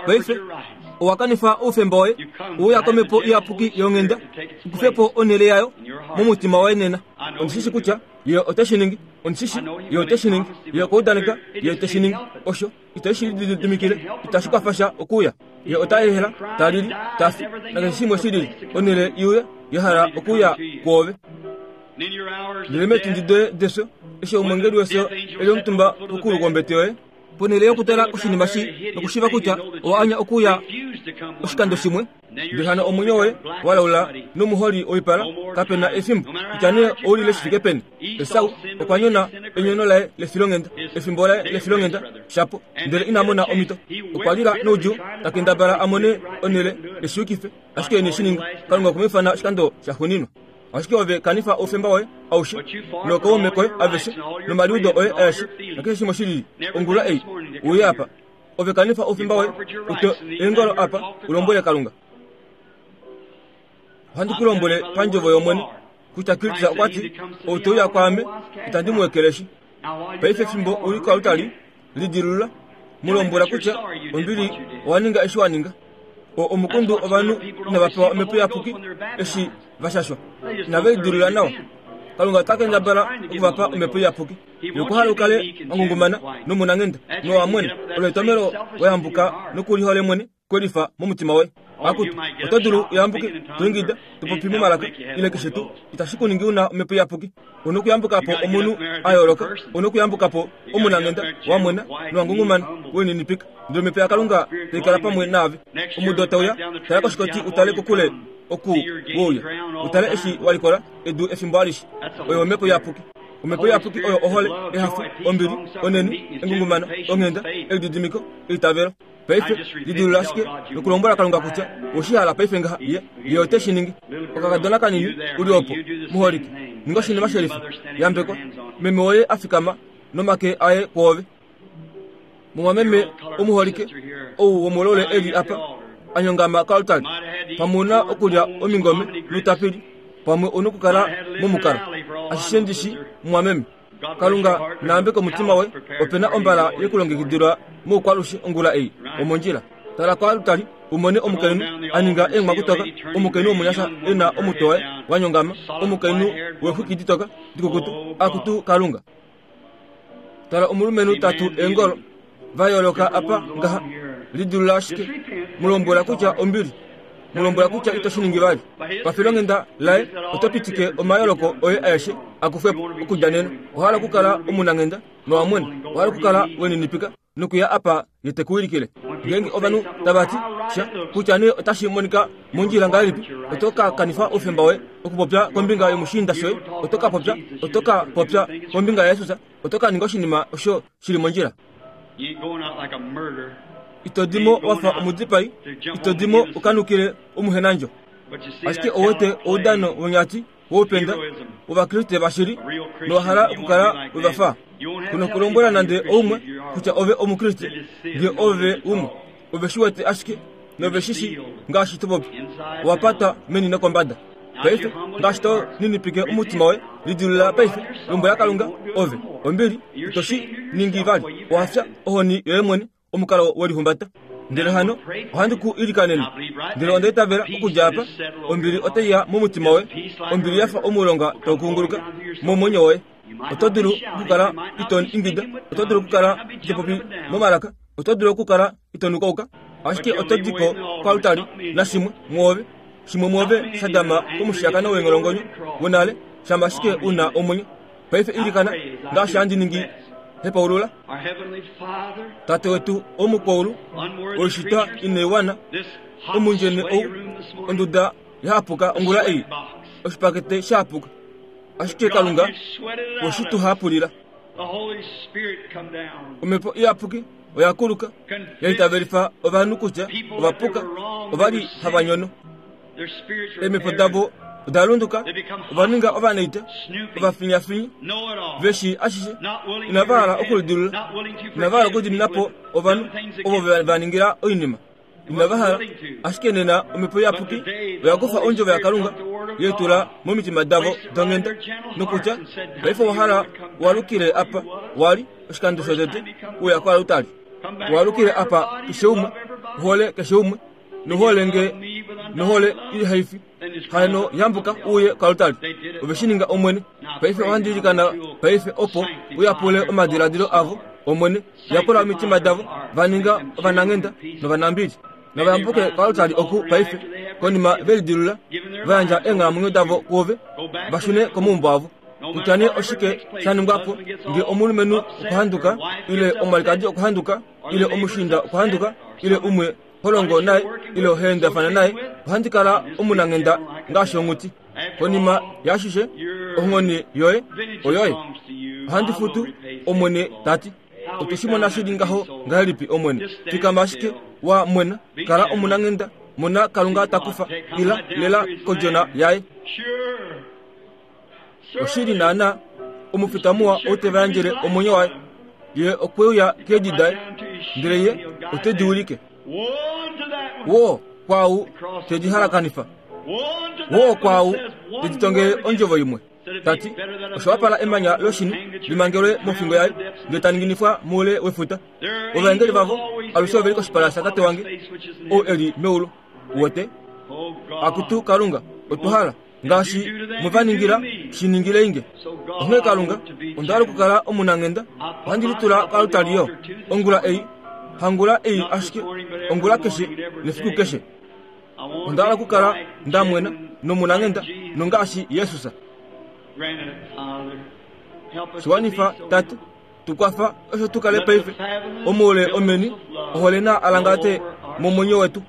Paife owa kanifa oufemba woye, uya komhepo iyapuki yonghenda, u kufe po onhele yayo momutima woye nena. Ondi shi shi kutya Ye ote shi ningi. Ondi shi shi Ye ote shi ningi. Ye okwa udaneka Ye te shi ningi. Osho ite shi lididimikile, itashi kwafa sha okuuya. Ye ota ehela, ta lili, ta fi, nakeshe shimwe shi lili, onhele i uye, ya hala okuuya kwoove. Ndele meetundi doye defyo, eshi omwengeli wefyo e li omutumba pokuulu kwombete yoye, ponhele yokutala koshinima shi nokushiiva kutya owa anya okuuya oshikando shimwe, Ndele hano omwenyo woye wa laula nomuholi woipala, kape na efimbo, kutya nee ou lile shi fike peni. Esau okwa nyona enyono laye lefilonghenda, efimbo laye lefilonghenda, shapo, ndele ina mona omhito. Okwa lila noudjuu, ta kendabala a mone onhele e shi yukife, ashike ine shi ninga. Kalunga okwe mu ifana oshikando shaxuuninwa. Ashike ove kanifa oufemba woye aushe, nookaume koye aveshe, nomaliudo oye aeshe, nakeshe shimwe shi lili, ongula ei, uye apa. Ove kanifa oufemba woye, utwe eengolo apa, u lombwele Kalunga. Ohandi ku lombwele pandjovo yOmwene, kutya Kristus okwa ti, Ou te uya kwaame, itandi mu ekeleshi. Paife fimbo u li koaltari, lidilulula, mu lombwela kutya ombili owa ninga eshi wa ninga. O omukundu ovanhu inava pewa omhepo iyapuki eshi va shashwa. Inave lidilulula nawa. Kalunga ota kendabala oku va pa omhepo iyapuki. Ye okwa hala u kale wa ngungumana nomunanghenda nowa mwena. Olo etomhelo wa yambuka nokulihole mwene kwe lifa momutima woye. Akutu, oto dulu u yambuke, to ingida, to popi momalaka, ile keshe tuu. Itashi ku ningi u na omhepo iyapuki. U na okuyambuka po omunhu a yooloka. U na okuyambuka po omunanghenda, wa mwena nowa ngungumana, we lininipika. Ndele omhepo yaKalunga tai kala pamwe naave. Omudo tau ya, tala koshikoti u tale kokule oku we uya, u tale eshi wa likola edu efimbo alishe. Oyo omhepo iyapuki. Omhepo iyapuki oyo ohole, ehafo, ombili, onheni, engungumano, onghenda, elididimiko, eitavelo. Paife, lidilula ashike nokulombwela Kalunga kutya owe shi hala paife ngaha, Ye, Ye ote shi ningi. Okakadona kanini, u li opo, muholike, ninga oshinima shelifa. Yambekwa. Meme woye a fikama nomake aye kwoove. Mumwameme omuholike, ou womolole e li apa, a nyongama koaltari, pamwe u na okulya omingome noutapili, pamwe u nokukala momukalo. Ashishe ndi shi, mumwameme. Kalunga na yambeke omutima woye. Ope na ombala ye ku longekidilwa moukwalushe ongula ei, omondjila. Tala koaltari u mone omukainhu a ninga eenghwakutoka, omukainhu womunyasha e na omutwe waye wa nyongama, omukainhu weexwiki ditoka dikukutu. Akutu Kalunga! Tala omulumenhu ta tu eengolo va yooloka apa ngaha. Lidilula ashike. Mu lombwela kutya ombili. Mu lombwela kutya ito shi ningi vali. Pafilonghenda laye oto pitike omayooloko oye aeshe a kufwe po okudja nena. Owa hala okukala omunanghenda nowa mwena. Owa hala okukala we ninipika. nokuya apa ye te ku wilikile. Ngeenge ovanhu tava ti sha, kutya nee otashi monika mondjila ngahelipi, oto ka kanifa oufemba woye okupopya kombinga yomushiinda shoye, oto ka popya, oto ka popya kombinga yaJesus, oto ka ninga oshinima osho shi li mondjila. Ito di mo wa fa omudipai, ito di mo u ka nukile omuhenandjo. Ashike ou wete oudano wonyati woupenda wOvakriste vashili nowa hala okukala we va fa. Ku nokulombwela nande oumwe kutya ove Omukriste, nge ove umwe. Ove shi wete ashike nove shi shi ngaashi to popi. Owa patwa meni nokombada. Paife, ngaashi to ninipike omutima woye, lidilula paife, lombwela Kalunga, ove, ombili, ito shi ningi vali. Owa fya ohoni yoye mwene. omukalo welihumbata. Ndele hano ohandi ku ilikanene, ndele onda itavela okudja apa ombili otai ya momutima woye, ombili ya fa omulonga tau kunguluka momwenyo woye. Oto dulu okukala ito ingida, oto dulu okukala ito popi momalaka, oto dulu okukala ito nukauka, ashike oto di ko koaltari nashimwe mwoove, shimwe mwoove sha dama komushiyakano weengholongonyo wonale, shama ashike u na omwenyo. Paife ilikana ngaashi handi ningi hepaulula. Tate wetu womukwaulu, oishitwa inai wana, omundjene ou, onduda yahapuka ongula ei, oshipakete shahapuka. Ashike Kalunga weshi tu hapulila. Omhepo Iyapuki oya kuluka, ya itavelifa ovanhu kutya ova puka. Ova li hava nyono. Eemhepo davo oda lunduka, ova ninga ovanaita, ovafinyafinyi, ve shii ashishe, inava hala okulidilula, inava hala okudimina po ovanhu ovo ve va ningila oinima. Inava hala, ashike nena Omhepo Iyapuki oya kufa Ondjovo yaKalunga, ye tula momitima davo donghenda, nokutya, Paife owa hala wa lukile apa wa li oshikando shotete uya koalutari. Wa lukile apa keshe umwe, u hole keshe umwe, nohole nge nohole ihaifi hano yambuka uye koalutari. Ove shi ninga, Omwene. Paife ohandi ilikana paife opo u yapule omadiladilo avo, Omwene. Yapula omitima davo, va ninga ovananghenda novanambili. Nava yambuke koalutari oku paife, konima ve lidilula, va yandja eenghalamwenyo davo kuove, va shune komaumbo avo. Kutya nee oshike sha ningwa po, nge omulumenhu okwa handuka, ile omwalikadi okwa handuka, ile omushiinda okwa handuka, ile umwe ho longo naye, ile ho endafana naye, ohandi kala omunanghenda ngaashi onghuti. Konima yaashishe, onghone yoye oyoye. Ohandi futu, Omwene ta ti. Otwe shi mona shi li ngaho ngahelipi, Omwene? Fikama ashike wa mwena, kala omunanghenda, mona Kalunga ta kufa ila lela kodjona yaye. Oshili naanaa, omufita muwa ou te va yandjele omwenyo waye. Ye okwe uya keedi daye, ndele ye ote di wilike. Woo kwaau te di halakanifa! Woo kwaau te di tongele ondjovo imwe, ta ti, Osha wapala emanya loshini li mangelwe mofingo yaye, ndele ta ninginifwa moule wefuta. Ovaengeli vavo alushe ove li koshipala shaTate wange, ou e li meulu. Uwete? Akutu Kalunga, otwa hala, ngaashi mwe va ningila, shi ningilei nge. Onghee Kalunga, onda hala okukala omunanghenda. Ohandi litula koaltari yo, ongula ei, hangula ei ashike, ongula keshe nefiku keshe. Onda hala okukala nda mwena nomunanghenda nongaashi Jesus. Shi wanifa, Tate. Tu kwafa osho tu kale paife omoule omeni ohole na alangate momwenyo wetu.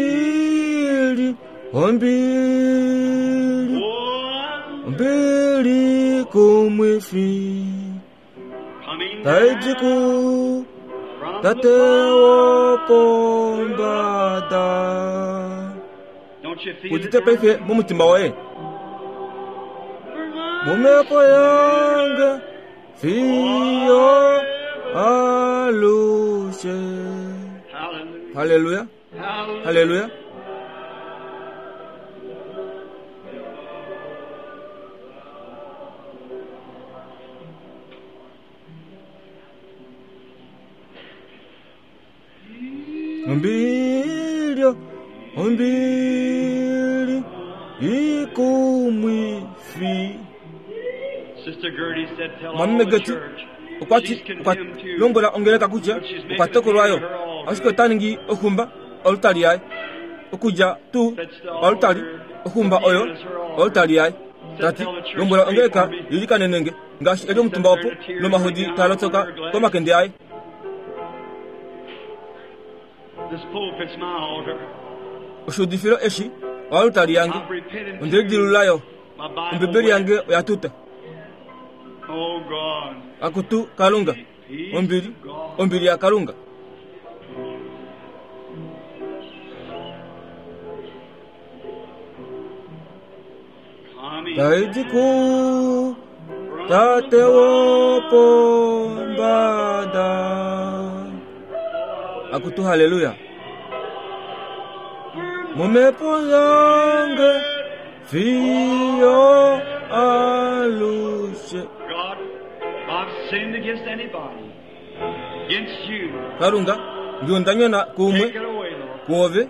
Ombili, ombili, ombili kumwifi taidi ku Tate wopombada. Udite paife momutima woye momhepo yange fiyo alushe. Haleluya, haleluya. Ombili, ombili ikumwifi. Mwameme Gertie okwa ti okwa lombwela ongeleka kutya okwa tokolwa yo, ashike ota ningi oxumba olutali yaye. Okudja tuu olutali, oxumba oyo olutali yaye. Ta ti, lombwela ongeleka yi likanene nge, ngaashi e li omutumba opo, nomahodi taa lotsoka komakende aye. Oshuudifilo eshi oalutali yange, onde lidilulula yo. Ombibeli yange oya tuta. Akutu Kalunga, ombili, ombili yaKalunga. Tai di ku Tate wopombada. Akutu haleluya. Momhepo yange fiyo alushe. God, if I've sinned against anybody, against you, Kalunga, nge onda nyona kuumwe take it away, Lord. kuove,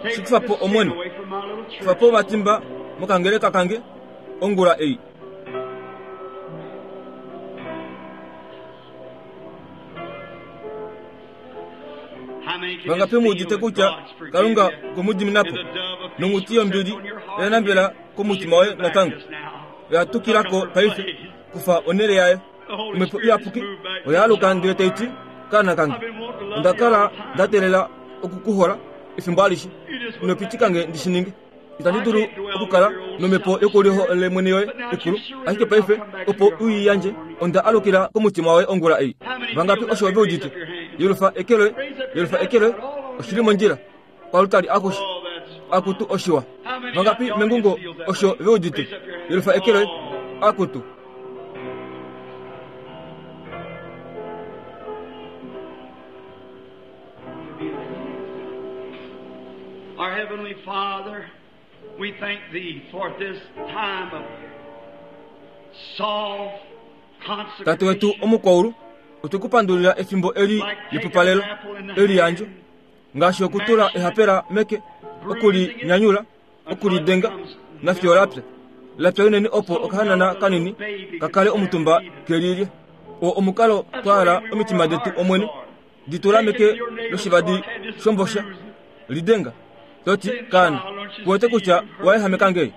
Take Shikufa po this sin Omwene. away from my little church. kufa po omatimba mokangeleka kange ongula ei. How many can Vangapi just mu udite feel that kutya God's forgiven Kalunga you? okwe mu dimina po And the dove of peace nonghuti will yombili sit on your heart oya nambela again. komutima woye She's back natango. just now. Oya tukila ko Took up her paife place. kufa onhele yayo. The Holy Omhepo Spirit Iyapuki has moved back oya to aluka the ndele tai ti, Kaana kange, I've been wanting to love onda you kala all the time. nda teelela oku ku hola efimbo alishe. You just Ino pitika nge ndi shi ninge. Itandi dulu okukala nomhepo yokuliholemwene yoye ikulu, ashike paife opo u i yandje, onda alukila komutima woye ongula ei. Vangapi osho ve udite? Yelufa eke loye, yelufa eke loye. Oshi li mondjila. Kwalutali akushe. Akutu oshiwa. Vangapi mengungo osho ve udite? Yelufa eke loye. Akutu. Our Heavenly Father, we thank Thee for this time of soft Tate wetu consecration. omukwaulu, otwe ku pandulila efimbo eli lepupalelo, eliyandjo, ngaashi okutula ehapela meke, okulinyanyula, okulidenga, nafiyo lapya. Lapya unene opo okahanana kanini ka kale omutumba kelilye. Oo omukalo twa hala omitima detu Omwene, di tula meke loshivadi shombosha, lidenga, toti, Kaana, ku wete kutya wa ehameka nge?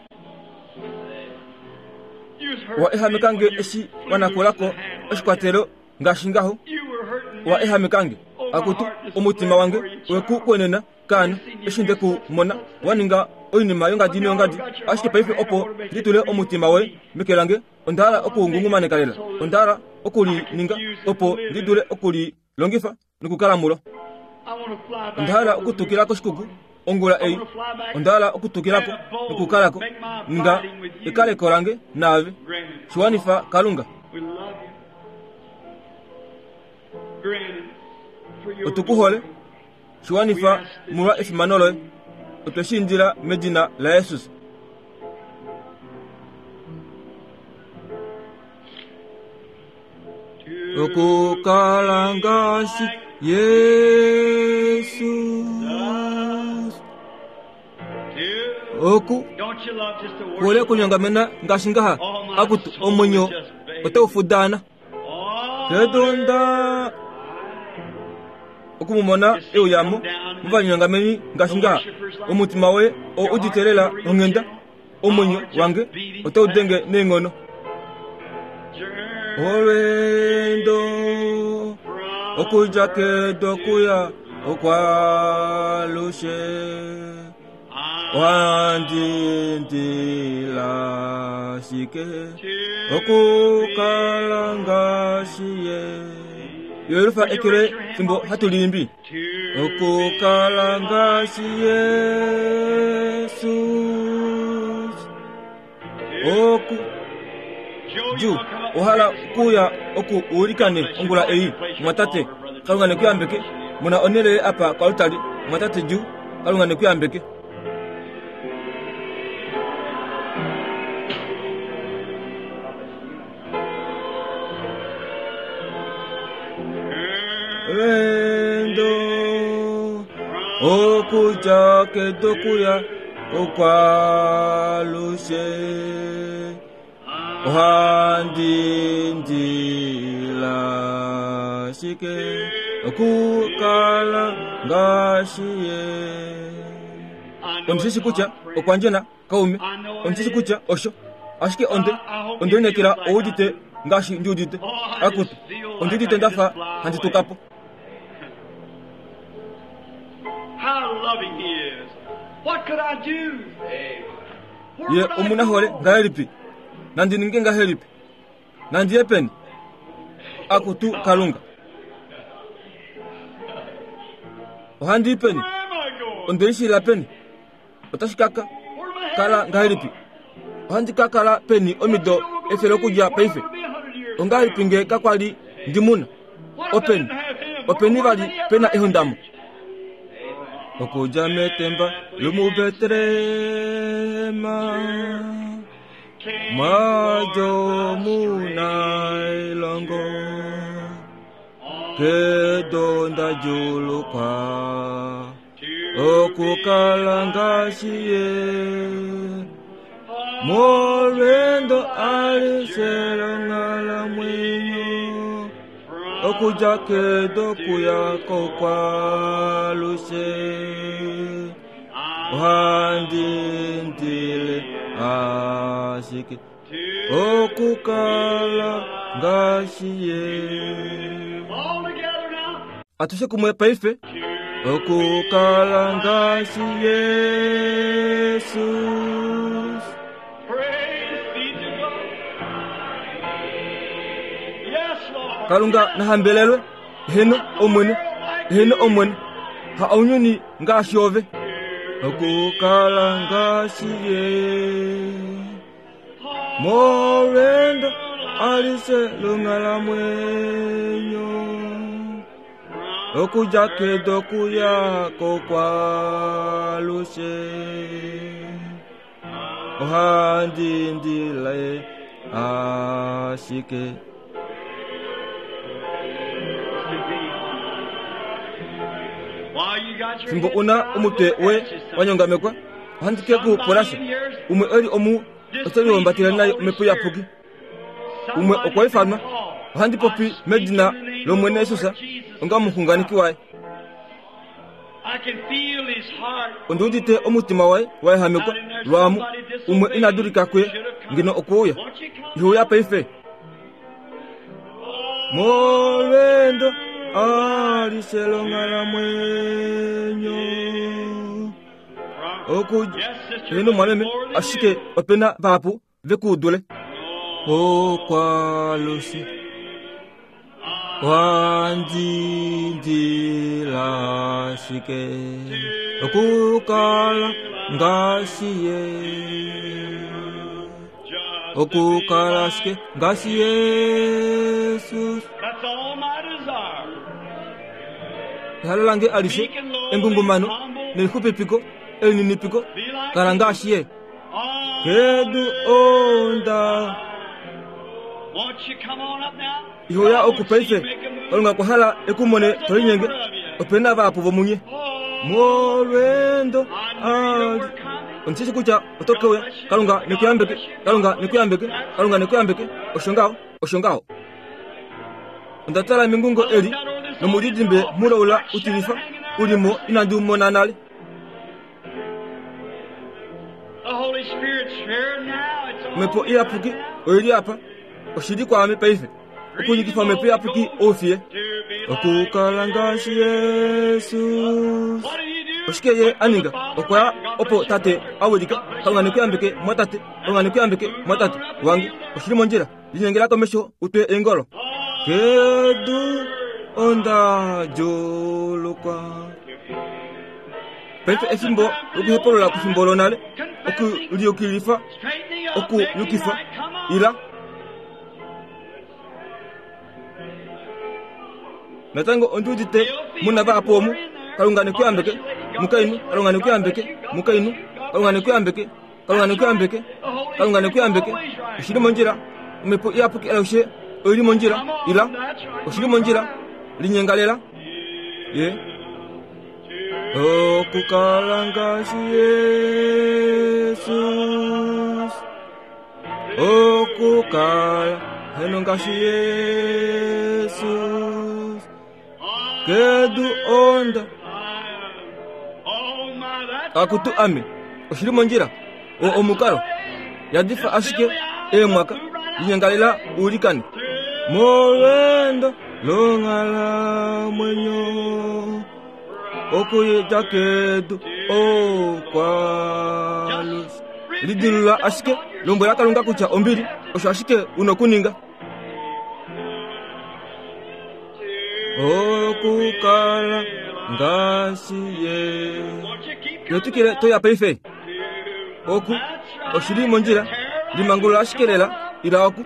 Wa ehameka nge eshi wa nakula ko oshikwatelo ngaashi ngaho. Wa ehameka nge. Akutu, omutima wange we ku kwenena, kaana, eshi nde ku mona wa ninga oinima yongadi noyongadi. Ashike paife opo ndi tule omutima woye meke lange, onda hala oku u ngungumaneka lela. Onda hala oku li ninga opo ndi dule oku li longifa nokukala mulo. Onda hala okutukila koshikuku ongula ei. Onda hala okutukila ko nokukala ko. Ninga ekaleko lange naave. Shi wanifa, Kalunga. Otu ku hole. Shi wanifa molwa efimano loye. Otwe shi indila medina laJesus. Okukala ngaashi Jesus. Oku hole okunyongamena ngaashi ngaha, akutu omwenyo otau fudaana. Kedunda oku mu mona e uya mo movanyongameni ngaashi ngaha, omutima woye oo udite lela onghenda. Omwenyo wange otau denge neenghono. Olweendo okudja kedu okuya okwaalushe ohandi indila ashike okukala ngaashi ye. Yelufa eke loye fimbo hatu liimbi. Okukala ngaashi Jesus. Oku Ju, ohala okuuya oku ulikane ongula ei, mwatate. Kalunga ne ku yambeke. Mona onhele apa koaltari, mwatate Ju. Kalunga ne ku yambeke. Lwendo okudja kedu okuya okwalushe ohandi ndila shike okukala ngaashi ye. Ondi shi shi kutya okwa ndjena Kaume, ondi shi kutya osho. Ashike onde, onde lineekela ou udite ngaashi ndi udite. Akutu, ondi udite nda fa handi tuka po. Ye omunahole ngahelipi! Nandi ninge ngahelipi? Nandi ye peni? Akutu Kalunga! Ohandi i peni? Onde lishilila peni? Otashi ka kala ngahelipi? Ohandi ka kala peni omido efele okudja paife? Ongahelipi nge kakwa li ndi muna? Openi, openi vali pe na ehondamo? Okudja metemba lomuBetlehem, mwadjo mu na elongo, kedo nda djuulukwa. Okukala ngaashi ye molweendo alishe longhalamwenyo okudja kedo kuya kokwalushe ohandi ndile ashike okukala ngaashi ye. Atushe kumwe paife. Okukala ngaashi Jesus. Praise be to God. Yes, Lord. Kalunga nahambelelwe, heno Omwene, heno Omwene, ha ounyuni ngaashi ove. Okukala ngaashi ye. Molwendo alishe longhalamwenyo. Okudja kedu okuya kokwaalushe. Ohandi indile ashike. While you got your Fimbo head una down, omutwe I we want to ask you wa nyongamekwa, ohandi ke ku pula sha. Umwe e li omu ote lihumbatele naye omhepo iyapuki. Umwe okwa ifanwa, ohandi popi medina lOmwene Jesus onga omuxunganeki waye. I can feel his heart. Ondi udite omutima waye wa ehamekwa lwaamu, umwe ina dulika kuye, ngeno okwe uya. Won't you come? Ihe uya paife. Molwendo alishe longhalamwenyo. Oku Yes, sister. heno mwameme, more than ashike you. opena vahapu vekuudule. Okwalushe wandindila ashike okukala ngaashi ye. Just to Okukala be ashike ngaashi Jesus. That's all my desire. Ehalo lange alishe engungumano nelixupipiko elininipiko Be like kala ngaashi ye. Oh, Kedu onda Won't you come on up now? ihoya oku paife Kalunga okwa hala ekumone to linyenge opena vahapu vomunye. Oh, Molwendo I knew you ali were coming. ondishishi kutya oto keuya. Kalunga nekuyambeke, Kalunga nekuyambeke, Kalunga nekuyambeke. Osho ngaho, osho ngaho. Onda tala mengungo eli nomudidimbe mulaula utilifa ulimo inandi umona nale. The Holy Spirit's here now. It's on Omhepo me iyapuki right now. oili apa oshili kwaame paife okunyikifa omhepo iyapuki oufiye. To be like Okukala ngaashi Jesus. What did he do? Oshike ye a ninga? Went to the Father. Okwa ya God opo bless you, tate brother. a wilika. God bless Kalunga you. nekuyambeke mwatate, Kalunga nekuyambeke mwatate wange. Oshili mondjila, linyengela komesho utwe eengolo. Kedu onda djuulukwa. Paife efimbo lokuhepulula kefimbo lonale, okuliyukilifa, Straighten up, okuyukifa, make it right. Come on. ila. Natango ondi udite muna vahapu omu, Kalunga nekuyambeke, mukainhu, Kalunga nekuyambeke, mukainhu, Kalunga nekuyambeke, Kalunga nekuyambeke, Kalunga nekuyambeke. Oshili mondjila, omhepo iyapuki alushe oili mondjila, Come on. ila. That's right. Oshili mondjila, linyengalela. Ye. Okukala ngaashi Jesus. Okukala heno ngaashi Jesus. Kedu onda Oh my, that's akutu right. ame oshili mondjila o omukalo yadifa ashike eemwaka linyengalela uulikane molwendo longhalamwenyo okuyedja kedu okwalusi lidilula ashike lombwela Kalunga kutya ombili osho ashike una okuninga. Okukala ngaashi ye. Won't you keep Yotwikile toya paife. Oku oshili mondjila limangulula ashike lela ila oku.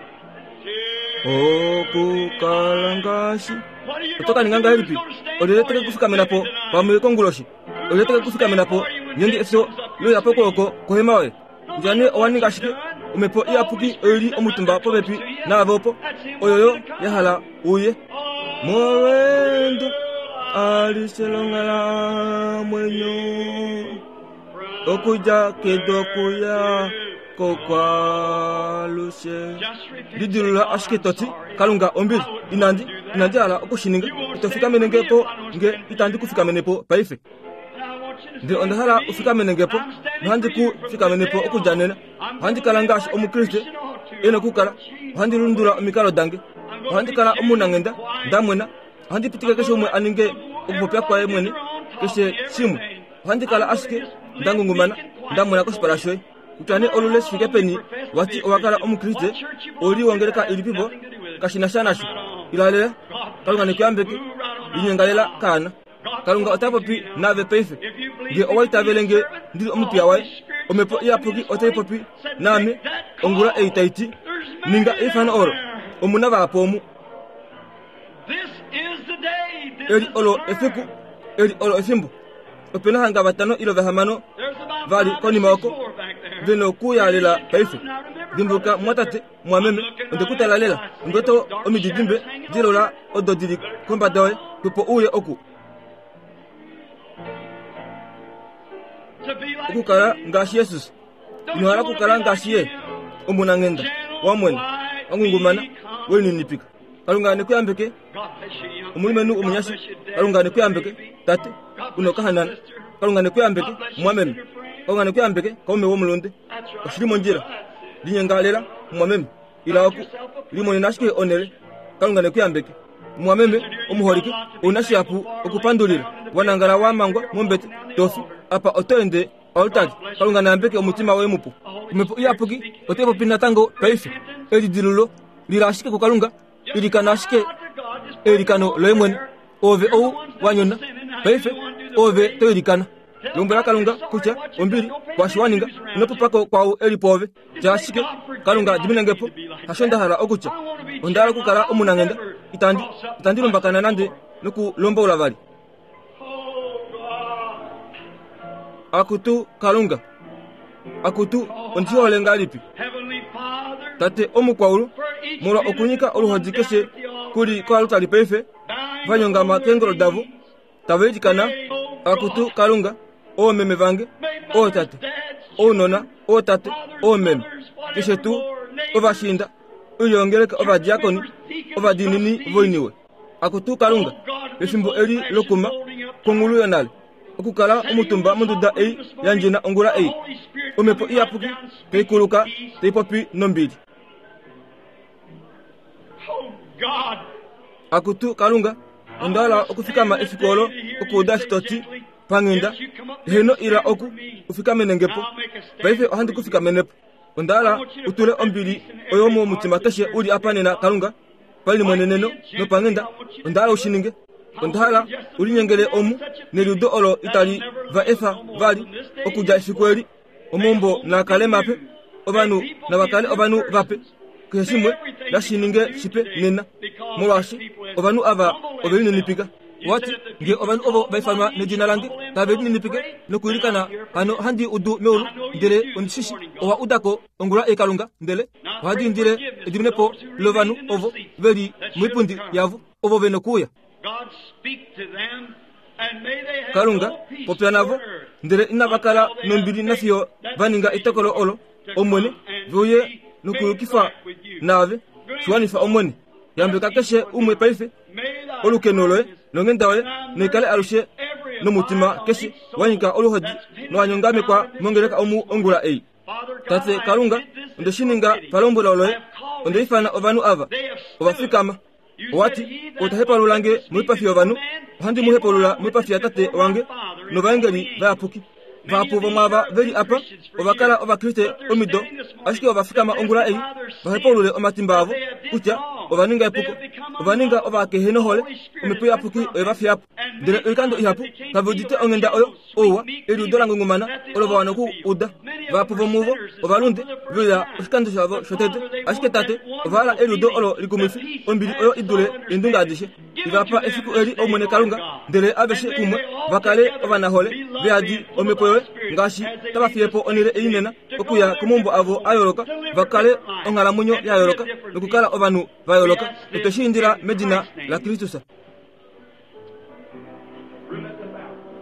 Okukala ngaashi What are you oto ka ninga ngahelipi? Olyelye teke kufikamena po pamwe konguloshi? Olyelye teke kufikamena po ngeenge efyo loya pokwooko kohema yoye? Kutya nee owa ninga shike, omhepo iyapuki oili omutumba popepi naave opo, oyoyo ya hala uye. Molwendo alishe longhalamwenyo okudja kedu okuya kokwaalushe. Just repeat. Lidilula ashike toti Kalunga ombili inandi inandi hala okushininga ito fikamene nge po nge itandi ku fikamene po paife. And I want you to Ndele onda hala u fikamene nge po nohandi ku fikamene po okudja nena. Ohandi kala ngaashi Omukriste e nokukala. Ohandi lundula omikalo dange. Ohandi kala omunanghenda, nda mwena. Ohandi pitike keshe umwe a ninge okupopya kwaye mwene. Keshe shimwe. Ohandi kala ashike nda ngungumana, nda mwena koshipala shoye. Kutya nee olule shi fike peni wa ti owa kala Omukriste, ou li wongeleka ilipipo, kashi na sha nasho. Ilalela, Kalunga ne ku yambeke. Linyengalela kaana. Kalunga ota popi naave paife. Nge owa itavele nge ndi li omupiya waye, Omhepo Iyapuki otai popi naame ongula ei tai ti, Ninga eifano olo. Omu na vahapu omu. Eli olo efiku, eli olo efimbo. Ope na hanga vatano ilo vahamano vali konima oko ve nokuuya lela paife. Dimbuluka, mumwatate, mumwameme, onde ku tala lela. Ondi wete omididimbe dilola odo di li kombada yoye, opo uye oku. Okukala ngaashi Jesus. Ino hala okukala ngaashi ye? Omunanghenda, wa mwena, wa ngungumana, we lininipika. Kalunga ne ku yambeke, omulumenhu omunyasha. Kalunga ne ku yambeke, tate, una okahanana. Kalunga ne ku yambeke, mumwameme. Kalunga ne ku yambeke, kaume womulunde. Oshi li mondjila. Linyenga lela, mumwameme. Ila oku. Limonena ashike onhele. Kalunga ne ku yambeke. Mumwameme omuholike, ou na shihapu okupandulila. Wa nangala wa mangwa mombete, to fi. Apa oto ende oaltari. Kalunga na yambeke omutima woye mupu. Omhepo Iyapuki otai popi natango paife. Elidilulo lila ashike kuKalunga, ilikana ashike eilikano loye mwene. Oove ou wa nyona paife, oove to ilikana. Lombwela Kalunga kutya ombili kwaashi wa ninga, ino popa ko kwaau e li pwoove. Tya ashike, Kalunga dimine nge po, hasho nda hala okutya. Onda hala okukala omunanghenda, itandi, itandi lumbakana nande nokulomboula vali. Akutu Kalunga, akutu ondi hole ngahelipi Tate omukwaulu, molwa okunyika oluhodi keshe ku li koalutali paife, va nyongama keengolo davo, tava ilikana, Akutu Kalunga, oomeme vange, ootate, ounona, ootate, oomeme, keshe tuu, ovashiinda, oilyo ovadiakoni, ovadiinini voiniwe. Akutu Kalunga, pefimbo eli lokuma kwongulu yonale, okukala omutumba monduda ei ya ndjena ongula ei, Omhepo Iyapuki tai kuluka tai popi nombili. Akutu Kalunga, onda hala okufikama efiku olo okuuda eshi to ti, Panghenda, heeno ila oku, u fikamene nge po. Paife ohandi ku fikamene po. Onda hala u tule ombili oyo momutima keshe u li apa nena, Kalunga. Palimweneneno nopanghenda, onda hala u shi ninge. Onda hala u linyengele omu neliudo olo itali va efa vali okudja efiku eli. Omaumbo naa kale mape, ovanhu nava kale ovanhu vape. Keshe shimwe nashi ninge shipe nena, molwaashi ovanhu ava ove lininipika. Owa ti, Nge ovanhu ovo va ifanwa nedina lange tave lininipike nokwiilikana, hano ohandi udu meulu, ndele ondi shi shii owa uda ko ongula ei Kalunga, ndele ohandi indile ediminepo lovanhu ovo ve li moipundi yavo, ovo ve nokuuya. Kalunga, popya navo, ndele inava kala nombili nafiyo va ninga etokolo olo, Omwene, ve uye nokuyukifa naave. Shi wanifa, Omwene. Yambeka keshe umwe paife. Olukeno loye nonghenda yoye naikale alushe nomutima keshe wa nyika oluhodi nowa nyongamekwa mongeleka omu ongula ei. Tate Kalunga, onde shi ninga palombwelo loye, onde ifana ovanhu ava. Ova fikama. Owa ti, Ou ta hepalula nge moipafi yovanhu, ohandi mu hepalula moipafi yaTate wange novaengeli vayapuki. Vahapu vomwaava ve li apa ova kala Ovakriste omido, ashike ova fikama ongula ei va hepaulule omatimba avo kutya ova ninga epuko, ova ninga ovakehenohole, Omhepo Iyapuki oye va fiya po. Ndele oikando ihapu kave udite onghenda oyo, ouwa, eliudo la ngungumana olo va wana oku uda. Vahapu vomuvo ovalunde ve uya oshikando shavo shotete, ashike Tate, ova hala eliudo olo likumwifi, ombili oyo i dule eendunge adishe. I va pa efiku eli, Omwene Kalunga, ndele aveshe kumwe va kale ovanahole, ve yadi Omhepo yoye, ngaashi tava fiye po onhele ei nena, okuya komaumbo avo a yooloka, va kale onghalamwenyo ya yooloka nokukala ovanhu va yooloka. Otwe shi indila medina laKristus.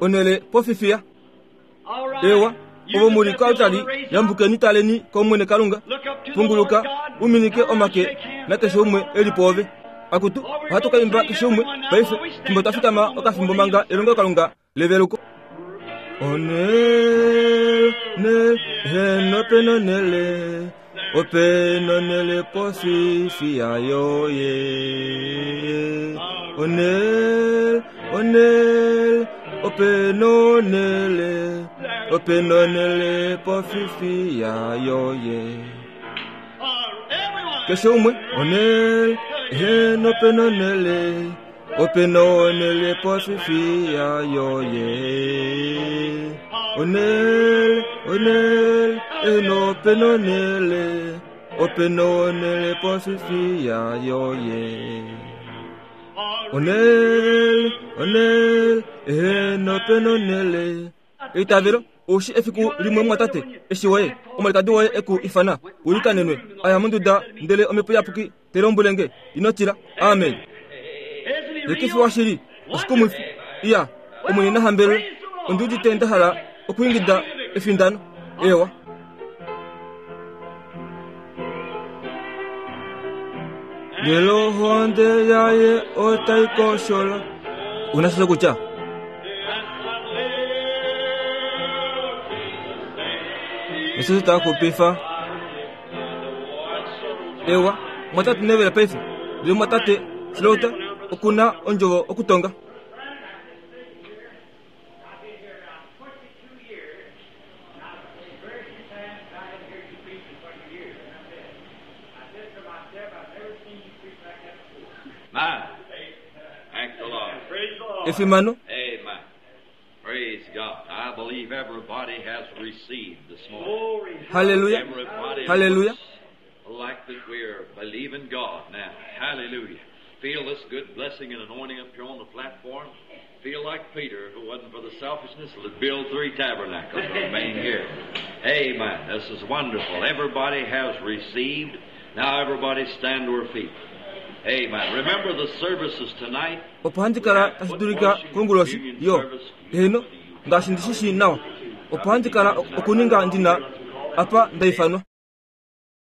Onhele pofifiya. Ewa, ovo mu li koaltari, yambukeni taleni kOmwene Kalunga. Punguluka, u minike omake nakeshe umwe e li pwoove. Akutu, ohatu ka imba keshe umwe paife, fimbo twa fikama okafimbo manga elongelokalunga leveluko. Onele, heno penonele, openonele pofifiya yoye. Onele, onele, Ope nonele, ope nonele pofifiya yoye. Keshe umwe onele, eheno ope nonele, ope nonele pofifiya yoye. Onele, onele, eheno ope nonele, ope nonele pofifiya yoye. Onele, onele, eheno ope nonele. Eitavelo, oushi efiku limwe mumwatate, eshi woye, omwalikadi woye e ku ifana, u likanenwe, a ya monduda, ndele Omhepo Iyapuki te lombwele nge, Ino tila. Amen. Ye ke fi washili, oshikumwifi. Iya, Omwene na hambelwe. Ondi udite nda hala okwiingida efindano. Eewa. Ndele ohonde yaye otai koshola. Una sha shokutya? Jesus ta xupifa. Ewa, mwatate Neville paife. Ndele mwatate Slaughter oku na ondjovo okutonga. Efimano. Haleluya. Haleluya. Like that we're believing God now. Hallelujah. Feel this good blessing and anointing up here on the platform. Feel like Peter, if it wasn't for the selfishness, would build three tabernacles and remain here. Amen. This is wonderful. Everybody has received. Now everybody stand to her feet. Amen. Remember the services tonight. Opo handi kala tashi dulika konguloshi yo heeno ngaashi ndi shi shii nawa opo handi kala okuninga ndi na apa nda ifanwa.